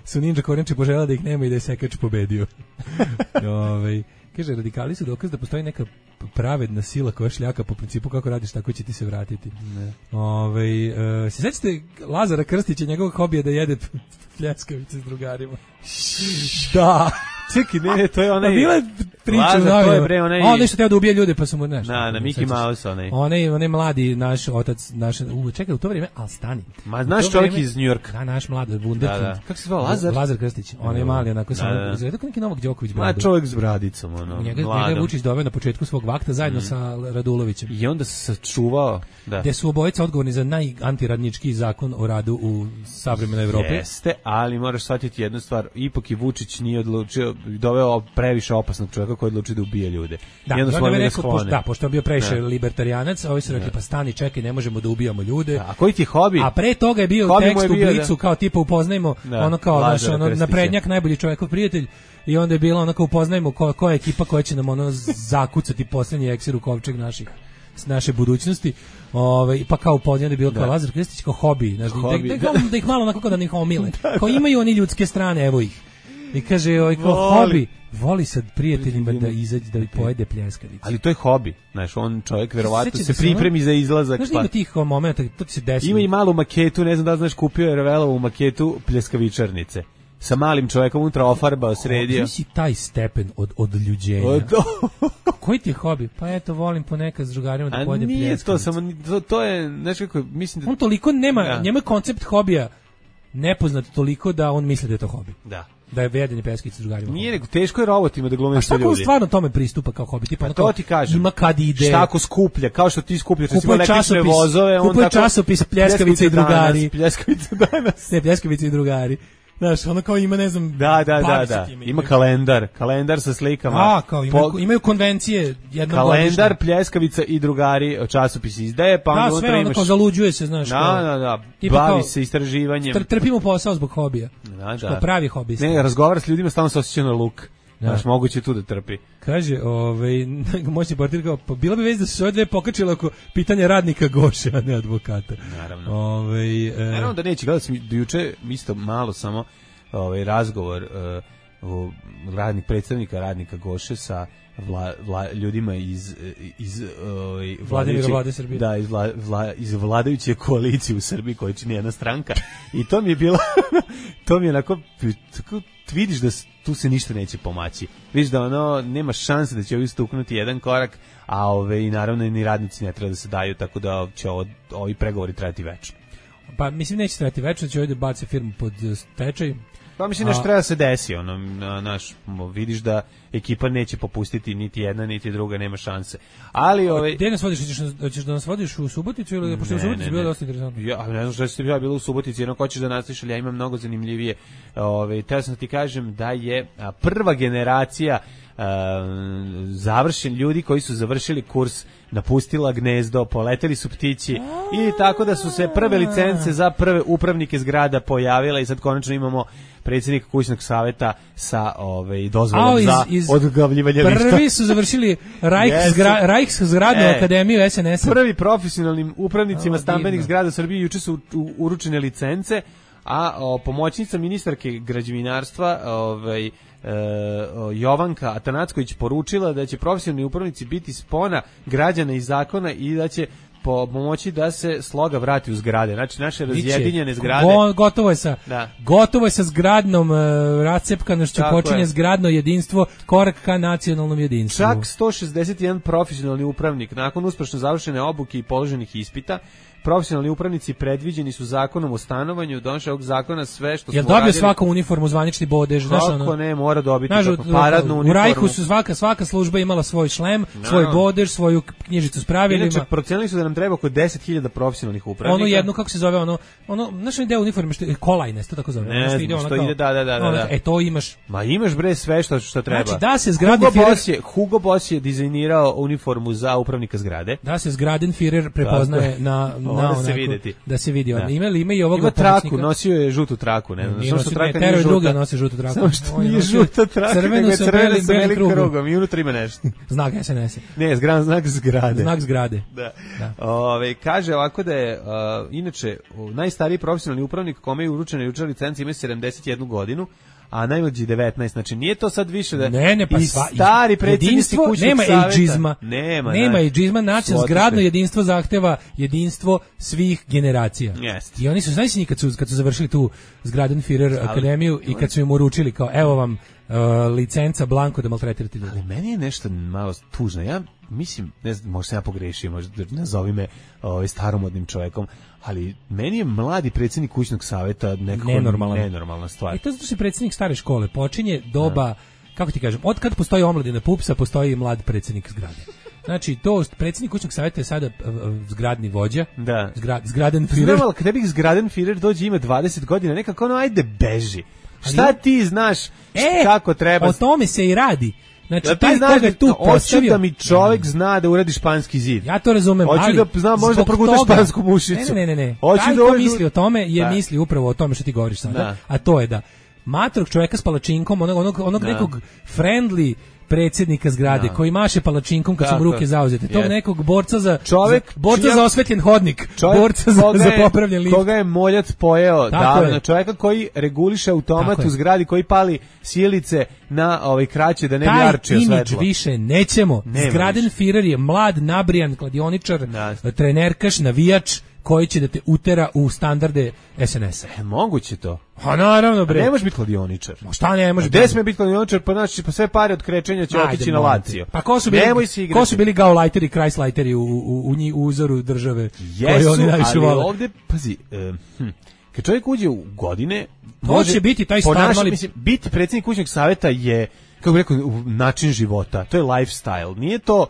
G: su Ninja Korenče poželjela da ih nema i da je Sekač pobedio. Ovaj kaže, radikali su dokaz da postoji neka pravedna sila koja šljaka po principu kako radiš, tako će ti se vratiti.
F: Ne.
G: Ovaj e, se sećate Lazara Krstića, njegovog hobija da jede pljeskavice s drugarima? Da.
F: Čekaj, ne, to je onaj...
G: Pa bila je priča
F: Lazar,
G: u
F: to je
G: novinama.
F: bre onaj...
G: A on nešto teo da ubije ljude, pa su mu nešto.
F: Na, na Mickey Mouse onaj.
G: Onaj, onaj mladi naš otac, naš, u, čekaj, u to vrijeme, al stani.
F: Ma,
G: U
F: znaš
G: to
F: čovjek
G: vrijeme-
F: iz Njujorka.
G: Da, naš mlad, Wunderkind.
F: Da, da. Kako se zvao, Lazar?
G: Lazar Krstić. On je mali, onako, samo,
F: da.
G: izgleda kao neki Novak Đoković
F: Ma,
G: bradu.
F: čovjek s bradicom, ono,
G: Njega, njega je
F: mladom.
G: Vučić doveo na početku svog vakta zajedno
F: Mm.
G: sa Radulovićem.
F: I onda se sačuvao, da.
G: Gde su obojica odgovorni za najantiradnički zakon o radu u savremenoj Evropi.
F: Jeste, ali moraš shvatiti jednu stvar, ipak i Vučić nije odlučio, doveo previše opasnog čovjeka koji je odlučio da ubije ljude.
G: Da,
F: I onda
G: i
F: su
G: onda
F: oni
G: je
F: ga
G: rekao, pošto,
F: sklone.
G: da, pošto je bio previše
F: Da.
G: libertarijanac, ovi su rekli, pa stani, čekaj, ne možemo da ubijamo ljude.
F: Da, a koji ti je hobi?
G: A pre toga je bio
F: Hobi mu
G: tekst
F: je
G: u
F: bio,
G: Blicu,
F: da.
G: kao tipa upoznajmo,
F: Da,
G: ono kao, naš,
F: Lazara
G: ono,
F: Krstića.
G: naprednjak, najbolji čovjekov prijatelj, i onda je bilo ono kao upoznajmo ko, koja je ekipa koja će nam ono zakucati posljednji eksir u kovčeg naših s naše budućnosti. Ovaj pa kao upoznaj da je bilo kao
F: Da.
G: Lazar Krstić kao hobi, znači da,
F: Hobi,
G: da,
F: da.
G: da, da ih malo onako kao da ih omile. Kao imaju oni ljudske strane, evo ih. I kaže, ovaj kao
F: Voli.
G: hobi, voli sad prijateljima da izađe da pojede pljeskavicu.
F: Ali to je hobi, znaš, on čovjek verovatno
G: Sjećate
F: se
G: se ono-
F: pripremi za izlazak.
G: Znaš da
F: pa-
G: ima tih o, momenta, to ti se desi.
F: Ima i malu maketu, ne znam da li znaš, kupio je Revelovu maketu pljeskavičarnice. Sa malim čovjekom unutra ofarbao, sredio.
G: Koji si taj stepen od odljuđenja?
F: O, to,
G: Koji ti je hobi? Pa eto, volim ponekad s drugarima da
F: a
G: pojedem
F: nije to,
G: pljeskavicu.
F: samo, ni- to, to je, znaš kako, mislim da...
G: On toliko nema,
F: Da.
G: njemu je koncept hobija nepoznat toliko da on misli da je to hobi.
F: Da.
G: Da je vedenje pljeskavice s drugarima.
F: Nije, nego teško je robotima da glume
G: A
F: što
G: šta ako on
F: ljudi.
G: stvarno tome pristupa kao hobi? Tipa, ono
F: To
G: kao,
F: ti kažem.
G: ima kad ide.
F: Šta ako skuplja, kao što ti skupljaš recimo
G: Kupuje
F: električne
G: časopis,
F: vozove, on
G: kupuje
F: tako
G: časopis Pljeskavice i drugari.
F: Pljeskavice danas.
G: Ne, pljeskavice i drugari. Znaš, ono kao ima, ne znam...
F: Da, da, da,
G: bavi se
F: da.
G: time,
F: Ima
G: imaju-
F: kalendar, kalendar sa slikama.
G: A, kao imaju,
F: Po-
G: imaju konvencije jednom
F: kalendar,
G: godišnje.
F: pljeskavica i drugari časopis izdaje, pa onda
G: Da,
F: unutra
G: sve ono
F: imaš...
G: kao zaluđuje se, znaš.
F: Da,
G: kao-
F: da, da,
G: tipa
F: bavi
G: kao-
F: se istraživanjem.
G: Tr, trpimo posao zbog hobija.
F: Da,
G: Što
F: da.
G: pravi hobista.
F: Ne, razgovara s ljudima, stalno se osjeća na luk.
G: Da.
F: Znaš, moguće tu da trpi.
G: Kaže, ovaj, moćni portir kao, pa bila bi već da su se ove dve pokačile oko pitanja radnika Goše, a ne advokata.
F: Naravno.
G: Ovaj, e,
F: Naravno da neće, gledao sam do juče isto malo samo ovaj razgovor uh, o radnik predstavnika radnika Goše sa vla, vla, ljudima iz iz ovaj
G: Vladimira
F: vladajuće-
G: Vlade Srbije.
F: Da, iz, vla, vla, iz vladajuće koalicije u Srbiji koja čini jedna stranka. I to mi je bilo to mi je onako tako vidiš da s- tu se ništa neće pomaći. Vidiš da ono nema šanse da će ovi stuknuti jedan korak, a ove i naravno ni radnici ne treba da se daju, tako da će ovo, ovi pregovori trajati večno.
G: pa mislim neće trajati večno, će ovdje baci firmu pod eh, stečaj.
F: Pa mislim
G: A-
F: nešto treba da se desi, ono, na- naš, mo, vidiš da ekipa neće popustiti niti jedna, niti druga, nema šanse. Ali, ovaj...
G: Gde nas vodiš? Hoćeš, nas- hoćeš da nas vodiš u Suboticu ili pošto je u Subotici bilo dosta interesantno?
F: Ja ne znam šta ste ja bila u Subotici, jedno hoćeš da nastaviš, ali ja imam mnogo zanimljivije. Ovaj teo sam da ti kažem da je a, prva generacija a, završen ljudi koji su završili kurs napustila gnezdo, poleteli su ptići i tako da su se prve licence za prve upravnike zgrada pojavile i sad konačno imamo predsjednika kućnog saveta sa ovaj dozvolom
G: A, iz-
F: za
G: iz-
F: odgavljivanje lista.
G: Prvi su završili Rajk
F: Jesu.
G: zgra, Rajksgradnu
F: E,
G: akademiju es en es-a.
F: Prvi profesionalnim upravnicima
G: O,
F: stambenih
G: divno.
F: zgrada Srbije juče su u- uručene licence, a o, pomoćnica ministarke građevinarstva ovaj, e, o, Jovanka Atanacković poručila da će profesionalni upravnici biti spona građana i zakona i da će po, pomoći da se sloga vrati u zgrade. Znači, naše razjedinjene zgrade.
G: Go, gotovo je sa,
F: da.
G: gotovo je sa zgradnom uh, rascepkanošću, počinje je. zgradno jedinstvo, korak ka nacionalnom jedinstvu.
F: Čak sto šezdeset jedan profesionalni upravnik, nakon uspešno završene obuke i položenih ispita, profesionalni upravnici predviđeni su zakonom o stanovanju, donošenje ovog zakona sve što smo
G: uradili. Jel dobio svaku uniformu, zvanični bodež?
F: Kako
G: ono,
F: ne, mora dobiti
G: znaš,
F: kako, paradnu uniformu.
G: U Rajhu su svaka, svaka služba imala svoj šlem, no. svoj bodež, svoju knjižicu s pravilima.
F: Inače, procenili su da nam treba oko deset hiljada profesionalnih upravnika.
G: Ono jedno, kako se zove, ono, ono znaš li deo uniforme, što je kolajne, to tako zove.
F: Ne znam, ide što ide, da, da, da.
G: Ono,
F: da.
G: E, to imaš.
F: Ma imaš bre sve što, što treba.
G: Znači, da se zgradni
F: Hugo
G: Führer...
F: Boss je, Hugo Boss je dizajnirao uniformu za upravnika zgrade.
G: Da se zgraden Führer prepoznaje na, na onako,
F: se videti.
G: Da se vidi. Da. Ima li ima i ovog
F: ima traku, nosio je žutu traku, ne znam.
G: Samo što traka nije žuta. Druga nosi žutu traku.
F: Samo što nije žuta traka,
G: crvenu
F: nego
G: sa
F: belim,
G: belim krugom.
F: krugom. I unutra ima nešto.
G: Znak es en es.
F: Ne, zgrad, znak zgrade.
G: Znak zgrade.
F: Da. da. Ove, kaže ovako da je, uh, inače, najstariji profesionalni upravnik kome je uručena jučer licenca ima sedamdeset jednu godinu, a najmlađi devetnaest, znači nije to sad više da
G: ne, ne, pa
F: i
G: sva,
F: stari predsjednici kućnog
G: nema
F: saveta.
G: Ageizma,
F: Nema,
G: nema ageizma, nacionalno zgradno jedinstvo zahteva jedinstvo svih generacija.
F: Jest.
G: I oni su, znači kad su, kad su završili tu zgraden Führer akademiju i kad su im uručili kao, evo vam uh, licenca blanko da maltretirate ljudi.
F: Ali meni je nešto malo tužno, ja mislim, ne znam, možda sam ja pogrešio, možda nazovi me ovaj, staromodnim čovjekom, ali meni je mladi predsjednik kućnog saveta nekako nenormalna stvar.
G: I to zato što je predsjednik stare škole, počinje doba, ja. kako ti kažem, od kad postoji omladina pupsa, postoji i mlad predsjednik zgrade. Znači, to predsjednik kućnog savjeta je sada uh, zgradni vođa, da. Zgra, zgraden Führer.
F: Znam, ali kada bih zgraden Führer dođe ima dvadeset godina, nekako ono, ajde beži. Šta ali, ti znaš
G: e,
F: kako treba?
G: O tome se i radi. Znači,
F: ja
G: taj koga je tu postavio...
F: da mi čovjek zna da uradi španski zid.
G: Ja to razumem,
F: hoću
G: ali...
F: da znam, možda proguta špansku mušicu.
G: Ne, ne, ne, ne.
F: Hoću
G: taj
F: da
G: ko misli o tome je
F: da.
G: misli upravo o tome što ti govoriš sada.
F: Da.
G: A to je da matrog čovjeka s palačinkom, onog, onog, onog nekog friendly predsjednika zgrade no. koji maše palačinkom kad su mu ruke zauzete. Tog yes. nekog borca za
F: čovjek,
G: za, borca
F: čija,
G: za osvetljen hodnik, borca za,
F: je,
G: za popravljen lift.
F: Koga je moljac pojeo davno, čovjeka koji reguliše automat u zgradi, koji pali sjelice na ovaj kraće da ne bi arčio svetlo.
G: Taj imidž više nećemo.
F: Nema
G: zgraden
F: više.
G: Führer je mlad, nabrijan kladioničar, no. trenerkaš, navijač, koji će da te utera u standarde es en es-a.
F: E, moguće to.
G: A naravno, bre.
F: A ne može biti kladioničar.
G: Ma šta ne može?
F: Gde sme biti kladioničar, pa znači pa sve pare od krečenja će otići na Lazio.
G: Pa ko su bili? Ko su bili Gauleiteri, Kreisleiteri u u u, u uzoru države koji oni najviše vole?
F: Ali ovde pazi, uh, hm, kad čovjek uđe u godine,
G: to može će biti taj star, mali
F: mislim, biti predsjednik kućnog saveta je, kako bih rekao, način života. To je lifestyle. Nije to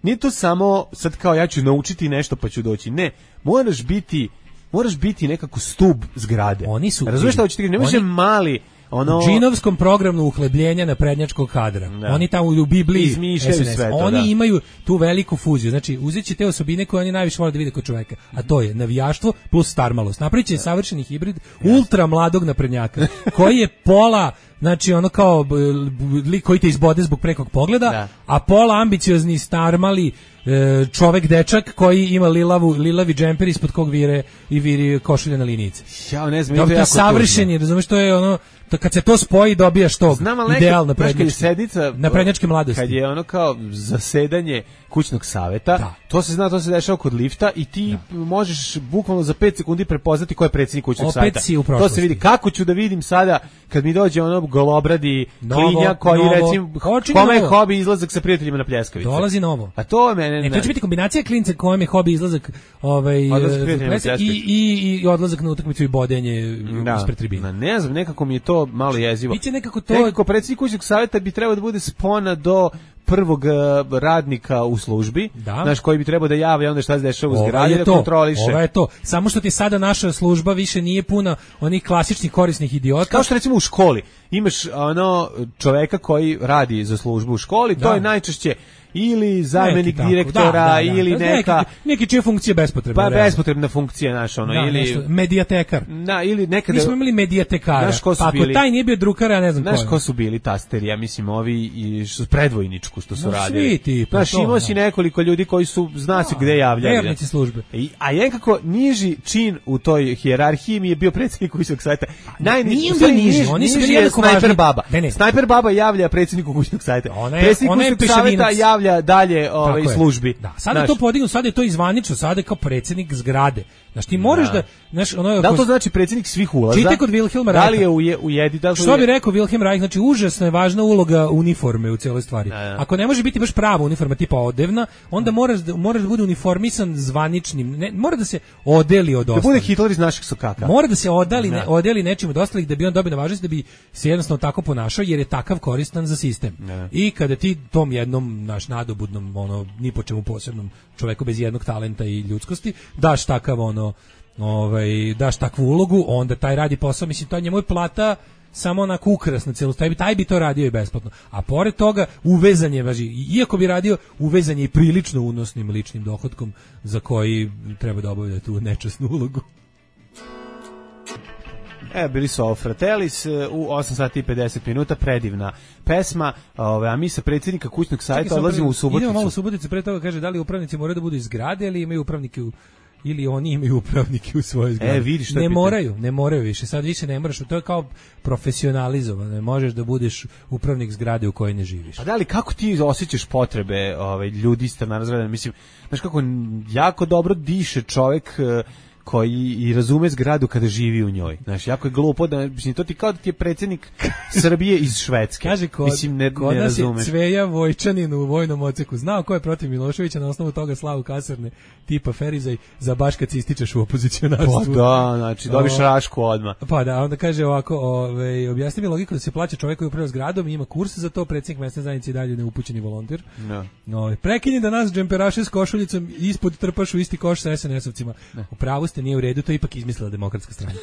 F: Nije to samo sad kao ja ću naučiti nešto pa ću doći. Ne, moraš biti moraš biti nekako stub zgrade.
G: Oni su
F: razumiješ šta hoćeš ti, ne može mali ono
G: u džinovskom programu uhlebljenja naprednjačkog kadra. Da. Oni tamo u Bibliji
F: izmišljaju sve to.
G: Oni
F: da.
G: imaju tu veliku fuziju. Znači, uzeće te osobine koje oni najviše vole da vide kod čoveka, a to je navijaštvo plus starmalost. Napraviće savršeni hibrid yes. ultra mladog naprednjaka koji je pola, znači ono kao lik koji te izbode zbog prekog pogleda, da. a pola ambiciozni starmali čovek dečak koji ima lilavu lilavi džemper ispod kog vire i viri košulja na linijice.
F: Ja ne znam,
G: to je savršeni, razumeš, to je ono to kad se to spoji dobijaš to idealno prednjačke naprednjačke mladosti.
F: Kad je ono kao zasedanje kućnog saveta, da. to se zna, to se dešava kod lifta i ti da. možeš bukvalno za pet sekundi prepoznati ko je predsjednik kućnog
G: Opet
F: saveta. To se vidi. Kako ću da vidim sada kad mi dođe ono golobradi klinja koji novo. recimo kome je hobi izlazak sa prijateljima na pljeskavice.
G: Dolazi novo.
F: A to mene
G: ne. To će biti kombinacija klinca kojem je hobi izlazak ovaj odlazak i, i, i odlazak na utakmicu i bodenje da. ispred tribine.
F: Ne znam, nekako mi je to malo jezivo.
G: Biće nekako to.
F: Nekako predsjednik kućnog saveta bi trebao da bude spona do prvog radnika u službi, da. naš koji bi trebao da javi onda šta se dešava u zgradi da kontroliše.
G: Ovo je to. Samo što ti sada naša služba više nije puna onih klasičnih korisnih idiota.
F: Kao što recimo u školi imaš ono čoveka koji radi za službu u školi, da. to je najčešće ili zamjenik neki direktora da, da, da. ili neka
G: neki, neki čije funkcije bespotrebne.
F: Pa bespotrebna funkcija naša ono da, ili
G: nešto, medijatekar.
F: Da, ili nekada
G: mi smo imali medijatekara. Pa ako bili, taj nije bio drukar, ja ne znam ko.
F: Znaš ko su bili tasteri, ja mislim ovi i što predvojničku što su no, radili.
G: Svi ti, pa
F: znaš, imao si nekoliko ljudi koji su zna se gde javljaju.
G: Vernici službe.
F: I, a nekako niži čin u toj hijerarhiji mi je bio predsjednik kućnog saveta.
G: Najniži, niži, oni su bili
F: jednako važni. Baba. Ne, ne. Snajper baba javlja predsjedniku kućnog saveta. Predsjednik kućnog saveta stavlja dalje ovaj službi.
G: Da, sada znaš, to podignu, sada je to izvanično, sada je kao predsjednik zgrade. Znaš, ti moraš da, da znaš, ono,
F: da li to znači predsjednik svih ulaza?
G: Čitaj kod Wilhelma Reicha.
F: Da li je u, je, u jedi, da li
G: što bi rekao Wilhelm Reich, znači užasno je važna uloga uniforme u cijeloj stvari. Da, da. Ako ne može biti baš prava uniforma tipa odevna, onda moraš da, moraš da bude uniformisan zvaničnim, ne, mora da se odeli od ostalih.
F: Da bude Hitler iz naših sokaka.
G: Mora da se odali, ne, odeli nečim od ostalih da bi on dobio na važnosti, da bi se jednostavno tako ponašao jer je takav koristan za sistem. Da. I kada ti tom jednom naš nadobudnom, ono, ni po čemu posebnom čoveku bez jednog talenta i ljudskosti, daš takav ono, ovaj, daš takvu ulogu, onda taj radi posao, mislim, to njemu je plata samo onako ukrasna celu, taj bi, taj bi to radio i besplatno. A pored toga, uvezan je, važi, iako bi radio, uvezan je i prilično unosnim ličnim dohodkom za koji treba da obavlja tu nečasnu ulogu.
F: E, bili su ovo Fratellis u osam sati i pedeset minuta, predivna pesma, ove, a mi sa predsjednika kućnog sajta odlazimo u Suboticu.
G: Idemo malo u Suboticu, pre toga kaže da li upravnici moraju da budu iz zgrade ili imaju upravnike u ili oni imaju upravnike u svojoj zgradi.
F: E, vidiš što
G: ne
F: je
G: moraju, ne moraju više. Sad više ne moraš, to je kao profesionalizovano. Ne možeš da budeš upravnik zgrade u kojoj ne živiš.
F: A da li kako ti osjećaš potrebe, ovaj ljudi strana razredana, mislim, znaš kako jako dobro diše čovjek koji i razume zgradu kada živi u njoj. Znaš, jako je glupo da, mislim, to ti kao da ti je predsjednik Srbije iz Švedske.
G: Kaže, kod, mislim, ne, kod ne nas razumeš. Je Cveja Vojčanin u vojnom odseku znao ko je protiv Miloševića, na osnovu toga slavu kasarne tipa Ferizaj za baš kad se ističeš u opozicionarstvu.
F: Pa da, znači, dobiš o, rašku odmah.
G: Pa da, onda kaže ovako, ovaj, objasni mi logiku da se plaća čovjek koji upravlja zgradom i ima kurs za to, predsjednik mesne zajednice i dalje neupućeni volonter. No. Ovaj, prekini da nas džemperaše s košuljicom ispod trpaš u isti koš sa es en esovcima. U pravu ste, nije u redu, to je ipak izmislila Demokratska stranka.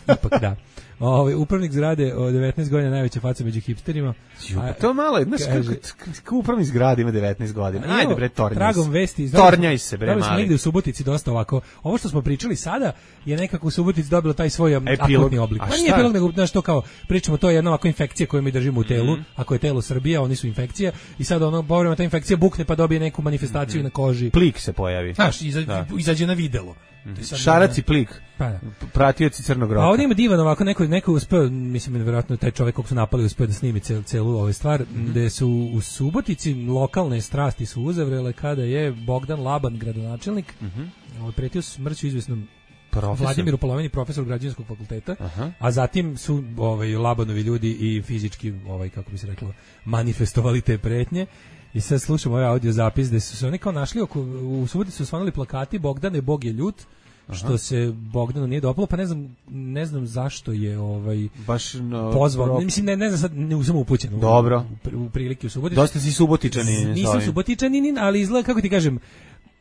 G: Ipak da. Ovaj upravnik zgrade od devetnaest godina, najveća faca među hipsterima.
F: Jo, pa to malo, znaš kako, kako upravnik zgrade ima devetnaest godina. Ajde bre, tornjaj se.
G: Tragom vesti.
F: Tornjaj se bre, mali.
G: Smo negde u Subotici dosta ovako. Ovo što smo pričali sada je nekako u Subotici dobilo taj svoj akutni oblik. Pa nije epilog, nego znaš to kao pričamo, to je jedna ovako infekcija koju mi držimo u telu, mm-hmm. ako je telo Srbija, oni su infekcija i sad ono povremeno ta infekcija bukne pa dobije neku manifestaciju mm-hmm. na koži.
F: Plik se pojavi.
G: Znaš, iza, da. izađe na videlo.
F: Mm-hmm. Šarac i plik. Pa da. Pratioci Crnog roka.
G: A ovdje ima divan ovako, neko, neko uspeo, mislim, vjerojatno taj čovjek kog su napali uspeo da snimi celu, celu ovu stvar, mm-hmm. gde su u Subotici lokalne strasti su uzavrele kada je Bogdan Laban, gradonačelnik, mm-hmm. pretio smrću izvesnom profesor. Vladimiru Polovini, profesor građevinskog fakulteta, aha. A zatim su ovaj, Labanovi ljudi i fizički, ovaj, kako bi se reklo, manifestovali te pretnje. I sad slušamo ovaj audio zapis gde su se oni kao našli oko, u Subotici su osvanuli plakati Bogdane, Bog je ljut, što aha. se Bogdanu nije dopalo, pa ne znam, ne znam zašto je ovaj
F: baš no,
G: pozvao, pro... mislim ne, ne znam sad, ne uzmem upućen
F: dobro.
G: U, u prilike u Subotici.
F: Dosta si Subotičanin.
G: Nisam Subotičanin, ali izgleda, kako ti kažem,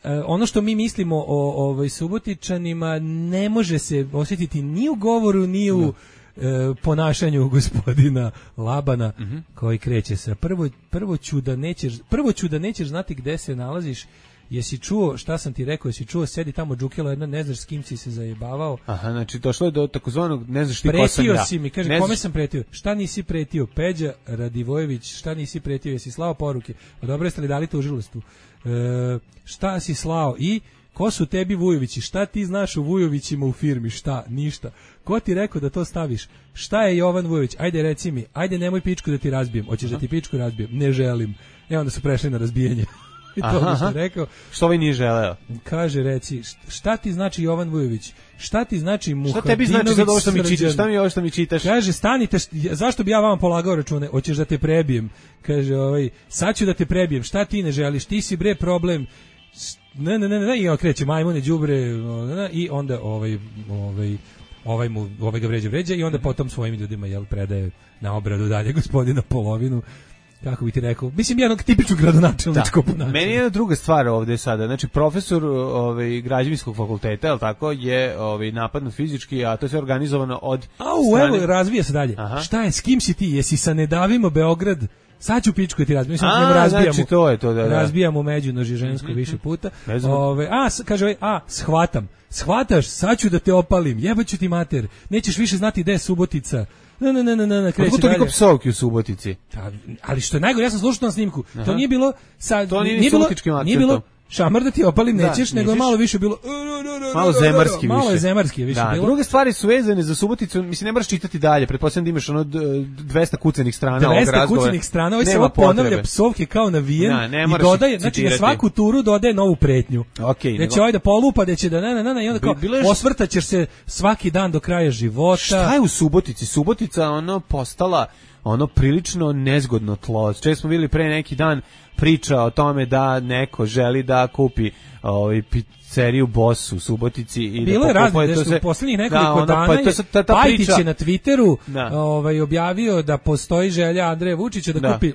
G: Uh, ono što mi mislimo o ovaj Subotičanima ne može se osjetiti ni u govoru, ni u no. uh, ponašanju gospodina Labana, mm-hmm. koji kreće sa prvo, prvo ću da nećeš prvo ću da nećeš znati gde se nalaziš. Jesi čuo šta sam ti rekao, jesi čuo, sedi tamo džukela jedna, ne znaš s kim si se zajebavao.
F: Aha, znači došlo je do takozvanog ne znaš ti ko sam ja.
G: Pretio si mi, kaže, ne kome znaš... sam pretio? Šta nisi pretio? Peđa Radivojević, šta nisi pretio? Jesi slao poruke? Pa dobro, jeste li dali tužilaštvu? E, šta si slao? I ko su tebi Vujovići? Šta ti znaš o Vujovićima u firmi? Šta? Ništa. Ko ti rekao da to staviš? Šta je Jovan Vujović? Ajde reci mi, ajde nemoj pičku da ti razbijem. Hoćeš da ti pičku razbijem? Ne želim. E onda su prešli na razbijanje. I to aha, što je rekao.
F: Što ovaj nije želeo?
G: Kaže, reci, šta ti znači Jovan Vujović? Šta ti znači Muhadinović?
F: Šta tebi znači sad ovo što mi čitaš? Šta mi je ovo što mi čitaš?
G: Kaže, stanite, zašto bi ja vama polagao račune? Hoćeš da te prebijem? Kaže, ovaj, sad ću da te prebijem. Šta ti ne želiš? Ti si bre problem. Ne, ne, ne, ne, i on kreće majmune, đubre, i onda ovaj, ovaj, ovaj mu, ovaj ga vređa, vređa i onda potom svojim ljudima, jel, predaje na obradu dalje gospodina Polovinu. Kako bi ti rekao, mislim jednog tipičnog gradonačelničkog ponašanja.
F: Meni je jedna druga stvar ovdje sada, znači profesor ovaj, građevinskog fakulteta, je li tako, je ovaj, napadnut fizički, a to je sve organizovano od
G: Au, strane... evo, razvija se dalje. Aha. Šta je, s kim si ti, jesi sa Ne davimo Beograd? Sad ću pičku ti razbijamo, mislim da razbijamo.
F: Znači to je to, da, da.
G: Razbijamo međunožje žensko mm-hmm. više puta. Ove, a, kaže ovaj, a, shvatam. Shvataš, sad ću da te opalim, jebaću ti mater. Nećeš više znati gde je Subotica. Ne, ne, ne, ne, ne, kreće dalje.
F: Toliko psovki u Subotici.
G: Ta, ali što je najgore, ja sam slušao na snimku. Aha. To nije bilo sa
F: to nije, nije bilo,
G: nije bilo šamar da ti opalim
F: Da,
G: nećeš, nego je
F: nećeš.
G: malo više bilo
F: Malo zemarski
G: malo
F: više.
G: je zemarski više
F: Da,
G: bilo.
F: druge stvari su vezane za Suboticu, mislim ne moraš čitati dalje, pretpostavljam da imaš ono d- dvesta kucanih strana ovog
G: dvesta
F: razgovora.
G: kucanih strana, ovaj
F: Nema
G: samo ponavlja
F: potrebe.
G: psovke kao navijen
F: Da, ne
G: i
F: moraš
G: dodaje, znači na
F: citirati.
G: svaku turu dodaje novu pretnju.
F: Okej,
G: Da
F: nego-
G: će ovaj da polupa, da će da na na na na, i onda kao
F: Bi- bilo je-
G: osvrtaćeš se svaki dan do kraja života.
F: Šta je u Subotici? Subotica ono postala ono prilično nezgodno tlo. Često smo vidjeli pre neki dan priča o tome da neko želi da kupi ovaj pizzeriju Boss u Subotici i
G: Bilo
F: da
G: je razne,
F: pokupuje to
G: nešto
F: se-
G: u poslednjih nekoliko
F: da, ono,
G: dana
F: pa
G: je
F: to se- ta, ta
G: Pajtić
F: priča-
G: je na Twitteru
F: Da.
G: ovaj, objavio da postoji želja Andreja Vučića da,
F: Da.
G: kupi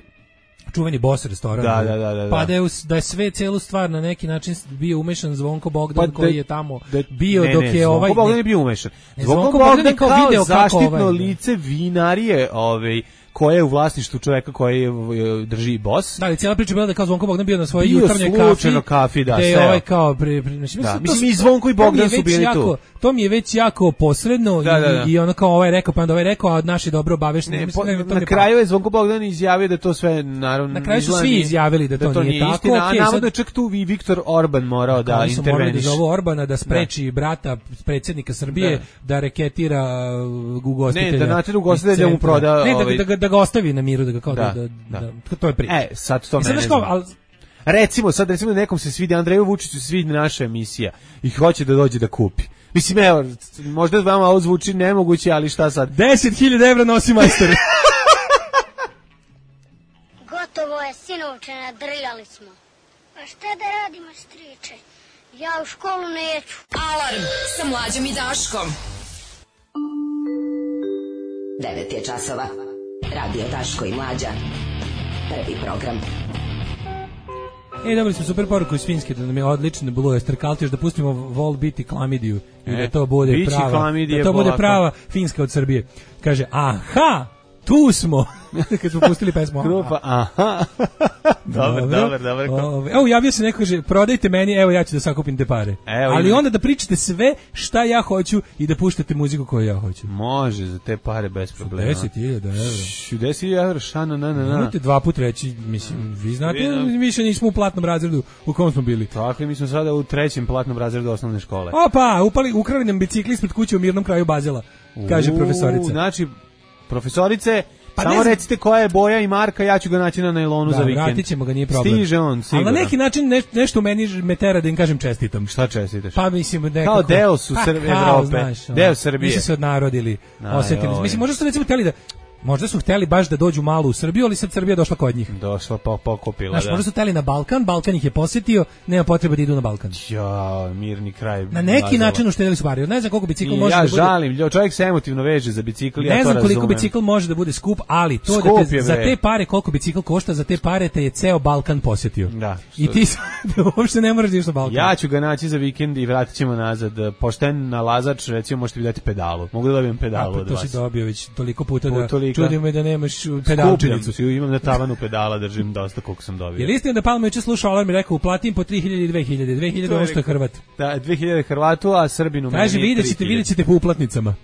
G: čuveni Boss restoran.
F: Da, da, da, da,
G: Pa
F: da.
G: da je, us- da je sve celu stvar na neki način bio umešan Zvonko Bogdan
F: Pa
G: koji
F: da-
G: je tamo
F: da-
G: bio
F: ne,
G: dok
F: ne,
G: je
F: Zvonko
G: ovaj...
F: Bogdan
G: ne-
F: je bio umešan.
G: Ne,
F: Zvonko
G: Zvonko
F: Bogdan
G: Bogdan je kao
F: kao
G: video kako
F: zaštitno
G: ovaj-
F: lice vinarije, ovaj koje je u vlasništvu čoveka koji je, drži Boss.
G: Da, ali cijela priča je bila da je kao Zvonko Bogdan bio na svojoj
F: Bio
G: jutarnjoj kafi.
F: slučajno kafi, da,
G: gde je
F: seo.
G: ovaj kao... Pri, pri, mislim,
F: Da,
G: to-
F: mislim, i Zvonko i
G: to mi je
F: Bogdan su
G: već
F: bili
G: jako,
F: tu.
G: To mi je već jako posredno
F: Da,
G: i,
F: da, da.
G: i ono kao ovaj rekao, pa onda ovaj rekao, a naši dobro obavešteni.
F: Ne,
G: Mislim,
F: po,
G: ne, to mi
F: na
G: je
F: kraju je Zvonko Bogdan izjavio da to sve naravno
G: Na kraju su
F: izgleda
G: svi
F: nije-
G: izjavili da to nije tako,
F: istina,
G: okej,
F: a navodno
G: sad-
F: je čak tu i Viktor Orban morao da
G: Oni su morali da
F: interveniše.
G: zovu Orbana da spreči brata predsjednika Srbije
F: Da.
G: da, reketira uh, ugostitelja.
F: Ne, da natjera
G: iz
F: ugostitelja mu
G: centra.
F: proda,
G: Ne, da,
F: ovaj-
G: da, ga- da ga ostavi na miru, da ga kao da,
F: Da,
G: da,
F: da.
G: da, to je priča.
F: E, sad to
G: I sad
F: mene
G: znaš kao,
F: zanima.
G: ali
F: Recimo, sad recimo da nekom se svidi Andreju Vučiću, se svidi naša emisija i hoće da dođe da kupi. Mislim, evo, možda vama ovo zvuči nemoguće, ali šta sad?
G: deset hiljada evra nosi majstor.
E: Gotovo je, sinovče, nadrljali smo. A šta da radimo, striče? Ja u školu neću.
A: Alarm sa mlađom i Daškom. devet je časova. Radio Daško i Mlađa. Prvi program.
G: E, dobili smo super poruku iz Finske da nam je odličan Blue Ester Kaltiš, da pustimo Vol biti klamidiju i
F: E,
G: da to bude
F: bići
G: prava,
F: klamidije
G: da to bude
F: polako.
G: prava Finska od Srbije. Kaže, aha, tu smo. Kad smo pustili pesmu. aha.
F: Grupa, aha. dobar, dobar, dobar.
G: Ove, evo, javio se neko, kaže, prodajte meni, evo ja ću da sakupim te pare.
F: Evo,
G: Ali
F: ima.
G: onda da pričate sve šta ja hoću i da puštate muziku koju ja hoću.
F: Može, za te pare bez problema.
G: deset hiljada evra.
F: deset hiljada evra, šana, na, na, na.
G: Nemojte dva put reći, mislim, vi znate,
F: Vi nam-
G: više nismo u platnom razredu u kom smo bili.
F: Tako je, mi smo sada u trećem platnom razredu osnovne škole.
G: Opa, upali, ukrali nam bicikli ispred kuće u mirnom kraju Bazela, kaže
F: U,
G: profesorica.
F: Znači, profesorice,
G: Pa
F: samo
G: ne znam-
F: recite koja je boja i marka, ja ću ga naći na najlonu
G: Da,
F: za vikend.
G: vratit ćemo ga, nije problem.
F: Stiže on, sigurno.
G: Ali na neki način neš, nešto u meni me tera da im kažem čestitam.
F: Šta čestitaš?
G: Pa mislim nekako...
F: Kao deo su
G: Pa
F: Srb-
G: kao,
F: Evrope,
G: znaš, ono,
F: deo Srbije.
G: Nisu se odnarodili,
F: Aj,
G: osetili.
F: oj.
G: Mislim, možda su recimo hteli da... Možda su hteli baš da dođu malo u Srbiju, ali sad Srbija došla kod njih.
F: Došla pa pokupila,
G: Znaš,
F: da.
G: možda su hteli na Balkan, Balkan ih je posjetio, nema potrebe da idu na Balkan.
F: Ja, mirni kraj.
G: Na neki
F: Lazova.
G: način uštedili su pare. Ne znam koliko bicikl
F: I
G: može
F: ja
G: da bude...
F: žalim, ljo, čovjek se emotivno veže za bicikl, ja
G: Ne
F: to
G: znam koliko
F: razumem.
G: bicikl može da bude skup, ali to
F: Skup
G: da te,
F: je,
G: za
F: bre.
G: te pare koliko bicikl košta, za te pare te je ceo Balkan posjetio.
F: Da.
G: I ti sad uopšte ne moraš da ideš na Balkan.
F: Ja ću ga naći za vikend i vratit ćemo nazad. Pošten nalazač, recimo, možete mi dati pedalu. Mogu da dobijem pedalu
G: A, pa
F: od
G: to
F: vas.
G: si dobio već toliko puta
F: Po
G: da
F: tolika.
G: čudi me da nemaš
F: Skupljam
G: pedalčinicu.
F: si, imam na tavanu pedala, držim dosta koliko sam dobio.
G: Je li istina da Palma juče slušao alarm i rekao uplatim po tri hiljade i dve hiljade, dve hiljade
F: To je
G: ono što je
F: rekao.
G: Hrvat.
F: Da, dve hiljade Hrvatu, a Srbinu
G: Kaže,
F: meni je
G: vidjet ćete,
F: tri hiljade.
G: vidjet ćete po uplatnicama.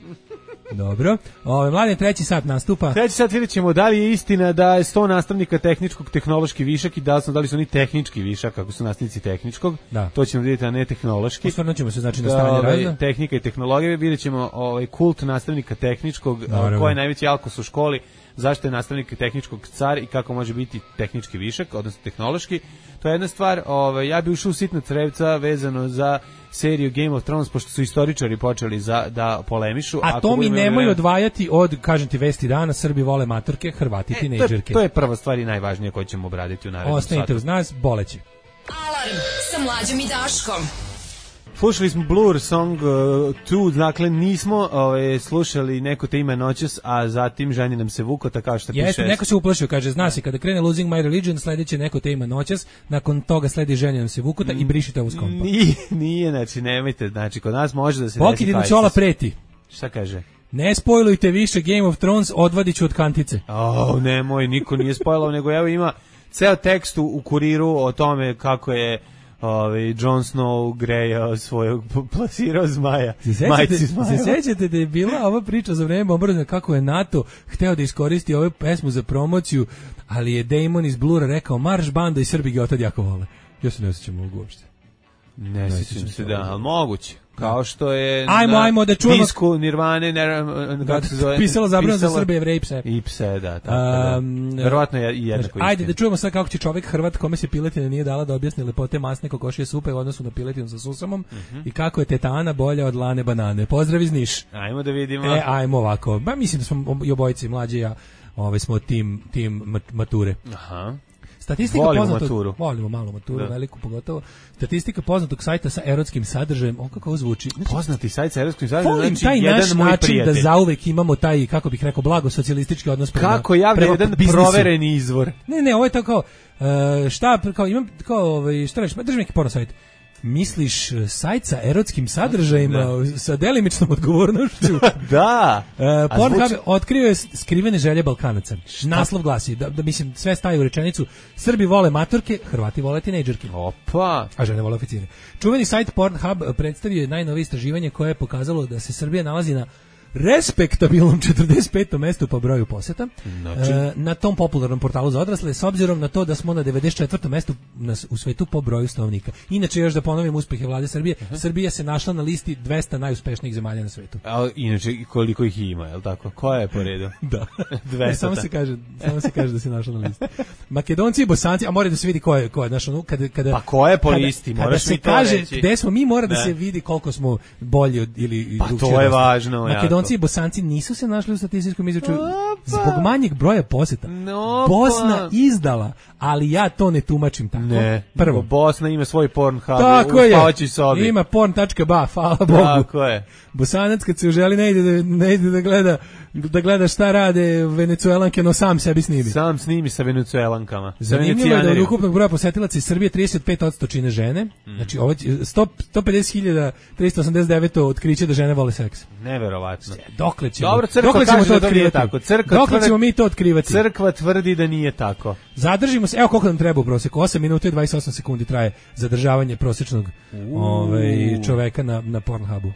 G: Dobro. Ove, mladen, treći sat nastupa.
F: Treći sad vidjet ćemo da li je istina da je sto nastavnika tehničkog tehnološki višak i da li, su, da li su oni tehnički višak, kako su nastavnici tehničkog.
G: Da.
F: To ćemo vidjeti, a ne tehnološki.
G: Osvrnut ćemo se znači na
F: Da,
G: stanje
F: ovaj,
G: razda.
F: tehnika i tehnologije, vidjet ćemo ovaj, kult nastavnika tehničkog,
G: Naravno.
F: ko je najveći alkos u školi, zašto je nastavnik tehničkog car i kako može biti tehnički višak, odnosno tehnološki. To je jedna stvar, ovaj, ja bi ušao u sitna crevca vezano za seriju Game of Thrones, pošto su istoričari počeli za, da polemišu.
G: A
F: Ako
G: to mi
F: budemo imali
G: nemoj
F: vremena-
G: odvajati od, kažem ti, vesti dana, Srbi vole matorke, Hrvati
F: E, to, je,
G: tinejdžerke.
F: to je prva stvar i najvažnija koju ćemo obraditi u narednom
G: Ostanite
F: satu.
G: uz nas, boleći.
A: Alarm sa mlađom i Daškom.
F: Slušali smo Blur Song dva, dakle nismo ovaj, slušali Neko te ima noćas, a zatim Ženi nam se vukota, kao što
G: Jeste,
F: piše.
G: neko se uplašio, kaže, zna se, kada krene Losing My Religion, sledeće Neko te ima noćas, nakon toga sledi Ženi nam se vukota i brišite ovo s kompa.
F: Nije, nije, znači nemojte, znači kod nas može da se
G: Pokidin
F: desi
G: Čola
F: fajsas.
G: preti.
F: Šta kaže?
G: Ne spojlujte više Game of Thrones, odvadit ću od kantice.
F: O, nemoj, niko nije spojlao, nego evo ima ceo tekst u, u kuriru o tome kako je ovaj Jon Snow grejao svojeg, plasirao zmaja.
G: Se sećate,
F: Majci zmaja.
G: se sećate da je bila ova priča za vreme bombardovanja kako je NATO hteo da iskoristi ovu pesmu za promociju, ali je Damon iz Blura rekao marš banda i Srbi ga otad jako vole. Ja se ne osjećam ovog uopšte.
F: Ne, ne sjećam se, da, ali moguće. Kao što je
G: ajmo,
F: na
G: ajmo da čujemo
F: disku Nirvane, ne, kako se zove,
G: pisalo zabranu za Srbe, Jevreje i pse.
F: I pse, da, tako da. Um, verovatno je i jednako istina.
G: Ajde da čujemo sad kako će čovjek Hrvat kome se piletina nije dala da objasni lepote masne kokošije supe u odnosu na piletinu sa susamom uh-huh. i kako je tetana bolja od lane banane. Pozdrav iz Niš.
F: Ajmo da vidimo.
G: E, ajmo ovako. Ba, mislim da smo i obojice mlađi ja, ovaj smo tim tim mature.
F: Aha.
G: Statistika
F: volimo
G: poznatog,
F: maturu.
G: Volimo malu maturu, da. Veliku pogotovo. Statistika poznatog sajta sa erotskim sadržajem, on kako ovo zvuči. Znači,
F: poznati sajt sa erotskim sadržajem,
G: volim
F: znači
G: taj
F: jedan
G: naš
F: moj
G: način
F: prijatelj.
G: Da zauvek imamo taj, kako bih rekao, blago socijalistički odnos prema,
F: kako javlja jedan biznisu. Provereni izvor.
G: Ne, ne, ovo je tako kao, uh, šta, kao, imam, kao, ovaj, šta reći, drži neki porno sajt. Misliš sajt sa erotskim sadržajima, da. Sa delimičnom odgovornošću?
F: Da.
G: Uh, Pornhub zvuči... otkrio je skrivene želje Balkanaca. Šta? Naslov glasi, da, da mislim, sve staje u rečenicu, Srbi vole maturke, Hrvati vole tinejdžerke.
F: Opa.
G: A žene vole oficire. Čuveni sajt Pornhub predstavio je najnovije istraživanje koje je pokazalo da se Srbija nalazi na respektabilnom četrdeset petom mestu po broju poseta znači. e, na tom popularnom portalu za odrasle s obzirom na to da smo na devedeset četvrtom mestu na, u svetu po broju stanovnika. Inače još da ponovim uspehe vlade Srbije, uh-huh. Srbija se našla na listi dvesta najuspešnijih zemalja na svetu.
F: A inače koliko ih ima, je l' tako? Koja je po redu?
G: Da. Ne, samo se kaže, samo se kaže da se našla na listi. Makedonci i Bosanci, a mora da se vidi ko je, ko je naš ono kada kada
F: pa ko je po listi,
G: kada,
F: moraš
G: kada
F: mi to
G: kaže
F: reći.
G: Gde smo mi mora da
F: ne.
G: se vidi koliko smo bolji od ili
F: pa to je važno.
G: Makedonci i Bosanci nisu se našli u statističkom izračunu zbog manjeg broja poseta.
F: No,
G: Bosna izdala, ali ja to ne tumačim tako.
F: Ne,
G: prvo
F: Bosna ima svoj Pornhub
G: tako
F: u spavaćoj sobi.
G: Ima porn tačka ba, hvala Bogu.
F: Tako je.
G: Bosanac kad se uželi ne ide da, ne ide da gleda da gleda šta rade Venecuelanke, no sam sebi snimi.
F: Sam snimi sa Venecuelankama.
G: Zanimljivo je da od ukupnog broja posetilaca iz Srbije trideset pet posto čine žene. Mm. Znači ovo sto pedeset hiljada trista osamdeset devet otkriće da žene vole seks.
F: Neverovatno.
G: Dokle ćemo?
F: Dobro, crkva
G: dokle ćemo
F: kaže
G: to
F: da nije
G: otkrivati?
F: tako. Crkva
G: dokle
F: tvrdi,
G: ćemo mi to otkrivati?
F: Crkva tvrdi da nije tako.
G: Zadržimo se. Evo koliko nam treba u proseku. osam minuta i dvadeset osam sekundi traje zadržavanje prosječnog ovaj čoveka na na Pornhubu.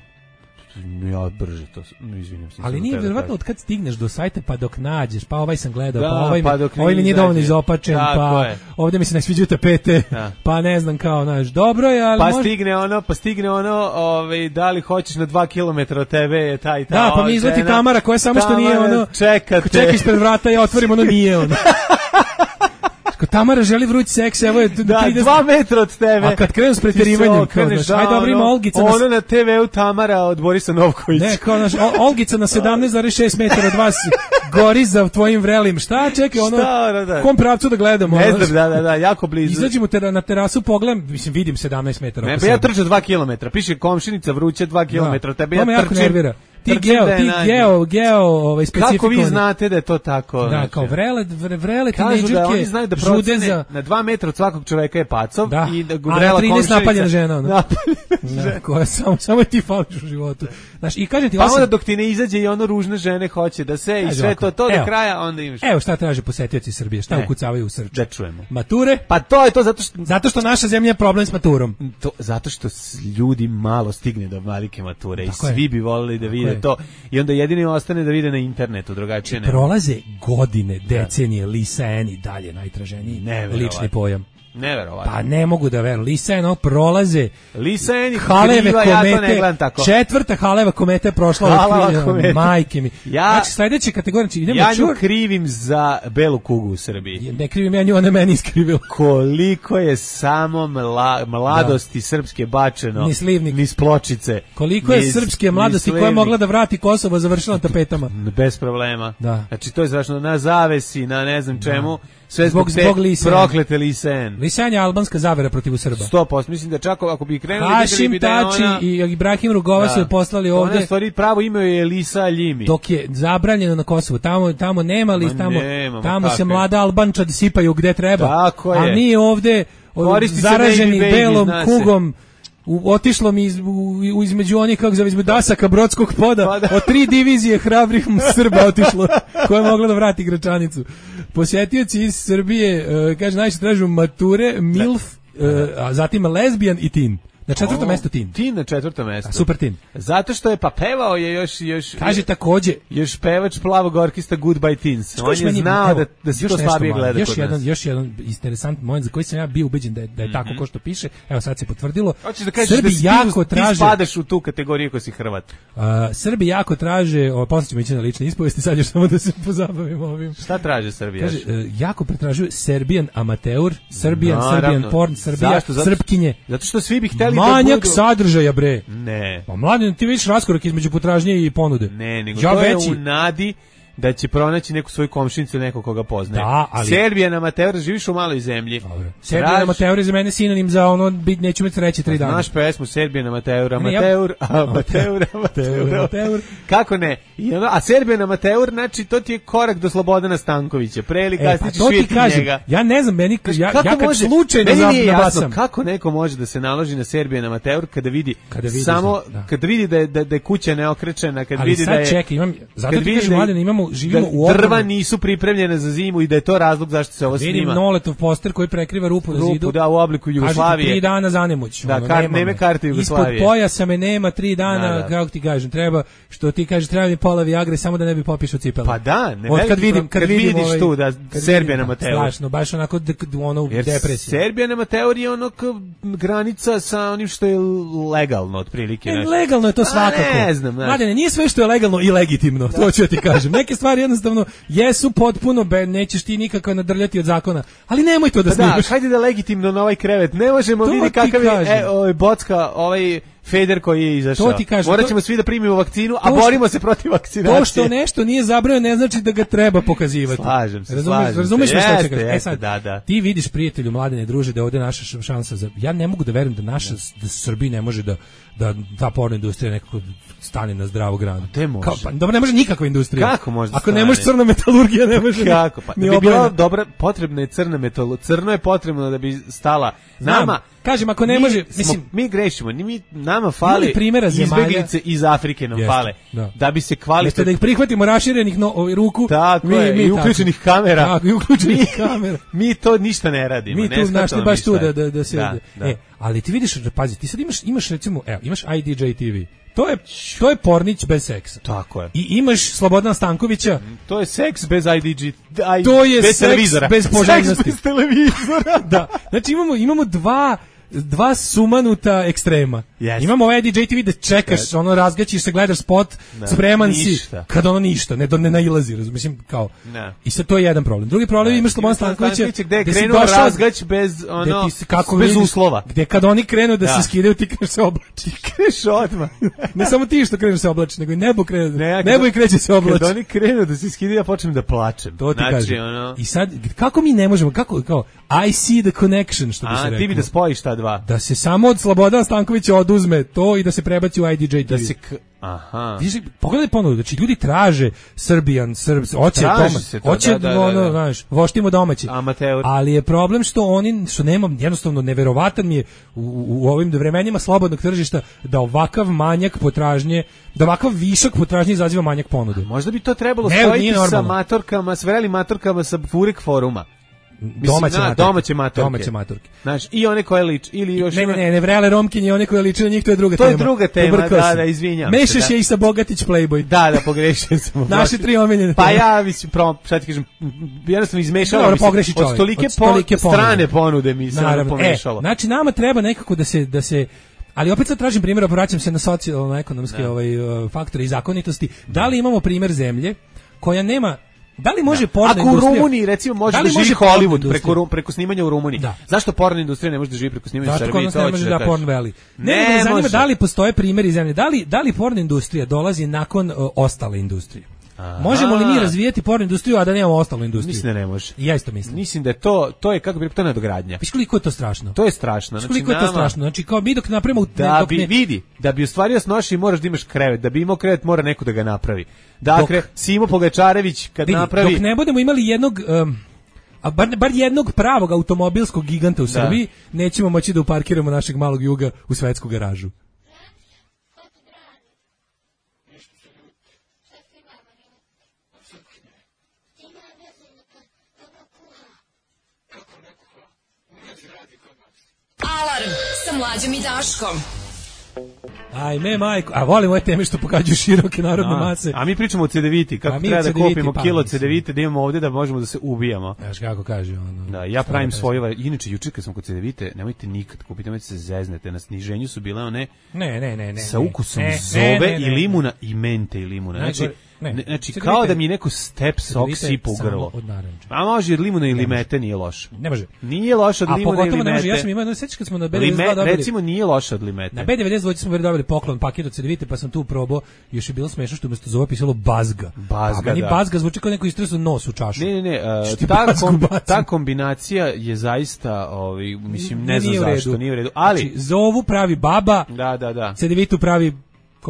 F: Ja brže to, no, izvinjam se.
G: Ali nije vjerovatno od kad stigneš do sajta pa dok nađeš, pa ovaj sam gledao,
F: da,
G: pa ovaj
F: pa
G: mi, ovaj mi nije dovoljno izopačen, pa
F: je.
G: Ovdje mi se ne sviđaju tapete, da. Pa ne znam kao, znaš, dobro je, ali
F: pa
G: može...
F: stigne ono, pa stigne ono, ovaj, da li hoćeš na dva kilometra od tebe je taj i ta.
G: Da, pa mi izleti žena, Tamara koja samo što nije ono,
F: čekate.
G: Čeka ispred vrata, ja otvorim ono nije ono. Ko Tamara želi vruć seks, evo je
F: da,
G: trideset
F: dva metra od tebe.
G: A kad krenu s preterivanjem, kao znaš, ajde dobro ima Olgica.
F: Ono na, na te veu Tamara od Borisa Novkovića.
G: Ne, kao znaš, Olgica na sedamnaest zarez šest metara od vas gori za tvojim vrelim. Šta, čekaj, ono,
F: šta, da, da.
G: kom pravcu da gledamo?
F: Ne znam, da, da, da, jako blizu.
G: Izađemo te na terasu, pogledam, mislim, vidim sedamnaest metara.
F: Ne, pa ja trčam dva kilometra, piše komšinica vruće dva kilometra, od tebe ja
G: trčim. To me jako nervira. Ti geo, ti geo, geo, ovaj specifikovani.
F: Kako vi znate da je to tako?
G: Da,
F: znači,
G: kao vrele, vrele
F: tinejdžerke,
G: da
F: oni znaju da procene na dva metra od svakog čoveka je pacov
G: da.
F: I da
G: vrela
F: komšinica.
G: A trinaest napaljena žena, ono.
F: Napaljena žena.
G: Koja samo, samo ti fališ u životu. Znaš, i kažem ti,
F: pa onda dok ti ne izađe i ono ružne žene hoće da se i sve to, to
G: evo,
F: do kraja, onda imaš.
G: Evo šta traže posetioci Srbije, šta ne. Ukucavaju u Srču.
F: Da čujemo.
G: Mature?
F: Pa to je to zato što...
G: Zato što naša zemlja je problem s maturom.
F: To, zato što ljudi malo stigne do velike mature tako i svi je. Bi volili da vide to i onda jedini ostane da vide na internetu, drugačije ne.
G: Prolaze godine, decenije, Lisan i dalje najtraženiji lični pojam.
F: Neverovatno.
G: Pa ne mogu da verujem. Lisan prolaze.
F: Lisan i
G: Haleve
F: kriva,
G: komete.
F: Ja to ne gledam tako.
G: Četvrta Haleva kometa je prošla od majke mi. Ja, znači sledeća kategorija, idemo
F: ja
G: čur.
F: nju krivim za belu kugu u Srbiji.
G: Ne krivim ja nju, ona meni iskrivila.
F: Koliko je samo mla, mladosti da. Srpske bačeno.
G: Ni slivnik.
F: Ni pločice.
G: Koliko je srpske mladosti koja je mogla da vrati Kosovo završila na tapetama.
F: Bez problema.
G: Da.
F: Znači to je strašno na zavesi, na ne znam čemu. Da. Sve
G: zbog,
F: zbog,
G: zbog Lisan.
F: Proklete Lisan.
G: Lisan je albanska zavera protiv Srba.
F: sto posto Mislim da čak ako bi krenuli...
G: Hašim
F: bi
G: Tači
F: ona...
G: i Ibrahim Rugova da. Su je poslali ovde.
F: Ona stvari pravo ime je Lisa Ljimi.
G: Dok je zabranjeno na Kosovu. Tamo, tamo nema li, tamo,
F: nema,
G: tamo se mlada Albančad sipaju gde treba.
F: Tako je.
G: A mi ovde zaraženi baby, belom kugom U, otišlo mi iz, u, u, između onih, kako zove, između dasaka brodskog poda, pa da. Od tri divizije hrabrih Srba otišlo, koja je mogla da vrati Gračanicu. Posjetioci iz Srbije, uh, kaže, najviše tražu mature, milf, uh, a zatim lesbijan i tin. Na četvrtom
F: O,
G: mestu Tin.
F: Tin na četvrtom mestu.
G: A, super Tin.
F: Zato što je pa pevao je još još
G: Kaže takođe
F: još pevač plavog orkestra Goodbye Teens. On je
G: meni,
F: znao
G: evo,
F: da da se
G: još
F: to
G: nešto
F: slabije
G: malo,
F: gleda
G: još
F: kod
G: jedan,
F: nas.
G: još jedan interesantan moment za koji sam ja bio ubeđen da je, da je tako
F: Mhm.
G: ko što piše. Evo sad se potvrdilo.
F: Hoćeš da kažeš
G: Srbi
F: da si
G: jako
F: ti,
G: traže,
F: ti spadaš u tu kategoriju ko si Hrvat.
G: Uh, Srbi jako traže, o, posle ćemo ići na lične ispovesti, sad još samo da se pozabavimo ovim.
F: Šta traže Srbija?
G: Kaže, uh, jako pretražuju Serbian amateur, Serbian,
F: Naravno.
G: Serbian porn, Srbija,
F: Zašto? Zato-
G: Srpkinje.
F: Zato što svi bi hteli
G: Manjak
F: da budu...
G: sadržaja, bre.
F: Ne.
G: Pa mladen, ti vidiš raskorak između potražnje i ponude.
F: Ne, nego
G: ja
F: to
G: veći,
F: je u nadi da će pronaći neku svoju komšinicu, nekog koga poznaje.
G: Da, ali-
F: Serbijan amateur, živiš u maloj zemlji.
G: Dobro. Serbian
F: Traži-
G: amateur je za mene sinonim za ono, bit, neću imati sreće tri dana.
F: Znaš pesmu Serbijan amateur,
G: Ne, ja-
F: amateur, amateur, amateur,
G: amateur.
F: Kako ne? I ono, a Serbijan amateur, znači to ti je korak do Slobodana Stankovića. Pre ili
G: E,
F: kasnije
G: pa
F: ćeš
G: to ti
F: vidjeti
G: kažem,
F: njega.
G: ja ne znam, meni,
F: Znaš,
G: ja,
F: kako
G: ja kad
F: može-
G: slučajno
F: meni nije jasno
G: nabasam,
F: kako neko može da se naloži na Serbijan amateur kada vidi,
G: Kada vidi
F: samo
G: za- da.
F: kada vidi da je, da, da je kuća neokrečena, kad
G: ali
F: vidi
G: sad
F: da je
G: čekaj, imam, zato
F: kad
G: ti
F: vidi
G: kažem,
F: da je-
G: mladene, imamo, živimo
F: da
G: u
F: drva
G: ogromnom-
F: nisu pripremljene za zimu i da je to razlog zašto se ovo
G: Vidim
F: snima.
G: Noletov poster koji prekriva rupu na
F: Rupu,
G: zidu.
F: da, u obliku
G: Kažete,
F: Jugoslavije.
G: tri dana zanemoć.
F: Da,
G: ono,
F: kar-
G: nema
F: neme
G: me.
F: karte Jugoslavije.
G: Ispod pojasa me nema tri dana,
F: Da, da.
G: kako ti kažem, treba, što ti kažeš, treba mi pola Viagre samo da ne bi popišao cipele.
F: Pa da, ne
G: Od
F: veliki
G: kad vidim,
F: problem.
G: kad,
F: Kad
G: vidim
F: vidiš
G: ovaj,
F: tu da
G: kad
F: Serbijan
G: vidim,
F: amateur.
G: Strašno, baš onako d- d- ono u
F: Jer
G: depresiji.
F: Serbijan amateur je ono kao granica sa onim što je legalno otprilike.
G: E,
F: znaš.
G: legalno je to
F: A,
G: svakako.
F: ne znam, znaš.
G: Mladene, nije sve što je legalno i legitimno, to ću ja ti kažem. Neke stvari jednostavno jesu potpuno, be, nećeš ti nikako nadrljati od zakona, ali nemoj to da
F: Pa da,
G: snimaš.
F: hajde da legitimno na ovaj krevet. Ne možemo
G: To
F: vidjeti
G: ti
F: kakav je
G: kažem.
F: e, ovaj bocka, ovaj Feder koji je izašao.
G: To ti kažem,
F: Morat
G: to-
F: ćemo svi da primimo vakcinu, a
G: to što-
F: borimo se protiv vakcinacije.
G: To što nešto nije zabranjeno ne znači da ga treba pokazivati.
F: Slažem se,
G: Razumeš,
F: slažem se.
G: razumeš me što
F: Jeste,
G: ću kažem? E
F: jeste,
G: sad,
F: da, da.
G: ti vidiš prijatelju, mladene druže, da je ovde naša š- šansa za... Ja ne mogu da verujem da naša, da Srbija ne može da, da ta porno industrija nekako stane na zdravu granu.
F: Gde može?
G: Kao, pa, dobro, ne može nikakva industrija.
F: Kako može da
G: Ako ne
F: stane?
G: može crna metalurgija, ne može
F: Kako pa?
G: ni
F: Da bi bila
G: obrana.
F: dobra, potrebna je crna metalo. Crno je potrebno da bi stala
G: Znam,
F: nama.
G: kažem, ako ne
F: mi
G: može,
F: smo-
G: mislim,
F: mi grešimo, ni mi nama fali
G: li primjera zemalja-
F: izbeglice iz Afrike nam
G: Jeste,
F: fale.
G: da.
F: Da bi se
G: Jeste
F: kvalitetno
G: da ih prihvatimo raširenih no, ovaj, ruku.
F: Tako je, i
G: tako.
F: uključenih kamera.
G: Tako, i uključenih
F: Mi-
G: kamera.
F: mi to ništa ne radimo.
G: Mi
F: ne
G: tu našli
F: shvatamo
G: baš
F: mi
G: tu
F: šta je.
G: da, da, da se...
F: Da, da.
G: E, ali ti vidiš, pazi, ti sad imaš, imaš recimo, evo, imaš I D J T V. To je, to je pornić bez seksa.
F: Tako je.
G: I imaš Slobodana Stankovića,
F: To je seks bez I D G. I,
G: To je
F: bez
G: seks
F: televizora.
G: bez poželjnosti.
F: Seks bez televizora.
G: da, znači imamo, imamo dva dva sumanuta ekstrema.
F: Yes.
G: Imamo ovaj I D J T V da čekaš, ono razgaćiš se, gledaš spot,
F: Da.
G: spreman
F: Ništa.
G: si, kad ono ništa, ne, do, ne nailazi, razum, mislim, kao.
F: Da.
G: I sad to je jedan problem. Drugi problem
F: Da.
G: imaš Slobodan
F: Imaš
G: Stankovića,
F: Stankovića gde je
G: gde si
F: krenuo
G: došao-
F: razgać bez,
G: gde
F: ono,
G: ti se- kako
F: bez
G: vidiš,
F: uslova.
G: Gde kad oni krenu da,
F: Da.
G: se skidaju, ti kažeš se oblači.
F: Kreš odmah.
G: Ne samo ti što kreneš se oblači, nego i nebo krene.
F: Ne, ja kad-
G: nebo i kreće se oblači.
F: Kad oni krenu da se skidaju, ja počnem da plačem.
G: To ti
F: znači,
G: kažem.
F: Ono,
G: I sad, kako mi ne možemo, kako, kao, I see the connection, što bi se
F: a,
G: reklo.
F: ti bi da spojiš ta dva.
G: Da se samo od Slobodana Stankovića oduzme to i da se prebaci u I D J T V.
F: Da se... K... Aha.
G: Vidiš, pogledaj ponovo, znači ljudi traže Srbijan, Srbs, hoće
F: Traži
G: doma,
F: se to,
G: hoće
F: da, da, da,
G: ono,
F: da.
G: znaš, voštimo domaći.
F: Amateur.
G: Ali je problem što oni, što nemam, jednostavno neverovatan mi je u, u, u ovim vremenima slobodnog tržišta da ovakav manjak potražnje, da ovakav višak potražnje izaziva manjak ponude.
F: Možda bi to trebalo
G: Ne,
F: spojiti
G: nije
F: sa
G: normalno.
F: matorkama, s vrelim matorkama sa Furek foruma.
G: Domaće
F: na,
G: maturke.
F: domaće maturke.
G: Domaće maturke.
F: Znaš, i one koje lič, ili još
G: Ne,
F: ima...
G: ne, ne, ne vrele romkinje, one koje liče na njih, to je druga
F: To
G: tema.
F: je druga tema,
G: Pobrkao
F: da,
G: sam.
F: da, izvinjam se,
G: Mešaš
F: da.
G: je i sa Bogatić Playboy.
F: Da, da, pogrešio sam.
G: Naše tri omiljene
F: Pa
G: teme.
F: ja, mislim, pro, šta ti kažem, jednostavno izmešalo
G: Dobro,
F: mi se.
G: pogreši
F: Od
G: čovjek.
F: stolike,
G: Od stolike
F: po,
G: ponude.
F: strane ponude mi se ono
G: Naravno.
F: pomešalo.
G: E, znači nama treba nekako da se da se ali opet sad tražim primjer, vraćam se na socijalno-ekonomske
F: Da.
G: ovaj, uh, faktore i zakonitosti. Da li imamo primjer zemlje koja nema, da li može porno
F: Ako u
G: industrija...
F: Rumuniji recimo može
G: Da
F: da,
G: li
F: živi
G: može porno
F: Hollywood
G: industrija?
F: preko, Ru- preko snimanja u Rumuniji.
G: Da.
F: Zašto porno industrija ne može da živi preko snimanja u
G: Zašto
F: Srbiji?
G: kod nas
F: To
G: ne
F: hoću
G: može
F: da
G: da
F: kažem.
G: porn valley? Ne,
F: Ne
G: nego me zanima
F: može.
G: da li postoje primjeri zemlje, da li, da li porno industrija dolazi nakon uh, ostale industrije? Možemo li mi razvijati porno industriju, a da nemamo ostalu industriju?
F: Mislim da ne može.
G: I ja isto mislim.
F: Mislim da je to, to je, kako bi rekao, to je nadogradnja.
G: Viš koliko je to strašno?
F: To je strašno.
G: Viš koliko je to
F: nama-
G: strašno? Znači, kao mi dok napravimo...
F: Da
G: dok
F: bi,
G: ne-
F: vidi, da bi ostvario snoši moraš da imaš krevet. Da bi imao krevet mora neko da ga napravi. Dakle,
G: Dok-
F: Simo Pogačarević kad
G: vidi,
F: napravi...
G: dok ne budemo imali jednog... Um, a bar, bar jednog pravog automobilskog giganta u Srbiji, nećemo moći da uparkiramo našeg malog juga u svetsku garažu.
I: Alarm sa Mlađom i Daškom.
G: Ajme, majko, a volim ove teme što pokađuju široke narodne mase.
F: A mi pričamo o cedeviti, kako treba da kupimo pa, kilo cedevite, da imamo ovde da možemo da se ubijamo.
G: Znaš kako kaže ono.
F: Da, ja pravim svoje, inače juče kad smo kod cedevite, nemojte nikad kupiti, nemojte se zeznete, na sniženju su bile one
G: ne, ne, ne, ne,
F: sa ukusom
G: ne,
F: zove
G: ne, ne, ne,
F: i limuna i mente i limuna. Znači,
G: ne,
F: ne, znači
G: cedevite,
F: kao da mi neko step sok sipa u grlo. A može od limuna i limete, nije loše.
G: Ne može.
F: Nije loše od limuna i limete.
G: Ne može, ja sam imao, sećaš kad smo na B devedeset dva dobili.
F: Recimo nije loše od limete.
G: Na B devedeset dva smo dobili poklon paket od cedevite, pa sam tu probao, još je bilo smešno što umesto zove pisalo bazga.
F: Bazga,
G: meni
F: da.
G: Bazga zvuči kao neko istresao nos u čašu.
F: Ne, ne, ne, uh, ta, kom, ta kombinacija je zaista, ovaj, mislim, ne znam zašto, nije u redu. Ali,
G: znači, zovu pravi baba,
F: da, da, da.
G: cedevitu pravi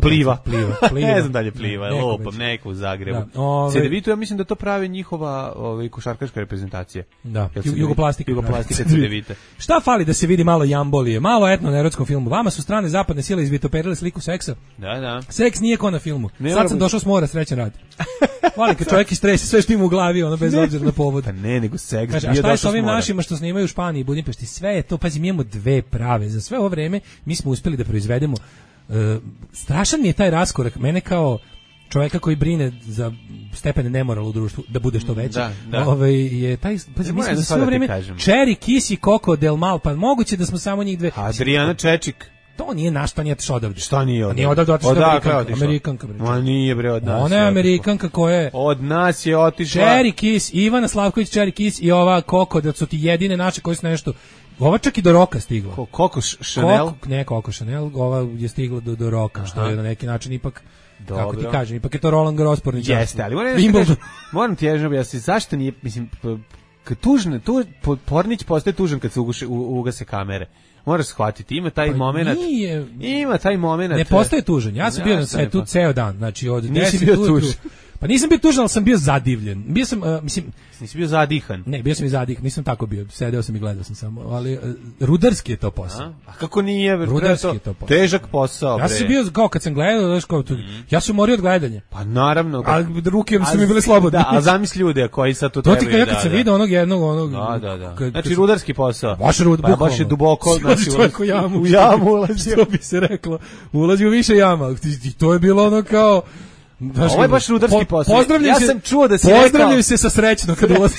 F: Pliva.
G: Pliva, pliva.
F: Ne znam dalje pliva, ne, lopam, neko u Zagrebu. Da, ove... Cedevitu, ja mislim da to pravi njihova ovaj, košarkaška reprezentacija.
G: Da, Jugoplastika.
F: Jugoplastika Cedevite.
G: Šta fali da se vidi malo jambolije, malo etno na erotskom filmu? Vama su strane zapadne sile izvitoperile sliku seksa.
F: Da, da.
G: Seks nije ko na filmu.
F: Ne
G: Sad sam došao s mora, srećan rad. Vali kad čovjek istresi sve što ima u glavi, ono bez obzira na povod.
F: Pa ne, nego seks.
G: Kaže, a šta je s ovim našima što snimaju u Španiji i Budimpešti? Sve je to, pazi, mi imamo dve prave. Za sve ovo vreme mi smo uspeli da proizvedemo. Uh, strašan mi je taj raskorak mene kao čovjeka koji brine za stepene nemorala u društvu da bude što veći.
F: Da, da.
G: Ovaj je taj pa mi smo sve vrijeme Cherry Kiss i Coco Del Mal, pa moguće da smo samo njih dve.
F: Adriana Čečik.
G: To nije naš, pa nije otišao odavde.
F: Šta nije odavde?
G: Nije odavde, otišao Amerikanka. Amerikanka.
F: Ma nije bre od nas.
G: Ona je Amerikanka koja je...
F: Od nas je otišla.
G: Cherry Kiss, Ivana Slavković, Cherry Kiss i ova Coco, da su ti jedine naše koje su nešto... Ova čak i do roka stigla.
F: Ko, Coco Chanel?
G: Coco, ne Coco Chanel, ova je stigla do, do roka, aha, što je na neki način ipak... Dobro. Kako ti kažem, ipak je to Roland Garros porničarstvo.
F: Jeste, ali moram, kažem, moram ti ježno objasniti, zašto nije, mislim, kad tužne, tu, pornić postaje tužan kad se ugase, ugase kamere. Moraš shvatiti, ima taj pa moment. Nije, ima taj moment.
G: Ne postaje tužan. Ja sam bio na svetu
F: pa.
G: ceo dan, znači od
F: deset bio tužan.
G: Pa nisam bio tužan, ali sam bio zadivljen. Bio sam, uh, mislim,
F: nisi bio zadihan.
G: Ne, bio sam i zadihan, nisam tako bio. Sedeo sam i gledao sam samo, ali uh, rudarski je to posao.
F: A, a kako nije?
G: Rudarski je to posao.
F: Težak posao.
G: Ja sam bio kao kad sam gledao, znaš kao, mm. ja sam morio od gledanja.
F: Pa naravno.
G: A ruke su mi bile slobodne.
F: Da, a zamisli ljude koji sad to
G: trebaju.
F: To
G: ti kao ja kad sam
F: da,
G: vidio onog jednog, onog...
F: Da, da, da. Kad, znači rudarski posao.
G: Baš rud,
F: pa, baš je duboko.
G: Znači, u jamu.
F: U jamu ulazi.
G: Što bi se reklo. Ulazi u više jama. I to je bilo ono kao...
F: Znaš, ovo je baš rudarski
G: po,
F: posao. Ja sam čuo da si
G: pozdravljaju
F: rekao...
G: se sa srećno kad ulazi.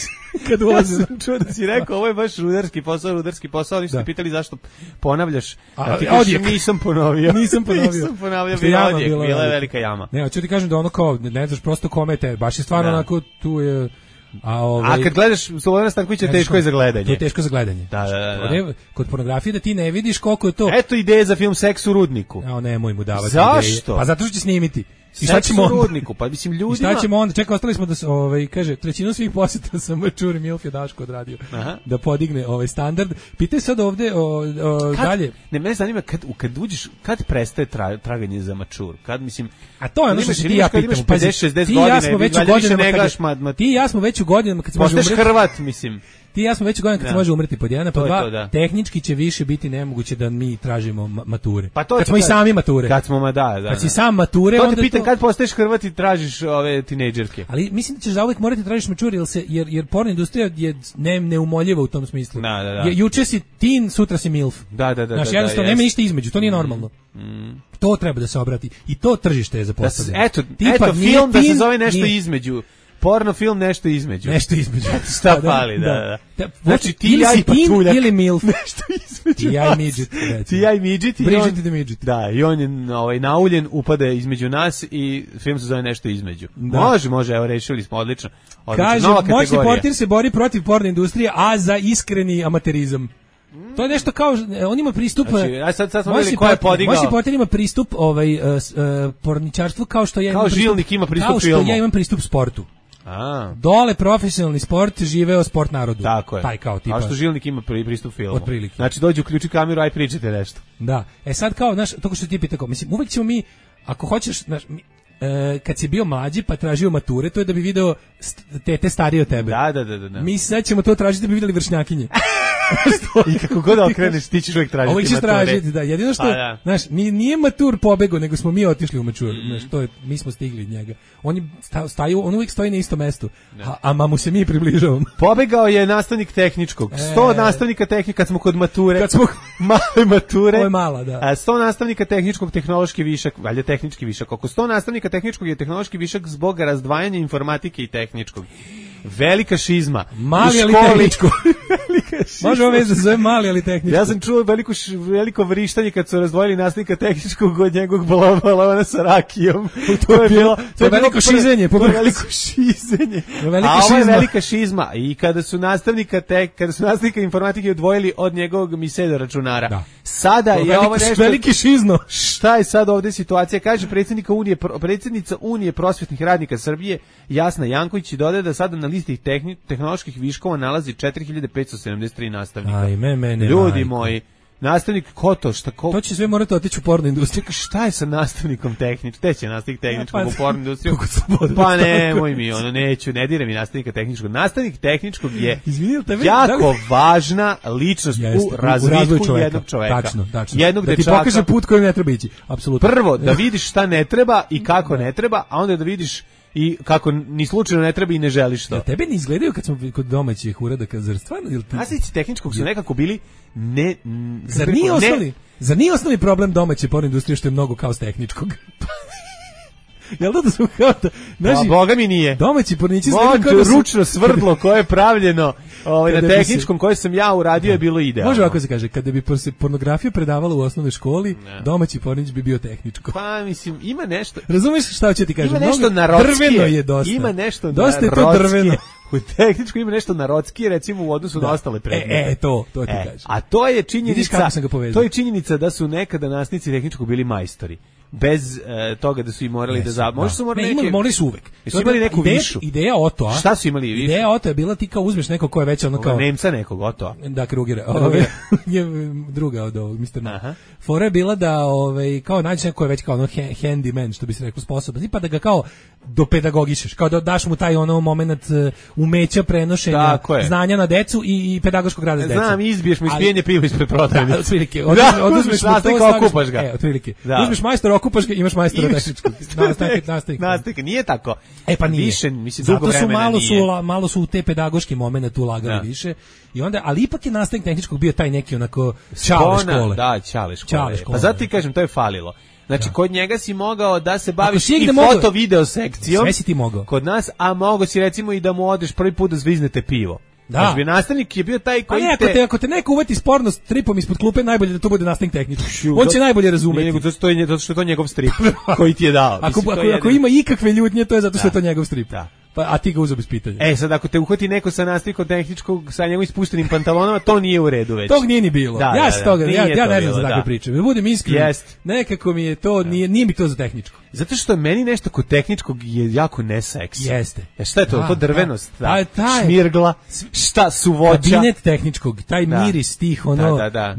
G: Kad ulazi.
F: Ja sam čuo da si rekao, ovo je baš rudarski posao, rudarski posao, ali ste pitali zašto ponavljaš.
G: A
F: ti kažeš, nisam ponovio.
G: Nisam ponovio.
F: Nisam ponovio, bila, odjek, bila, bila je velika jama.
G: Ne, hoću ti kažem da ono kao, ne znaš prosto kome te, baš je stvarno da. Onako, tu je... A, ovaj,
F: a kad gledaš Slobodana Stankovića, teško je za gledanje.
G: To je teško za gledanje.
F: Da, da, da, da.
G: Kod pornografije da ti ne vidiš koliko je to...
F: Eto ideje za film Seks u rudniku.
G: A nemoj mu davati
F: zašto?
G: Ideje. Pa zato što će snimiti.
F: I šta ćemo u rudniku? Pa mislim ljudima...
G: I šta ćemo onda? Čekaj, ostali smo da se, ovaj, kaže, trećinu svih posjeta sam Čuri Milf je Daško odradio. Aha. Da podigne ovaj standard. Pitaj sad ovde o, o
F: kad,
G: dalje.
F: Ne, mene zanima kad, kad uđeš, kad prestaje tra, traganje za mačur? Kad, mislim...
G: A to je ono što se ti ja pitam.
F: pedeset šezdeset godina,
G: ja smo već u godinama,
F: ne gledaš ma, ma,
G: ti i ja smo već u godinama kad se može
F: umreti. Postaješ Hrvat, mislim.
G: Ti i ja smo već u godinama kad se može umreti pod jedan, pod dva. Da. Tehnički će više biti nemoguće da mi tražimo mature.
F: Pa to
G: kad smo i sami mature.
F: Kad smo, ma da, da.
G: Kad si sam mature,
F: onda to te pitam kad postaješ Hrvat i tražiš ove tinejdžerke.
G: Ali mislim da ćeš zauvek morati tražiš mature, jer se jer jer porno industrija je ne neumoljiva u tom smislu.
F: Da, da, da.
G: Je, juče si teen, sutra si milf.
F: Da, da, da.
G: Znaš,
F: da,
G: jednostavno
F: da,
G: nema ništa između, to nije normalno.
F: Mm.
G: To treba da se obrati i to tržište je zapostavljeno.
F: Eto, eto film da se zove nešto nije. Između. Porno film nešto između.
G: Nešto između.
F: Šta fali, da, da. da.
G: Znači ti ili si teen ili milf.
F: Nešto između.
G: Ti ja i midget.
F: Ti ja i midget.
G: Bridget the midget.
F: Da, i on je ovaj, nauljen, upade između nas i film se zove nešto između. Da. Može, može, evo rešili smo, odlično. odlično.
G: Kaže, moćni portir se bori protiv porno industrije, a za iskreni amaterizam. To je nešto kao, on ima pristup,
F: znači, a sad, sad smo vidjeli ko je podigao.
G: Moćni portir ima pristup ovaj, uh, uh, porničarstvu kao što ja
F: kao
G: imam
F: pristup,
G: žilnik
F: ima pristup
G: kao što
F: filmu.
G: ja imam pristup sportu.
F: A.
G: Dole profesionalni sport, živeo sport narodu.
F: Tako je.
G: Taj kao tipa.
F: A što žilnik ima pristup filmu.
G: Otprilike.
F: Znači dođu, uključi kameru, aj pričajte nešto.
G: Da. E sad kao, znaš, to što ti pita kao, mislim, uvek ćemo mi, ako hoćeš, znaš, mi, e, kad si bio mlađi pa tražio mature, to je da bi video tete starije od tebe.
F: Da, da, da, da.
G: Mi sad ćemo to tražiti da bi videli vršnjakinje.
F: I kako god okreneš, ti ćeš uvijek tražiti
G: Ovo ćeš
F: mature.
G: tražiti, da. Jedino što,
F: Pa da.
G: znaš, nije, nije matur pobego, nego smo mi otišli u matur. Mm. Znaš, to je, mi smo stigli od njega. On, je sta, staju, on uvijek stoji na istom mestu, a, a mu se mi približavamo.
F: Pobegao je nastavnik tehničkog. sto
G: E.
F: nastavnika tehnika, kad smo kod mature.
G: Kad smo...
F: Male mature.
G: Ovo je mala, da.
F: A sto nastavnika tehničkog, tehnološki višak, valjda tehnički višak. Oko sto nastavnika tehničkog je tehnološki višak zbog razdvajanja informatike i tehničkog. Velika šizma.
G: Mali
F: U
G: ali
F: školi-
G: tehničko.
F: Velika šizma.
G: Može ovo veze za zove mali ali tehničko.
F: Ja sam čuo veliko, š- veliko vrištanje kad su razdvojili nastavnika tehničkog od njegovog balona sa rakijom.
G: To je bilo- to je
F: bilo
G: veliko
F: prvo-
G: šizenje,
F: To je
G: povrh-
F: veliko šizenje.
G: To je velika
F: A ovo je
G: šizma.
F: velika šizma. I kada su nastavnika te, kada su nastavnika informatike odvojili od njegovog misedo računara.
G: Da.
F: Sada
G: To je
F: je ovo
G: veliki-
F: nešto...
G: veliki šizno.
F: Šta je sad ovdje situacija? Kaže predsjednika Unije, pro- predsjednica Unije prosvjetnih radnika Srbije, Jasna Janković, i dodaje da sada na listi tehni, tehnoloških viškova nalazi četiri hiljade petsto sedamdeset tri nastavnika.
G: Ajme, mene,
F: Ljudi
G: majko.
F: moji, nastavnik ko to, šta ko...
G: To će sve morati otići u porno industriju.
F: Čekaj, šta je sa nastavnikom tehničkog? Te će nastavnik tehničkog
G: Ja, pa-
F: u porno industriju?
G: Kako slobodno,
F: Pa
G: tako
F: nemoj
G: je.
F: mi, ono, neću, ne dire mi nastavnika tehničkog. Nastavnik tehničkog je
G: Izvini, jel tebe-
F: jako
G: da li-
F: važna ličnost
G: Jeste,
F: u razvitku
G: razvoju čoveka.
F: jednog čoveka.
G: Tačno, tačno.
F: Jednog
G: da ti
F: dečaka.
G: pokaže put kojim ne treba ići. Apsolutno.
F: Prvo, da vidiš šta ne treba i kako ne treba, a onda da vidiš i kako ni slučajno ne treba i ne želiš to.
G: Jel tebe ne izgledaju kad smo kod domaćih uradaka, zar stvarno? Jel ti...
F: Nastavnici tehničkog su nekako bili ne... m, kako
G: Zar
F: bih
G: nije
F: rekao, ne-
G: osnovni, zar nije osnovni problem domaće porno industrije što je mnogo kao s tehničkog? Jel da da su kao da,
F: Pa, Boga mi nije.
G: domaći pornići izgledaju
F: Molim
G: kao
F: te,
G: da su...
F: ručno svrdlo koje je pravljeno ovaj, na
G: Kada bi se-
F: tehničkom koje sam ja uradio je bilo idealno.
G: Može ovako se kaže, kada bi por- se pornografija predavala u osnovnoj školi, domaći pornić bi bio tehničko.
F: Pa mislim, ima nešto...
G: Razumeš šta hoću ti kažem?
F: Ima nešto
G: Mnogo-
F: narodskije.
G: Drveno je dosta.
F: Ima nešto
G: dosta je to
F: narodskije.
G: drveno.
F: U tehničkom ima nešto narodskije, recimo u odnosu na ostale predmete.
G: E, e, to, to ti
F: E,
G: kažem.
F: a to je
G: Vidiš
F: činjenica,
G: kako sam ga povezao.
F: to je činjenica da su nekada nastavnici tehničkog bili majstori. Bez e, toga da su i morali da za, možda su morali
G: ne,
F: neke,
G: imali, morali su uvek.
F: Jesu
G: To je
F: imali
G: bila
F: neku
G: ideja,
F: višu?
G: Ideja Otoa.
F: Šta su imali višu?
G: Ideja Otoa je bila ti kao uzmeš neko ko je već ono
F: Ovoga
G: kao...
F: Nemca nekog, Otoa.
G: Da, Krugera.
F: Krugera.
G: Ove, je druga od ovog, mister No.
F: Aha.
G: Fora je bila da ovaj, kao nađeš neko ko je već kao ono ha- handyman, što bi se rekao, sposoban, i pa da ga kao dopedagogišeš, kao da daš mu taj ono moment uh, umeća prenošenja
F: Tako je.
G: znanja na decu i, i pedagoškog rada s decom.
F: Znam, izbiješ mu
G: Ali-
F: ispijenje piva ispred prodavnice.
G: Da, otprilike.
F: Da,
G: Oduzmeš, oduzmeš
F: uzmeš
G: mu to,
F: nastavnika,
G: staviš-
F: okupaš ga.
G: E, otprilike.
F: Da.
G: Uzmeš majstora, okupaš ga, imaš majstora
F: Imaš-
G: tehničkog. Nastavnik, nastavnik.
F: Nastavnik, nije tako.
G: E pa nije.
F: Više, mislim, dugo
G: Zato su
F: vremena
G: malo
F: nije.
G: su la- malo su u te pedagoški momenat ulagali
F: Da.
G: više. I onda ali ipak je nastavnik tehničkog bio taj neki onako čale
F: Spona,
G: škole.
F: Da, čale škole.
G: Čale škole.
F: Pa zato ti kažem, to je falilo. Znači, kod njega si mogao da se baviš
G: si
F: i
G: negde mogao-
F: foto-video sekcijom.
G: Sve si ti mogao.
F: Kod nas, a mogo si recimo i da mu odeš prvi put da zviznete pivo.
G: Da.
F: Znači, nastavnik je bio taj
G: Pa
F: koji
G: ne, ako te, ako te neko uvati sporno s tripom ispod klupe, najbolje da to bude nastavnik tehnički. On će najbolje razumeti.
F: Nije, nego zato što je, zato što je to njegov strip koji ti je dao.
G: Ako,
F: Mislim, to
G: ako,
F: je
G: ako
F: jedino.
G: ima ikakve ljutnje, to je zato što
F: Da.
G: je to njegov strip.
F: Da.
G: Pa, a ti ga uzeo bez pitanja.
F: E, sad ako te uhvati neko sa nastavnikom tehničkog sa njegovim ispuštenim pantalonama, to nije u redu već.
G: Tog nije ni bilo.
F: Da,
G: ja
F: da,
G: se
F: da.
G: toga, ja,
F: Nije
G: ja
F: to
G: ne znam
F: bilo,
G: za takve
F: da.
G: priče. Da budem iskren.
F: Jest.
G: Nekako mi je to, nije, nije mi to za tehničko.
F: Zato što meni nešto kod tehničkog je jako neseksi.
G: Jeste.
F: E šta je to?
G: Da,
F: to drvenost,
G: da.
F: da.
G: A, taj-
F: Šmirgla, šta su voća.
G: Kabinet tehničkog, taj
F: Da.
G: miris tih, ono...
F: Da, da, da.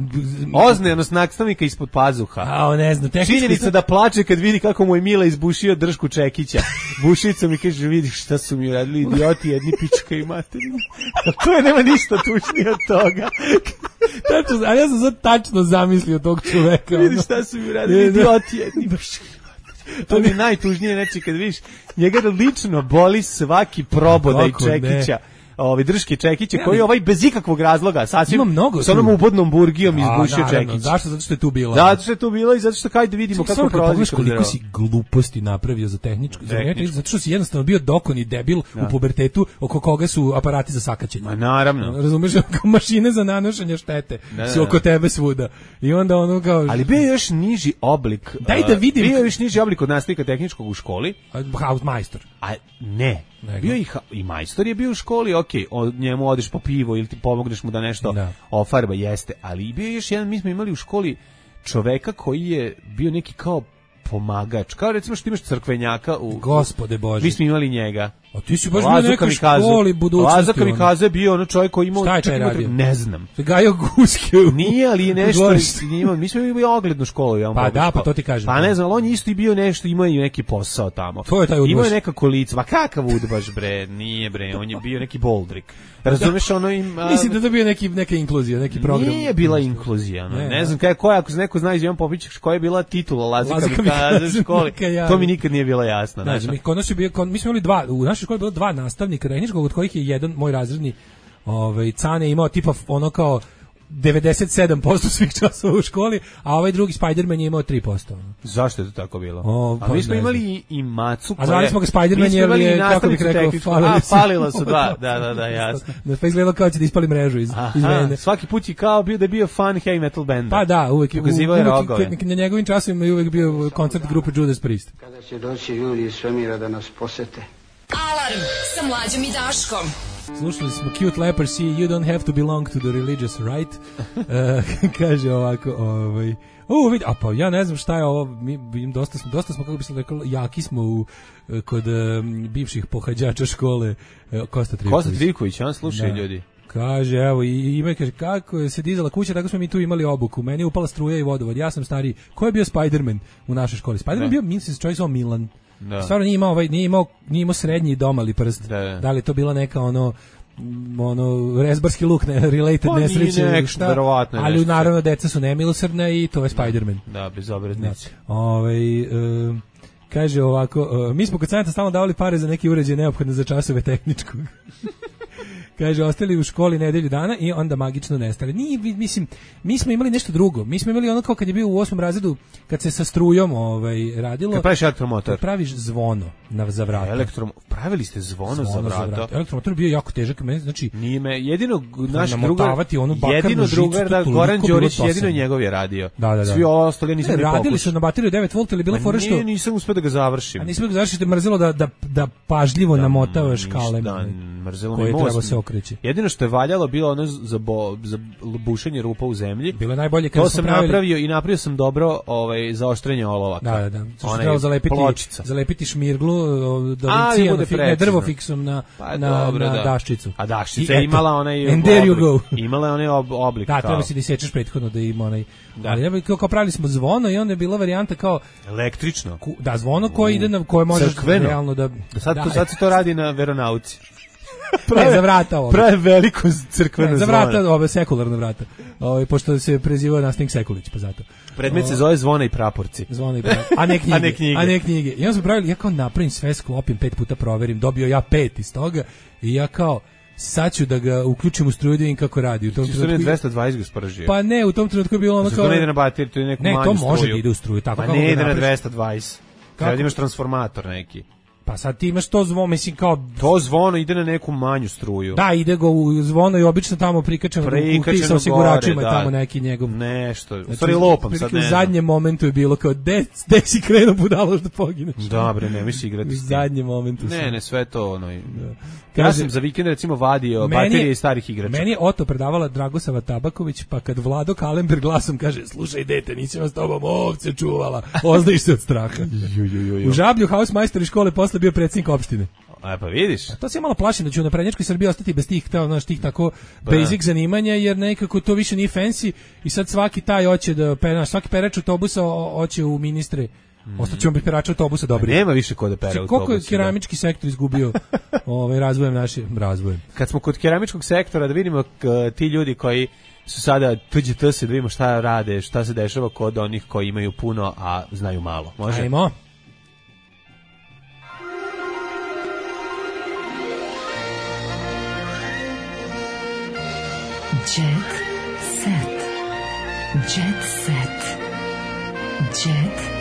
F: Oznenost nastavnika ispod pazuha.
G: A, ne znam, tehnički...
F: Činjenica da plače kad vidi kako mu je Mila izbušio dršku čekića. Bušicom i kaže, vidi šta su mi uradili idioti, jedni pička i materina. A to je, nema ništa tučnije od toga.
G: Tačno, ali ja sam sad tačno zamislio tog čoveka.
F: Vidi
G: ono.
F: šta su mi uradili
G: Ne, da.
F: idioti, jedni pička i materina. To mi je najtužnije, znači kad vidiš, njega lično boli svaki probodaj
G: Kako ne?
F: čekića. Ovi drški čekiće
G: Ne,
F: koji
G: ali-
F: ovaj bez ikakvog razloga sasvim
G: Ima mnogo
F: s onom
G: tu.
F: ubodnom burgijom
G: A,
F: izbušio
G: naravno,
F: čekić.
G: zašto? Zato što je tu bila.
F: Zato što je tu bilo i zato što kaj da vidimo
G: Samo
F: kako
G: kad
F: prolazi
G: pogledaš
F: kroz
G: koliko
F: drvo.
G: si gluposti napravio za tehničku, za
F: Tehničku.
G: tehničku. Zato što si jednostavno bio dokon i debil u pubertetu oko koga su aparati za sakaćenje.
F: Ma naravno.
G: Razumeš, kao mašine za nanošenje štete
F: Da,
G: su
F: da,
G: oko
F: da.
G: tebe svuda. I onda ono kao...
F: Ali bio je još niži oblik.
G: Daj da
F: uh,
G: vidim.
F: Bio je još niži oblik od nastavnika tehničkog u školi.
G: House majstor.
F: A ne.
G: Nego?
F: Bio je i, ha- i majstor je bio u školi, okej, od njemu odeš po pivo ili ti pomogneš mu da nešto
G: Da.
F: ofarba, jeste. Ali i bio je još jedan, mi smo imali u školi čoveka koji je bio neki kao pomagač. Kao recimo što imaš crkvenjaka u...
G: Gospode Bože.
F: Mi smo imali njega.
G: A ti si baš bio u nekoj školi budućnosti.
F: Lazo Kamikaze je bio ono čovjek koji imao...
G: Šta je taj radio?
F: Ne znam.
G: Gajo guske.
F: Nije, ali je nešto... Imao, mi smo imali oglednu školu. Ja
G: pa da, pa to ti kažem.
F: Pa ne znam, ali on je isto i bio nešto, imao i neki posao tamo.
G: To je taj udbaš.
F: Imao je nekako lice. Ma kakav udbaš, bre? Nije, bre. On je bio neki boldrik. Razumeš, ono im...
G: A... Mislim da to bio neki, neka inkluzija, neki program.
F: Nije bila inkluzija. No. Ne, ne znam kaj, koja, ako se neko zna iz Ivan Popović, koja je bila titula Lazo Kamikaze u školi. To mi nikad nije bilo jasno.
G: Znači, mi, kod nas je bio, kod, mi smo imali dva, u našoj školi bilo dva nastavnika tehničkog, od kojih je jedan moj razredni ovaj, Cane imao tipa ono kao devedeset sedam posto svih časova u školi, a ovaj drugi Spider-Man je imao tri posto.
F: Zašto je to tako bilo?
G: O,
F: a mi smo imali i, i Macu.
G: A zvali smo ga Spider-Man jer je, kako bih rekao, falili
F: a, falila su dva, da, da, da, jasno.
G: Da pa izgledalo kao će da ispali mrežu iz, iz vene.
F: Svaki put je kao bio da je bio fan heavy metal band.
G: Pa da, uvek je uvek, na njegovim časovima je uvek bio koncert grupe Judas Priest.
J: Kada će doći ljudi iz svemira da nas posete?
I: Alarm sa Mlađom i Daškom.
G: Slušali smo Cute Leprosy, You don't have to belong to the religious right. uh, kaže ovako, ovaj, u, vidi, a pa ja ne znam šta je ovo, mi, mi dosta smo, dosta smo, kako bi se rekao, jaki smo u, kod um, bivših pohađača škole uh, Kosta Trivković.
F: Kosta Trivković, on slušaj ljudi.
G: Kaže, evo, i ima, kaže, kako se dizala kuća, tako smo mi tu imali obuku. Meni je upala struja i vodovod, ja sam stariji. Ko je bio Spider-Man u našoj školi? Spider-Man je bio, mislim se čovjek zvao Milan. Da. Stvarno nije imao, ovaj, nije imao, nije imao srednji domali prst. Da, da. Da li je to bila neka ono ono rezbarski luk, ne, related
F: pa,
G: nesreće,
F: nek, šta,
G: ali nešto. Naravno deca su nemilosrdna i to je Spider-Man.
F: Da, bezobraznici.
G: Da. Ovaj e, kaže ovako, e, mi smo kod Saneta stalno davali pare za neke uređaje neophodne za časove tehničkog. Kaže, ostali u školi nedelju dana i onda magično nestali. Nije, mislim, mi smo imali nešto drugo. Mi smo imali ono kao kad je bio u osmom razredu, kad se sa strujom ovaj, radilo.
F: Kad praviš elektromotor.
G: Kad praviš zvono na, za vrata.
F: Elektrom, pravili ste zvono, zvono za vrata. Za vrata.
G: Elektromotor je bio jako težak. Znači,
F: nije me, jedino naš drugar, jedino drugar, da, Goran Đorić, jedino njegov je radio.
G: Da, da, da.
F: Svi ovo ostali nisam ne,
G: radili pokuš. Su na bateriju devet volta, ali bilo fora što...
F: Nije, nisam uspio da ga završim.
G: A nisam da ga završiti, mrzelo da, da, da pažljivo da, namotavaš kalem. Da,
F: mrzelo mi most. Jedino što je valjalo bilo ono za, bo, za bušenje rupa u zemlji.
G: Bilo je najbolje kad
F: to sam pravili... napravio i napravio sam dobro ovaj zaoštrenje olovaka.
G: Da, da, da. Što trebalo zalepiti,
F: pločica.
G: zalepiti šmirglu do cijena, ne, drvo fiksom na,
F: pa,
G: na,
F: dobro,
G: na
F: da.
G: daščicu.
F: A daščica je imala onaj
G: and there you go.
F: Imala je onaj ob, oblik.
G: Da,
F: kao.
G: treba si da isečeš prethodno da ima onaj. Da. Ali ja kao, kao pravili smo zvono i onda je bila varijanta kao
F: električno.
G: Ku, da, zvono koje ide na koje možeš
F: crkveno.
G: Realno da
F: sad
G: da,
F: to sad se to radi na veronauci.
G: Prave, za vrata ovo.
F: Prave veliko crkveno
G: ne, za
F: zvona.
G: vrata, ove sekularne vrata. Ove, pošto se prezivao nastavnik Sekulić, pa zato.
F: Predmet se zove zvona i praporci.
G: Zvona i praporci. A ne knjige.
F: a ne knjige.
G: A ne knjige. I onda smo pravili, ja kao napravim sve, sklopim, pet puta proverim, dobio ja pet iz toga i ja kao sad ću da ga uključim u struju da vidim kako radi. U tom
F: trenutku dvesta dvadeset ga sporažio.
G: Pa ne, u tom trenutku je bilo ono kao...
F: To ne ide na bateriju, to je neku
G: ne,
F: manju struju.
G: Ne, to može da ide u struju. Tako
F: pa ne ide na dvesta dvadeset. Treba da imaš transformator neki.
G: Pa sad ti imaš to zvono, mislim kao...
F: To zvono ide na neku manju struju.
G: Da, ide go u zvono i obično tamo prikačeno u kutiji sa osiguračima
F: da,
G: tamo neki njegov...
F: Nešto, u stvari lopam sad ne
G: znam. U zadnjem momentu je bilo kao, de, de si krenuo budalo što pogineš.
F: Dobre, ne, misli igrati s tim.
G: U zadnjem momentu.
F: Ne,
G: sam.
F: ne, sve to ono...
G: Da.
F: Kaže, ja sam za vikend recimo vadio baterije iz starih igrača.
G: Meni je Oto predavala Dragosava Tabaković, pa kad Vlado Kalember glasom kaže, slušaj dete, nisam vas tobom ovce čuvala, oznajiš se od straha.
F: ju, ju, ju, ju.
G: U Žablju hausmajstor iz škole posle bio predsjednik opštine.
F: A pa vidiš.
G: A to se malo plašim da ću na prednjačkoj Srbiji ostati bez tih, ta, znaš, tih tako basic zanimanja, jer nekako to više nije fancy i sad svaki taj hoće da, znaš, svaki perač autobusa hoće u ministre. Mm. Ostaćemo bez perača autobusa dobri.
F: Nema više ko da pere autobusa.
G: Koliko je keramički da. sektor izgubio ovaj razvojem naše razvojem.
F: Kad smo kod keramičkog sektora da vidimo k, ti ljudi koji su sada tuđe tse da vidimo šta rade, šta se dešava kod onih koji imaju puno a znaju malo. Može?
G: Ajmo.
I: Jet set. Jet set. Jet set.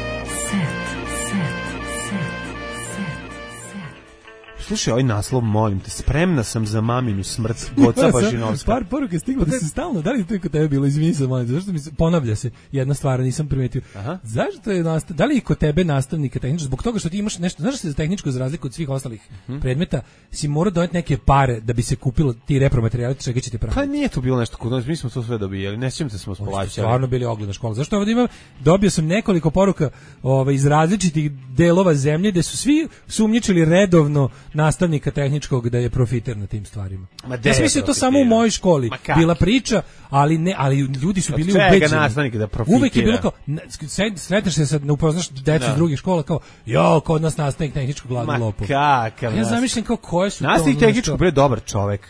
F: Slušaj, ovaj naslov, molim te, spremna sam za maminu smrt, Goca Bažinovska.
G: Par poruke stiglo da se stalno, da li to je kod tebe bilo, izvini se, molim te, zašto mi se, ponavlja se jedna stvar, nisam primetio. Aha. Zašto je, nastav, da li je kod tebe nastavnika tehničko, zbog toga što ti imaš nešto, znaš da se za tehničko za razliku od svih ostalih hmm. predmeta, si mora doneti neke pare da bi se kupilo ti repromaterijali, čega će ti praviti.
F: Pa nije to bilo nešto kod nas, mi smo to sve dobijali, ne sjećam se smo splaćali.
G: Stvarno bili ogledna škola. Zašto ovdje imam, dobio sam nekoliko poruka ovaj, iz različitih delova zemlje, gde su svi sumnjičili redovno nastavnika tehničkog da je profiter na tim stvarima.
F: Ma
G: Ja sam mislio to samo u mojoj školi. Bila priča, ali ne, ali ljudi su bili ubeđeni.
F: Nastavnika da profitira.
G: Uvek je bilo kao, sretneš se sad, ne upoznaš decu iz drugih škola, kao, jo, kod nas nastavnik tehničkog gladni lopov.
F: Kakav
G: ja zamišljam kao koje su to...
F: Nastavnik tehničkog bre dobar čovek.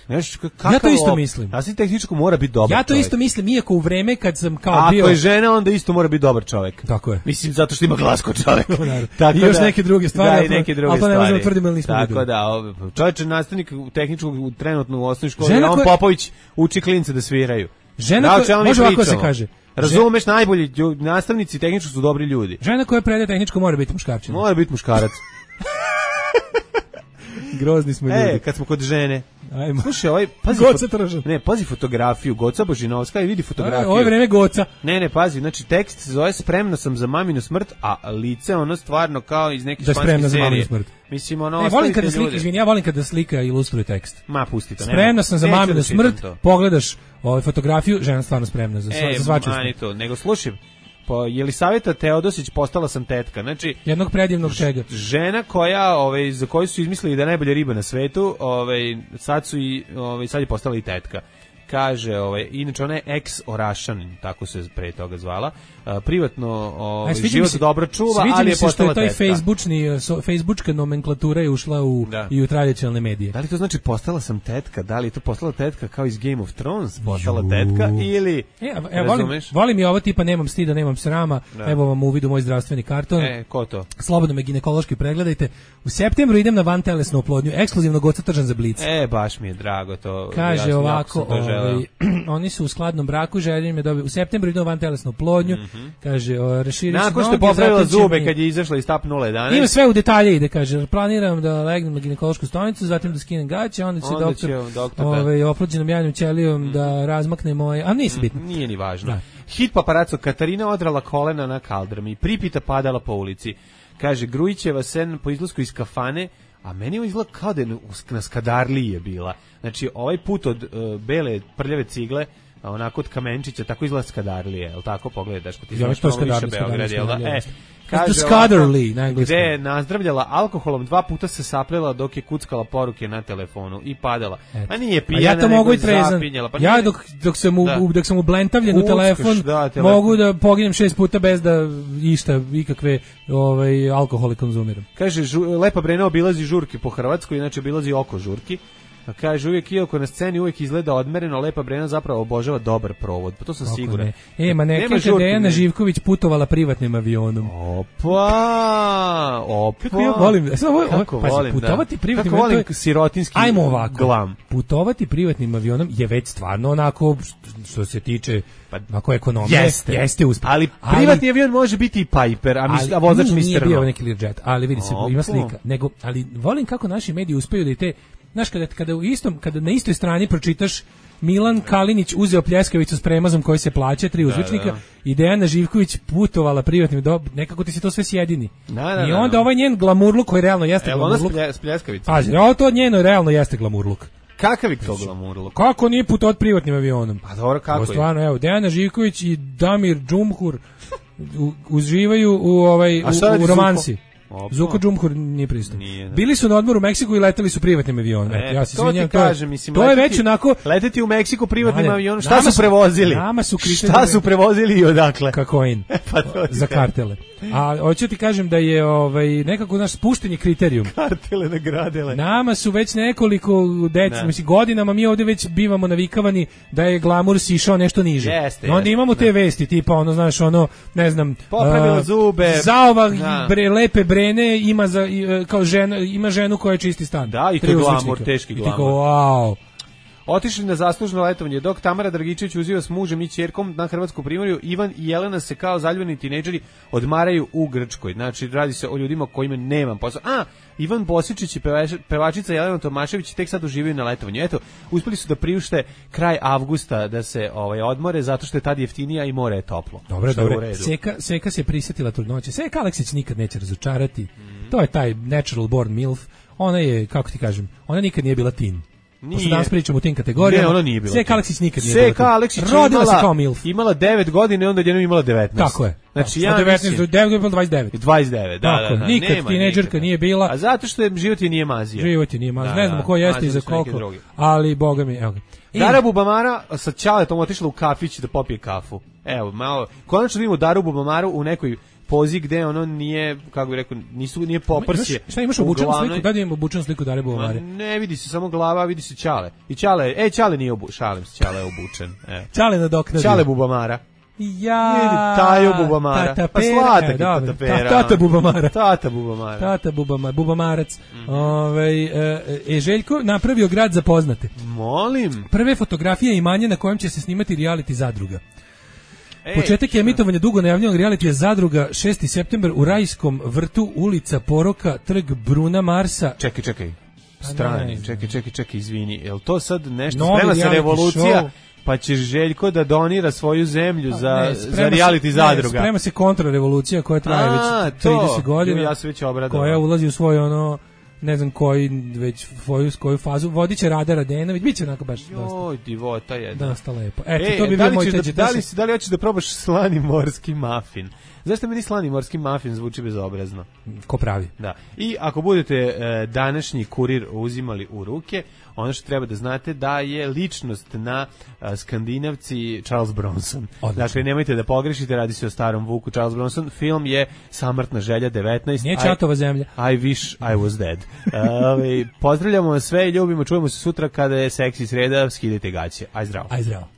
G: Ja to isto mislim.
F: Nastavnik tehničkog mora biti dobar čovek.
G: Ja to isto mislim, iako u vreme kad sam kao
F: Ako
G: bio...
F: Ako je žena, onda isto mora biti dobar čovek.
G: Tako je.
F: Mislim, zato što ima glas kod čoveka.
G: I još neke druge stvari,
F: da, i neke druge
G: ali to ne možemo
F: stvari.
G: tvrdimo ili nismo
F: Tako
G: videli.
F: da, čovječe nastavnik tehničkog trenutno u osnovnoj školi,
G: Žena
F: on
G: koja-
F: Popović uči klince da sviraju.
G: Žena
F: Da, o
G: koja-
F: čemu mi
G: može ovako
F: pričamo?
G: se kaže.
F: Razumeš, najbolji lju- nastavnici tehničkog su dobri ljudi.
G: Žena koja predaje tehničko mora biti muškarčina.
F: Mora biti muškarac.
G: Grozni smo ljudi.
F: E, kad smo kod žene.
G: Ajmo.
F: Slušaj, ovaj, pazi,
G: Goca
F: fot-
G: Tržan.
F: ne, pazi fotografiju, Goca Božinovska i vidi fotografiju.
G: Ovo je vreme Goca.
F: Ne, ne, pazi, znači tekst se zove Spremna sam za maminu smrt, a lice ono stvarno kao iz neke
G: Da je
F: španske
G: spremna za
F: serije.
G: maminu smrt.
F: Mislim, ono,
G: Ne, volim kada
F: ostavite
G: slika,
F: ljude.
G: izvini, ja volim kada slika ilustruje tekst.
F: Ma, pusti to.
G: Spremna sam za
F: Neću
G: maminu
F: da čitam
G: smrt,
F: to.
G: pogledaš ovaj fotografiju, žena stvarno spremna za,
F: E,
G: za svačiju
F: mani
G: smrt.
F: to, nego slušaj, po Jelisaveta Teodosić postala sam tetka. Znači,
G: Jednog predivnog čega.
F: žena koja, ovaj, za koju su izmislili da je najbolja riba na svetu, ovaj, sad su i, ovaj, sad je postala i tetka. Kaže, ovaj, inače ona je ex-Orašanin, tako se pre toga zvala, a, privatno ovaj,
G: Aj, sviđa mi
F: život
G: se-
F: dobro čuva,
G: sviđa
F: ali
G: mi
F: je
G: se što
F: postala
G: je taj
F: tetka.
G: facebookni, so, facebookska nomenklatura je ušla u,
F: Da.
G: i u tradicionalne medije.
F: Da li to znači postala sam tetka? Da li je to postala tetka kao iz Game of Thrones? Postala tetka ili...
G: E, a- e, volim,
F: razumeš?
G: volim i ovo tipa nemam stida, nemam srama,
F: Da.
G: evo vam u vidu moj zdravstveni karton.
F: E, ko to?
G: Slobodno me ginekološki pregledajte. U septembru idem na vantelesnu oplodnju, ekskluzivno Goca Tržan za Blic.
F: E, baš mi je drago to.
G: Kaže
F: ja sam- jako
G: ovako,
F: sam to želeo.
G: ovaj, oni su u skladnom braku, želim je dobiti. U septembru idem na vantelesnu oplodnju. Kaže, o, raširit ću
F: Nakon što je
G: noge,
F: popravila
G: zatim će
F: zube
G: mi-
F: kad je izašla iz tap nula jedanaest.
G: Ima sve u detalje ide, kaže, planiram da legnem na ginekološku stanicu, zatim da skinem gaće, onda će
F: Onda
G: doktor,
F: će doktor da-
G: ovaj, oplođenom jajnom ćelijom da razmakne moje, a nisi bitno.
F: Nije ni važno.
G: Da.
F: Hit paparaco, Katarina odrala kolena na kaldrmi, pripita padala po ulici. Kaže, Grujićeva sen po izlasku iz kafane, a meni ovo izgleda kao da je na- na Skadarliji je bila. Znači, ovaj put od uh, bele prljave cigle, a onako od kamenčića, tako izgleda Skadarlije, jel tako pogledaš? Ko ti
G: Ja,
F: znaš
G: to je
F: malo više
G: Skadarli,
F: Beograd, jel da?
G: Skadarli,
F: E,
G: jeste.
F: kaže
G: The
F: ovako,
G: Skadarli, na engleskom.
F: gde je nazdravljala alkoholom, dva puta se saplela dok je kuckala poruke na telefonu i padala.
G: Eto.
F: A nije
G: A
F: pijana,
G: ja to
F: nego
G: mogu i
F: je
G: trezan.
F: zapinjala. Pa
G: Ja
F: nije-
G: dok, dok sam u,
F: Da.
G: u- dok sam ublenstavljen u
F: Kuckaš,
G: telefon,
F: da, telefon.
G: mogu da poginem šest puta bez da išta, ikakve ovaj, alkohole konzumiram.
F: Kaže, žu, Lepa Brena obilazi žurke po Hrvatskoj, inače obilazi oko žurki. A kaže, uvijek iako na sceni uvijek izgleda odmereno, Lepa Brena zapravo obožava dobar provod. Pa to sam
G: Kako
F: siguran.
G: ne. E, ma
F: Nema
G: neka kada
F: žurke,
G: je Dejana
F: ne.
G: Živković putovala privatnim avionom.
F: Opa, opa.
G: Kako ja volim, e, sad ovo, ovo,
F: Kako
G: pazi,
F: volim,
G: putovati
F: da.
G: privatnim
F: Kako
G: avionom,
F: volim
G: to je-
F: sirotinski
G: Ajmo ovako.
F: glam.
G: Putovati privatnim avionom je već stvarno onako što se tiče pa, ako ekonomije,
F: Jeste.
G: jeste uspeh.
F: Ali privatni avion može biti i Piper, a, mis, a vozač
G: nije, nije
F: mister
G: bio
F: No.
G: neki Learjet, ali vidi se,
F: Opa.
G: ima slika. Nego, ali volim kako naši mediji uspeju da i te, znaš, kada, kada, u istom, kada na istoj strani pročitaš Milan Kalinić uzeo pljeskavicu s premazom koji se plaća, tri uzvičnika,
F: da.
G: i Dejana Živković putovala privatnim, do, nekako ti se to sve sjedini.
F: Da, da,
G: I
F: da,
G: onda
F: da.
G: ovaj njen glamurluk koji realno jeste
F: Evo ona
G: glamurluk.
F: splje, s pljeskavicom.
G: Pazi, ovo to njeno realno jeste glamurluk.
F: Kakav je to glamurluk?
G: Kako nije putovat privatnim avionom?
F: Pa dobro, kako
G: Ovo
F: je?
G: stvarno, evo, Dejana Živković i Damir Džumhur u- uživaju u ovaj
F: A šta
G: u,
F: radi
G: u
F: Zuko?
G: romansi.
F: Opa.
G: Zuko Džumhur nije pristan.
F: Nije, da.
G: Bili su na odmoru u Meksiku i leteli su privatnim avionom.
F: E,
G: Eto, ja se
F: to ti
G: izvinjam, to je-
F: kažem, mislim,
G: to je
F: leteti-
G: već onako
F: leteti u Meksiku privatnim
G: Mane,
F: avionom, šta
G: nama
F: su prevozili?
G: Nama su
F: Šta
G: kriterijumi-
F: su prevozili i odakle?
G: Kokain.
F: Pa to ti
G: Za
F: kažem.
G: kartele. A hoću ti kažem da je ovaj nekako naš spuštenje kriterijum.
F: Kartele nagradile.
G: Nama su već nekoliko deca,
F: Ne.
G: mislim godinama mi ovdje već bivamo navikavani da je glamur sišao nešto niže.
F: Jeste,
G: I onda
F: jeste,
G: imamo te
F: ne.
G: vesti tipa ono znaš ono ne znam
F: Popravila
G: a,
F: zube.
G: Zaova
F: Da.
G: bre lepe brene ima za i, e, kao žena ima ženu koja čisti stan.
F: Da, i to
G: Tri
F: je glamur,
G: uzvičnika.
F: teški
G: I ti
F: glamur.
G: kao, wow.
F: Otišli na zaslužno letovanje, dok Tamara Dragičević uziva s mužem i ćerkom na hrvatsku primorju, Ivan i Jelena se kao zaljubljeni tinejdžeri odmaraju u Grčkoj. Znači, radi se o ljudima kojima nemam posao. A, Ivan Bosičić i pevač- pevačica Jelena Tomašević tek sad uživaju na letovanju. Eto, uspeli su da priušte kraj avgusta da se ovaj odmore, zato što je tad jeftinija i more je toplo.
G: Dobro,
F: Što je u
G: dobro.
F: redu.
G: Seka, Seka se prisjetila trudnoće. Seka Aleksić nikad neće razočarati. To je taj natural born milf. Ona je, kako ti kažem, ona nikad nije bila teen. Pošto danas pričamo u tim kategorijama.
F: Ne, ona nije bila.
G: Seka Aleksić nikad nije bila.
F: Seka Aleksić
G: rodila se kao milf.
F: Imala devet godina i onda jednom imala devetnaest.
G: Tako je.
F: Znači
G: ja devetnaest do dvadeset devet.
F: dvadeset devet, da,
G: tako,
F: da, da.
G: Nikad tinejdžerka nije bila.
F: A zato što je život je nije mazio.
G: Život je nije mazio. Ne znamo ko jeste i za koliko. Ali boga mi, evo ga.
F: Dara Bubamara sa Ćaletom otišla u kafić da popije kafu. Evo, malo. Konačno vidimo Daru Bubamaru u nekoj pozi gde ono nije, kako bih rekao, nisu, nije poprsje.
G: Šta imaš obučenu sliku? Da imamo obučenu sliku Dare Bubamare.
F: Ne vidi se samo glava, vidi se Ćale. I Ćale, e, Ćale nije obučen, šalim se, Ćale je obučen. E.
G: Ćale nadoknadio.
F: Ćale Bubamara.
G: Ja,
F: vidi, Tajo Bubamara.
G: Tata
F: pa sladak je Tata Pera.
G: Tata Bubamara.
F: Tata Bubamara.
G: Tata Bubamara, Bubamarac. Mm. Ove, e, e, Željko napravio grad za poznate.
F: Molim.
G: Prve fotografije imanja na kojem će se snimati reality Zadruga. Ej, početak je emitovanja dugo najavljenog realitija Zadruga šesti septembar u Rajskom vrtu, ulica Poroka, trg Bruna Marsa.
F: Čekaj, čekaj. Strani, čekaj, čekaj, čekaj, izvini. Jel to sad nešto novi sprema se revolucija? Show. Pa će Željko da donira svoju zemlju za, ne, za reality Zadruga.
G: Ne, sprema se kontrarevolucija koja traje A, već trideset godina.
F: Ja se već obradao.
G: Koja ulazi u svoj ono, ne znam koji, već svoju, koju fazu. Vodit će Rada Radenović, bit će onako baš dosta.
F: Joj, divota jedna.
G: Dosta lepo. Eto, e, to bi bio moj teđe.
F: Da li, da li hoćeš da probaš slani morski mafin? Zašto meni slani morski mafin zvuči bezobrazno?
G: Ko pravi.
F: Da. I ako budete e, današnji kurir uzimali u ruke, ono što treba da znate da je ličnost na a, Skandinavci Charles Bronson. Odlično. Dakle, nemojte da pogrešite, radi se o starom Vuku Charles Bronson. Film je Samrtna želja devetnaest.
G: Nije Čatova zemlja.
F: I, I wish I was dead. uh, pozdravljamo vas sve i ljubimo, čujemo se sutra kada je seksi sreda, skidajte gaće. Aj zdravo.
G: Aj zdravo.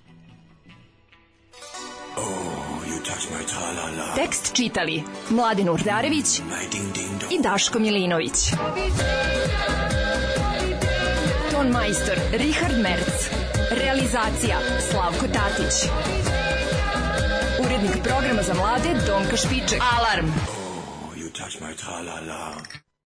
I: Tekst čitali Mladin Urdarević i Daško Milinović. Ton majstor Richard Merc. Realizacija Slavko Tatić. Urednik programa za mlade Donka Špiček. Alarm! Oh, you touch my tra-la-la.